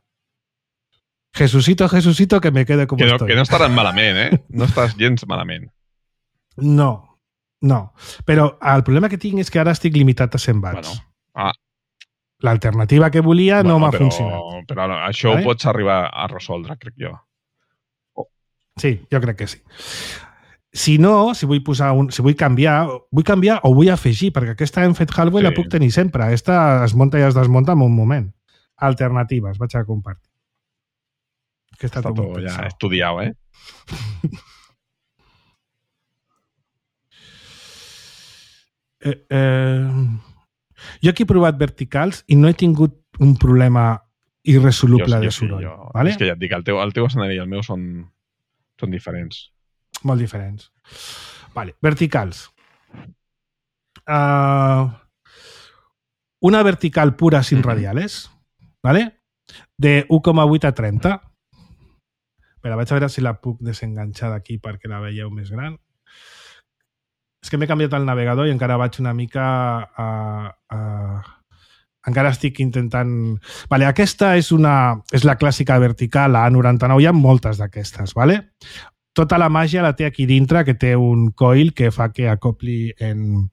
Speaker 4: Jesucito, Jesucito, que me quede como
Speaker 5: que no,
Speaker 4: estoy.
Speaker 5: Que no estaràs malament, eh? No estàs gens malament.
Speaker 4: No. No, però el problema que tinc és que ara estic limitat a cent watts.
Speaker 5: Bueno, ah.
Speaker 4: L'alternativa que volia bueno, no m'ha
Speaker 5: però,
Speaker 4: funcionat.
Speaker 5: Però això vale? Ho pots arribar a resoldre, crec jo.
Speaker 4: Oh. Sí, jo crec que sí. Si no, si vull posar un, si vull canviar, vull canviar o vull afegir, perquè aquesta hem fet Halway sí. La puc tenir sempre. Aquesta es munta i es desmunta en un moment. Alternatives, vaig a compartir. Que està,
Speaker 5: està tot, tot ja estudiat, eh?
Speaker 4: Eh, eh, jo aquí he provat verticals i no he tingut un problema irresoluble jo, de soroll. Jo, vale?
Speaker 5: És que ja et dic, el teu, el teu escenari i el meu són, són diferents.
Speaker 4: Molt diferents. Vale, verticals. Uh, una vertical pura sin mm-hmm. radiales, ¿vale? De u coma vuit a trenta. Espera, vaig a veure si la puc desenganxar d'aquí perquè la veieu més gran. És que m'he canviat el navegador i encara vaig una mica a... a... Encara estic intentant... Vale, aquesta és, una, és la clàssica vertical, la A noranta-nou, hi ha moltes d'aquestes, vale? Tota la màgia la té aquí dintre, que té un coil que fa que acopli en,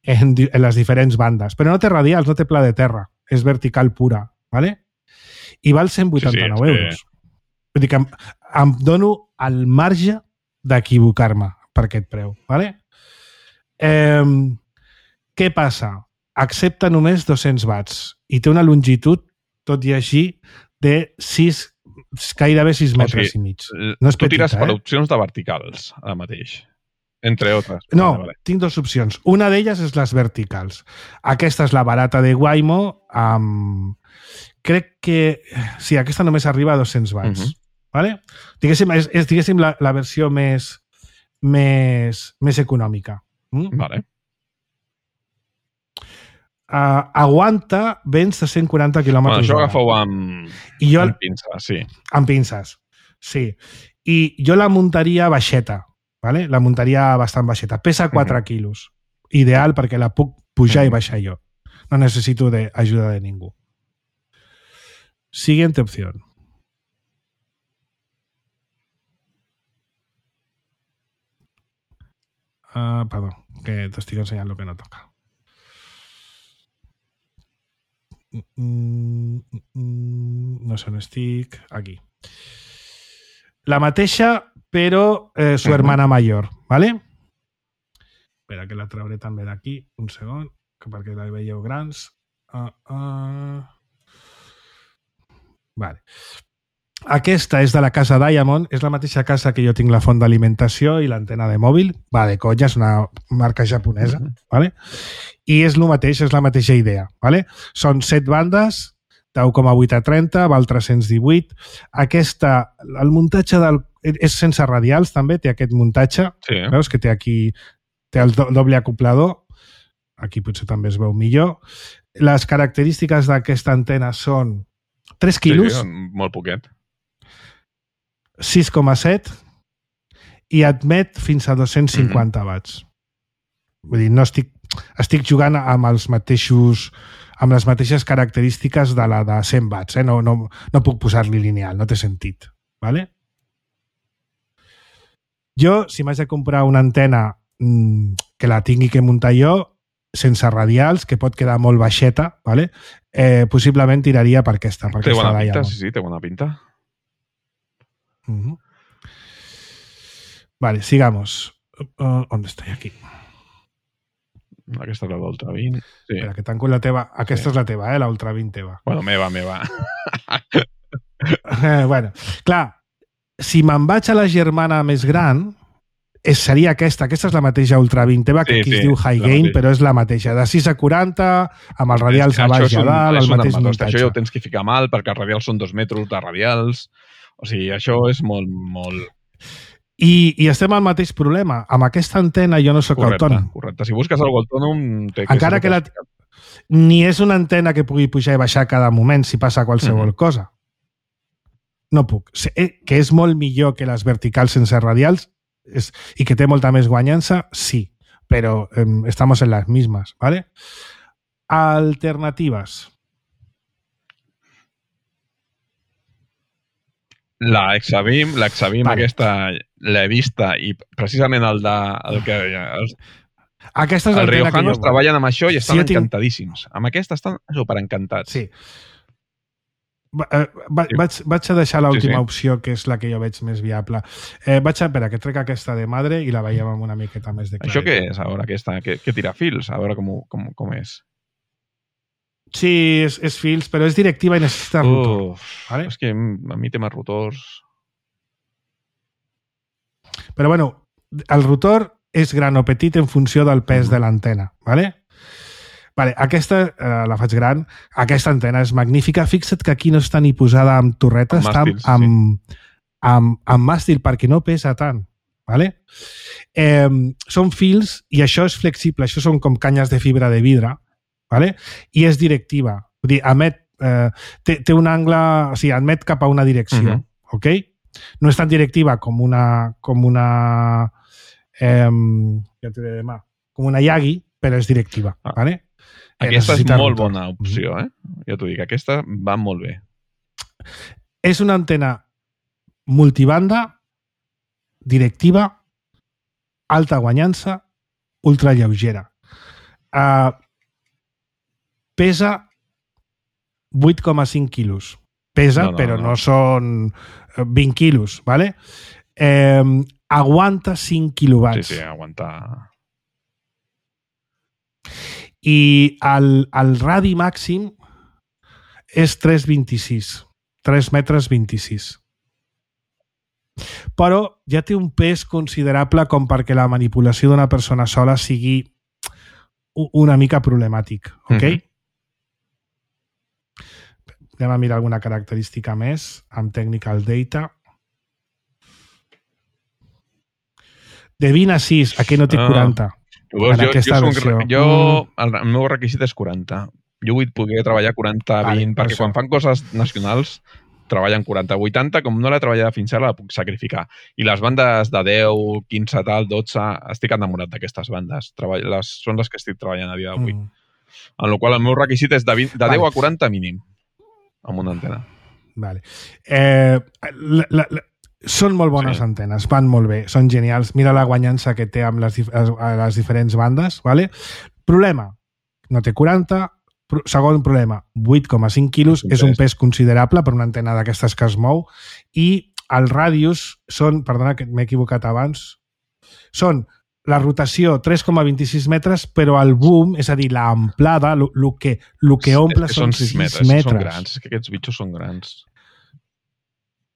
Speaker 4: en, en les diferents bandes. Però no té radials, no té pla de terra, és vertical pura, vale? I val cent vuitanta-nou sí, sí, euros. Que... Vull dir que em, em dono el marge d'equivocar-me per aquest preu, vale? Eh, què passa? Accepta només dos-cents watts i té una longitud, tot i així, de sis, gairebé sis metres o sigui, i mig. No és
Speaker 5: tu
Speaker 4: petita,
Speaker 5: tires per
Speaker 4: eh?
Speaker 5: opcions de verticals, ara mateix. Entre altres.
Speaker 4: No,
Speaker 5: vale, vale.
Speaker 4: Tinc dues opcions. Una d'elles és les verticals. Aquesta és la barata de Waymo. Amb... Crec que... Sí, aquesta només arriba a dos-cents watts. Uh-huh. Vale? Diguéssim, és, és diguéssim la, la versió més, més, més econòmica. Mm?
Speaker 5: Vale.
Speaker 4: Uh, aguanta vents de cent quaranta quilòmetres.
Speaker 5: Bueno, això agafeu amb, I jo, amb pinces, sí.
Speaker 4: Amb pinces, sí. I jo la muntaria baixeta, ¿vale? La muntaria bastant baixeta. Pesa quatre uh-huh. quilos. Ideal perquè la puc pujar uh-huh. i baixar jo. No necessito de ajuda de ningú. Siguiente opción. Uh, perdó, que t'estic ensenyant el que no toca. Mm, mm, mm, no sé on estic. Aquí. La mateixa, però eh, su hermana mayor, ¿vale? Espera, que la trauré també d'aquí. Un segon, que perquè la veieu grans. Uh, uh. Vale. Aquesta és de la casa Diamond, és la mateixa casa que jo tinc la font d'alimentació i l'antena de mòbil. Va, de conya, és una marca japonesa, uh-huh. ¿vale? I és el mateix, és la mateixa idea, ¿vale? Són set bandes, de u coma vuit a trenta, val tres-cents divuit. Aquesta, el muntatge del, és sense radials també, té aquest muntatge, sí. Veus que té aquí, té el do, doble acoplador, aquí potser també es veu millor. Les característiques d'aquesta antena són tres quilos.
Speaker 5: Sí, sí, molt poquet.
Speaker 4: sis coma set i admet fins a dos-cents cinquanta mm-hmm. watts. Vull dir, no estic, estic jugant amb els mateixos amb les mateixes característiques de la de cent watts. Eh? No, no, no puc posar-li lineal, no té sentit. Vale? Jo, si m'haig de comprar una antena mmm, que la tingui que muntar jo, sense radials, que pot quedar molt baixeta, vale? eh, possiblement tiraria per aquesta. Per
Speaker 5: té
Speaker 4: aquesta
Speaker 5: bona pinta,
Speaker 4: Diamond.
Speaker 5: sí, sí, té bona pinta.
Speaker 4: Uh-huh. Vale, sigamos. Uh, ¿Dónde estoy? Aquí.
Speaker 5: Aquesta és la d'Ultra vint. Sí.
Speaker 4: Espera, que tanco la teva. Aquesta
Speaker 5: Sí.
Speaker 4: és la teva, eh? La Ultra vint teva.
Speaker 5: Bueno, meva, meva.
Speaker 4: Eh, bueno, clar, si me'n vaig a la germana més gran, és, seria aquesta. Aquesta és la mateixa Ultra vint teva, que
Speaker 5: Sí,
Speaker 4: aquí
Speaker 5: sí,
Speaker 4: es diu High
Speaker 5: la
Speaker 4: Gain,
Speaker 5: mateixa.
Speaker 4: però és la mateixa. De sis a quaranta, amb els radials a baix i a dalt, el mateix muntatge.
Speaker 5: Això ja ho tens que ficar mal, perquè els radials són dos metres de radials. O sigui, això és molt, molt...
Speaker 4: I, I estem al mateix problema. Amb aquesta antena jo no sóc
Speaker 5: Correcte,
Speaker 4: autònom.
Speaker 5: correcte. Si busques algú autònom... Té que
Speaker 4: Encara
Speaker 5: ser
Speaker 4: que la... Ni és una antena que pugui pujar i baixar cada moment si passa qualsevol
Speaker 5: Mhm.
Speaker 4: cosa. No puc. Sé que és molt millor que les verticals sense radials és, i que té molta més guanyança, sí, però eh, estamos en las mismas, ¿vale? Alternativas.
Speaker 5: La Exabim, l'Exabim
Speaker 4: Vale.
Speaker 5: aquesta l'he vista i precisament el de... El que, els,
Speaker 4: Aquesta és
Speaker 5: els
Speaker 4: l'antena que jo
Speaker 5: riojanos
Speaker 4: vull.
Speaker 5: treballen amb això i estan
Speaker 4: Si jo tinc-
Speaker 5: encantadíssims. Amb aquesta estan superencantats.
Speaker 4: Sí. Va, eh, va,
Speaker 5: Sí.
Speaker 4: vaig, vaig a deixar l'última
Speaker 5: Sí, sí.
Speaker 4: opció, que és la que jo veig més viable. Eh, vaig a... Espera, que trec aquesta de madre i la veiem amb una miqueta més de claretat.
Speaker 5: Això què és, a veure, aquesta, que, que tira fils? A veure com, ho- com, com és.
Speaker 4: Sí, és, és fils, però és directiva i necessita rotor.
Speaker 5: Uf,
Speaker 4: vale?
Speaker 5: És que a mi temes rotors...
Speaker 4: Però bueno, el rotor és gran o petit en funció del pes de l'antena, ¿vale? Vale, aquesta eh, la faig gran. Aquesta antena és magnífica. Fixa't que aquí no està ni posada amb torreta,
Speaker 5: Amb
Speaker 4: està amb,
Speaker 5: màstils,
Speaker 4: amb, amb, amb màstil perquè no pesa tant. ¿Vale? Eh, són fils i això és flexible. Això són com canyes de fibra de vidre, ¿vale? I és directiva. Vull dir, emet, eh, té, té un angle... O sigui, emet cap a una direcció.
Speaker 5: Mhm.
Speaker 4: ¿Ok? No és tan directiva com una... Com una eh, ja t'ho diré demà. Com una Yagi, però és directiva.
Speaker 5: Ah.
Speaker 4: ¿vale? Eh,
Speaker 5: Aquesta és
Speaker 4: necessita
Speaker 5: molt
Speaker 4: rotor.
Speaker 5: bona opció, eh? Ja t'ho dic, aquesta va molt bé.
Speaker 4: És una antena multibanda, directiva, alta guanyança, ultra lleugera. Uh, pesa vuit coma cinc quilos. Pesa,
Speaker 5: No, no,
Speaker 4: però
Speaker 5: no.
Speaker 4: no són vint quilos, ¿vale? Eh, aguanta cinc quilowatts.
Speaker 5: Sí, sí, aguantar...
Speaker 4: I el, el radi màxim és tres coma vint-i-sis. tres metres vint-i-sis. Però ja té un pes considerable com perquè la manipulació d'una persona sola sigui u- una mica problemàtic, ok?
Speaker 5: Mhm.
Speaker 4: Anem a mirar alguna característica més amb Technical Data. De vint a sis, a què no té
Speaker 5: Ah.
Speaker 4: quaranta?
Speaker 5: Llavors,
Speaker 4: En
Speaker 5: jo,
Speaker 4: aquesta
Speaker 5: jo,
Speaker 4: versió.
Speaker 5: soc, jo el, el meu requisit és quaranta. Jo vull poder treballar quaranta a
Speaker 4: Vale,
Speaker 5: vint,
Speaker 4: per
Speaker 5: perquè
Speaker 4: això.
Speaker 5: quan fan coses nacionals treballen quaranta. vuitanta, com no l'he treballat fins ara, la puc sacrificar. I les bandes de deu, quinze, tal, dotze, estic enamorat d'aquestes bandes. Treball, les, són les que estic treballant a dia d'avui.
Speaker 4: Mm.
Speaker 5: En la qual el meu requisit és de, vint, de
Speaker 4: Vale.
Speaker 5: deu a quaranta mínim, amb una antena.
Speaker 4: Vale. Eh, la, la, la, són molt bones
Speaker 5: Sí.
Speaker 4: antenes, van molt bé, són genials. Mira la guanyança que té amb les, dif- les, les diferents bandes. Vale? Problema, no té quaranta. Pro- Segon problema, vuit coma cinc quilos,
Speaker 5: És un
Speaker 4: és un
Speaker 5: pes.
Speaker 4: pes considerable per una antena d'aquestes que es mou, i els ràdius són, perdona que m'he equivocat abans, són la rotació tres coma vint-i-sis metres, però el boom, és a dir, l'amplada, el que, lo que omple
Speaker 5: és que
Speaker 4: són
Speaker 5: sis
Speaker 4: sis
Speaker 5: metres.
Speaker 4: metres.
Speaker 5: Són grans, és que aquests bitxos són grans.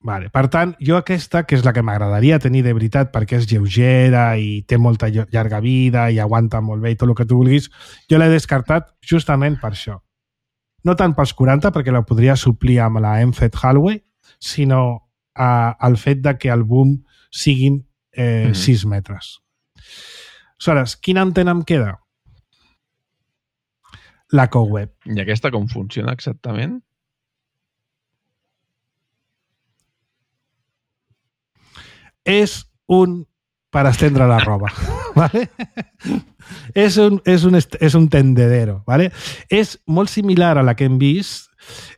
Speaker 4: Vale. Per tant, jo aquesta, que és la que m'agradaria tenir de veritat perquè és lleugera i té molta llo- llarga vida i aguanta molt bé i tot el que tu vulguis, jo l'he descartat justament per això. No tant pels quaranta, perquè la podria suplir amb la Enfed Hallway, sinó eh, el fet de que el boom siguin eh,
Speaker 5: Mhm.
Speaker 4: sis metres. Aleshores, quina antena em queda? La CoWeb.
Speaker 5: I aquesta com funciona exactament?
Speaker 4: És un per estendre la roba. ¿Vale? És, un, és, un, és un tendedero. ¿Vale? És molt similar a la que hem vist.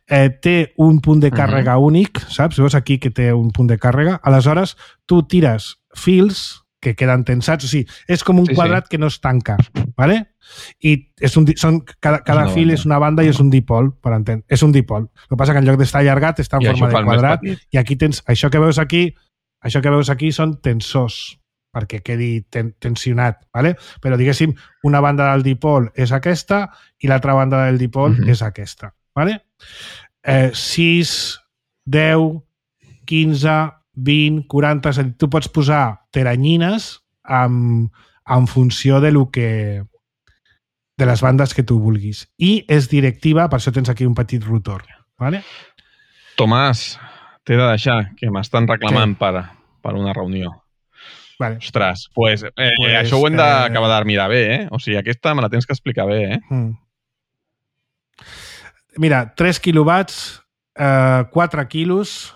Speaker 4: Eh, té un punt de càrrega uh-huh. únic, saps? Veus aquí que té un punt de càrrega. Aleshores, tu tires fils que queden tensats. O sigui, és com un sí, quadrat sí. que no es tanca. ¿Vale? I és un, són, cada, cada és fil banda. És una banda i és un dipol, per entendre. És un dipol. El que passa que en lloc d'estar allargat està en I forma de quadrat i aquí tens... Això que veus aquí, això que veus aquí són tensors perquè quedi ten, tensionat, ¿vale? Però diguéssim, una banda del dipol és aquesta i l'altra banda del dipol uh-huh. és aquesta. ¿Vale? Eh, sis, deu, quinze, vint, quaranta... Tu pots posar teranyines en, en funció de lo que de les bandes que tu vulguis. I és directiva, per això tens aquí un petit rotor. ¿Vale?
Speaker 5: Tomàs, t'he de deixar, que m'estan reclamant per, per una reunió.
Speaker 4: Vale.
Speaker 5: Ostres, pues, eh, pues, això ho hem d'acabar eh... de mirar bé, eh? O sigui, aquesta me la tens que explicar bé, eh?
Speaker 4: Mm. Mira, tres quilowatts, eh, quatre quilos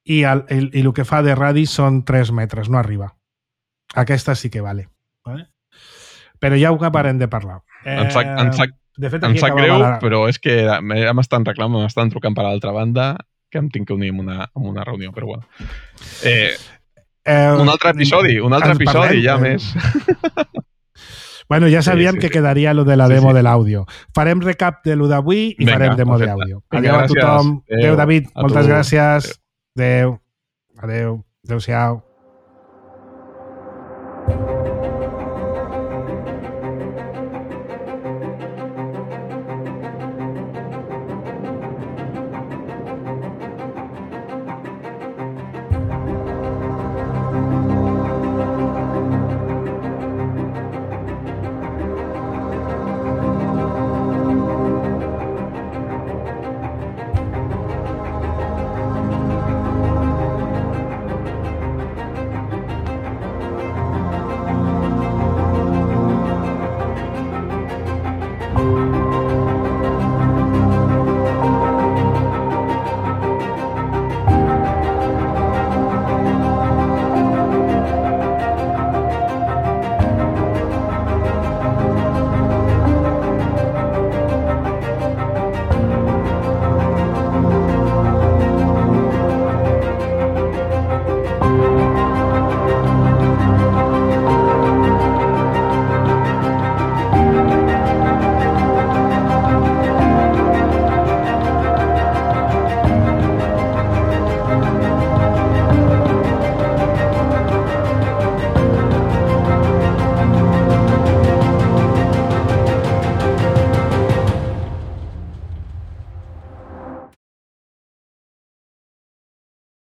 Speaker 4: i el, el, i el que fa de radi són tres metres, no arriba. Aquesta sí que vale. Vale? Però ja ho acabarem de parlar. Eh,
Speaker 5: em sap, em sap, de fet, em sap greu, la... però és que ja m'estan reclamant, m'estan trucant per l'altra banda, que em tinc que unir en una, en una reunió, però bueno. Eh, eh, un altre episodi, un altre episodi, parlem, ja eh... més.
Speaker 4: Bueno, ja sabíem sí, sí, que quedaria lo de la demo sí, sí. de l'àudio. Farem recap de lo d'avui i Venga, farem demo perfecte. D'àudio. Adéu a tothom. Adéu, Adéu David. A moltes tu. gràcies. Adéu. Adéu. Adéu-siau.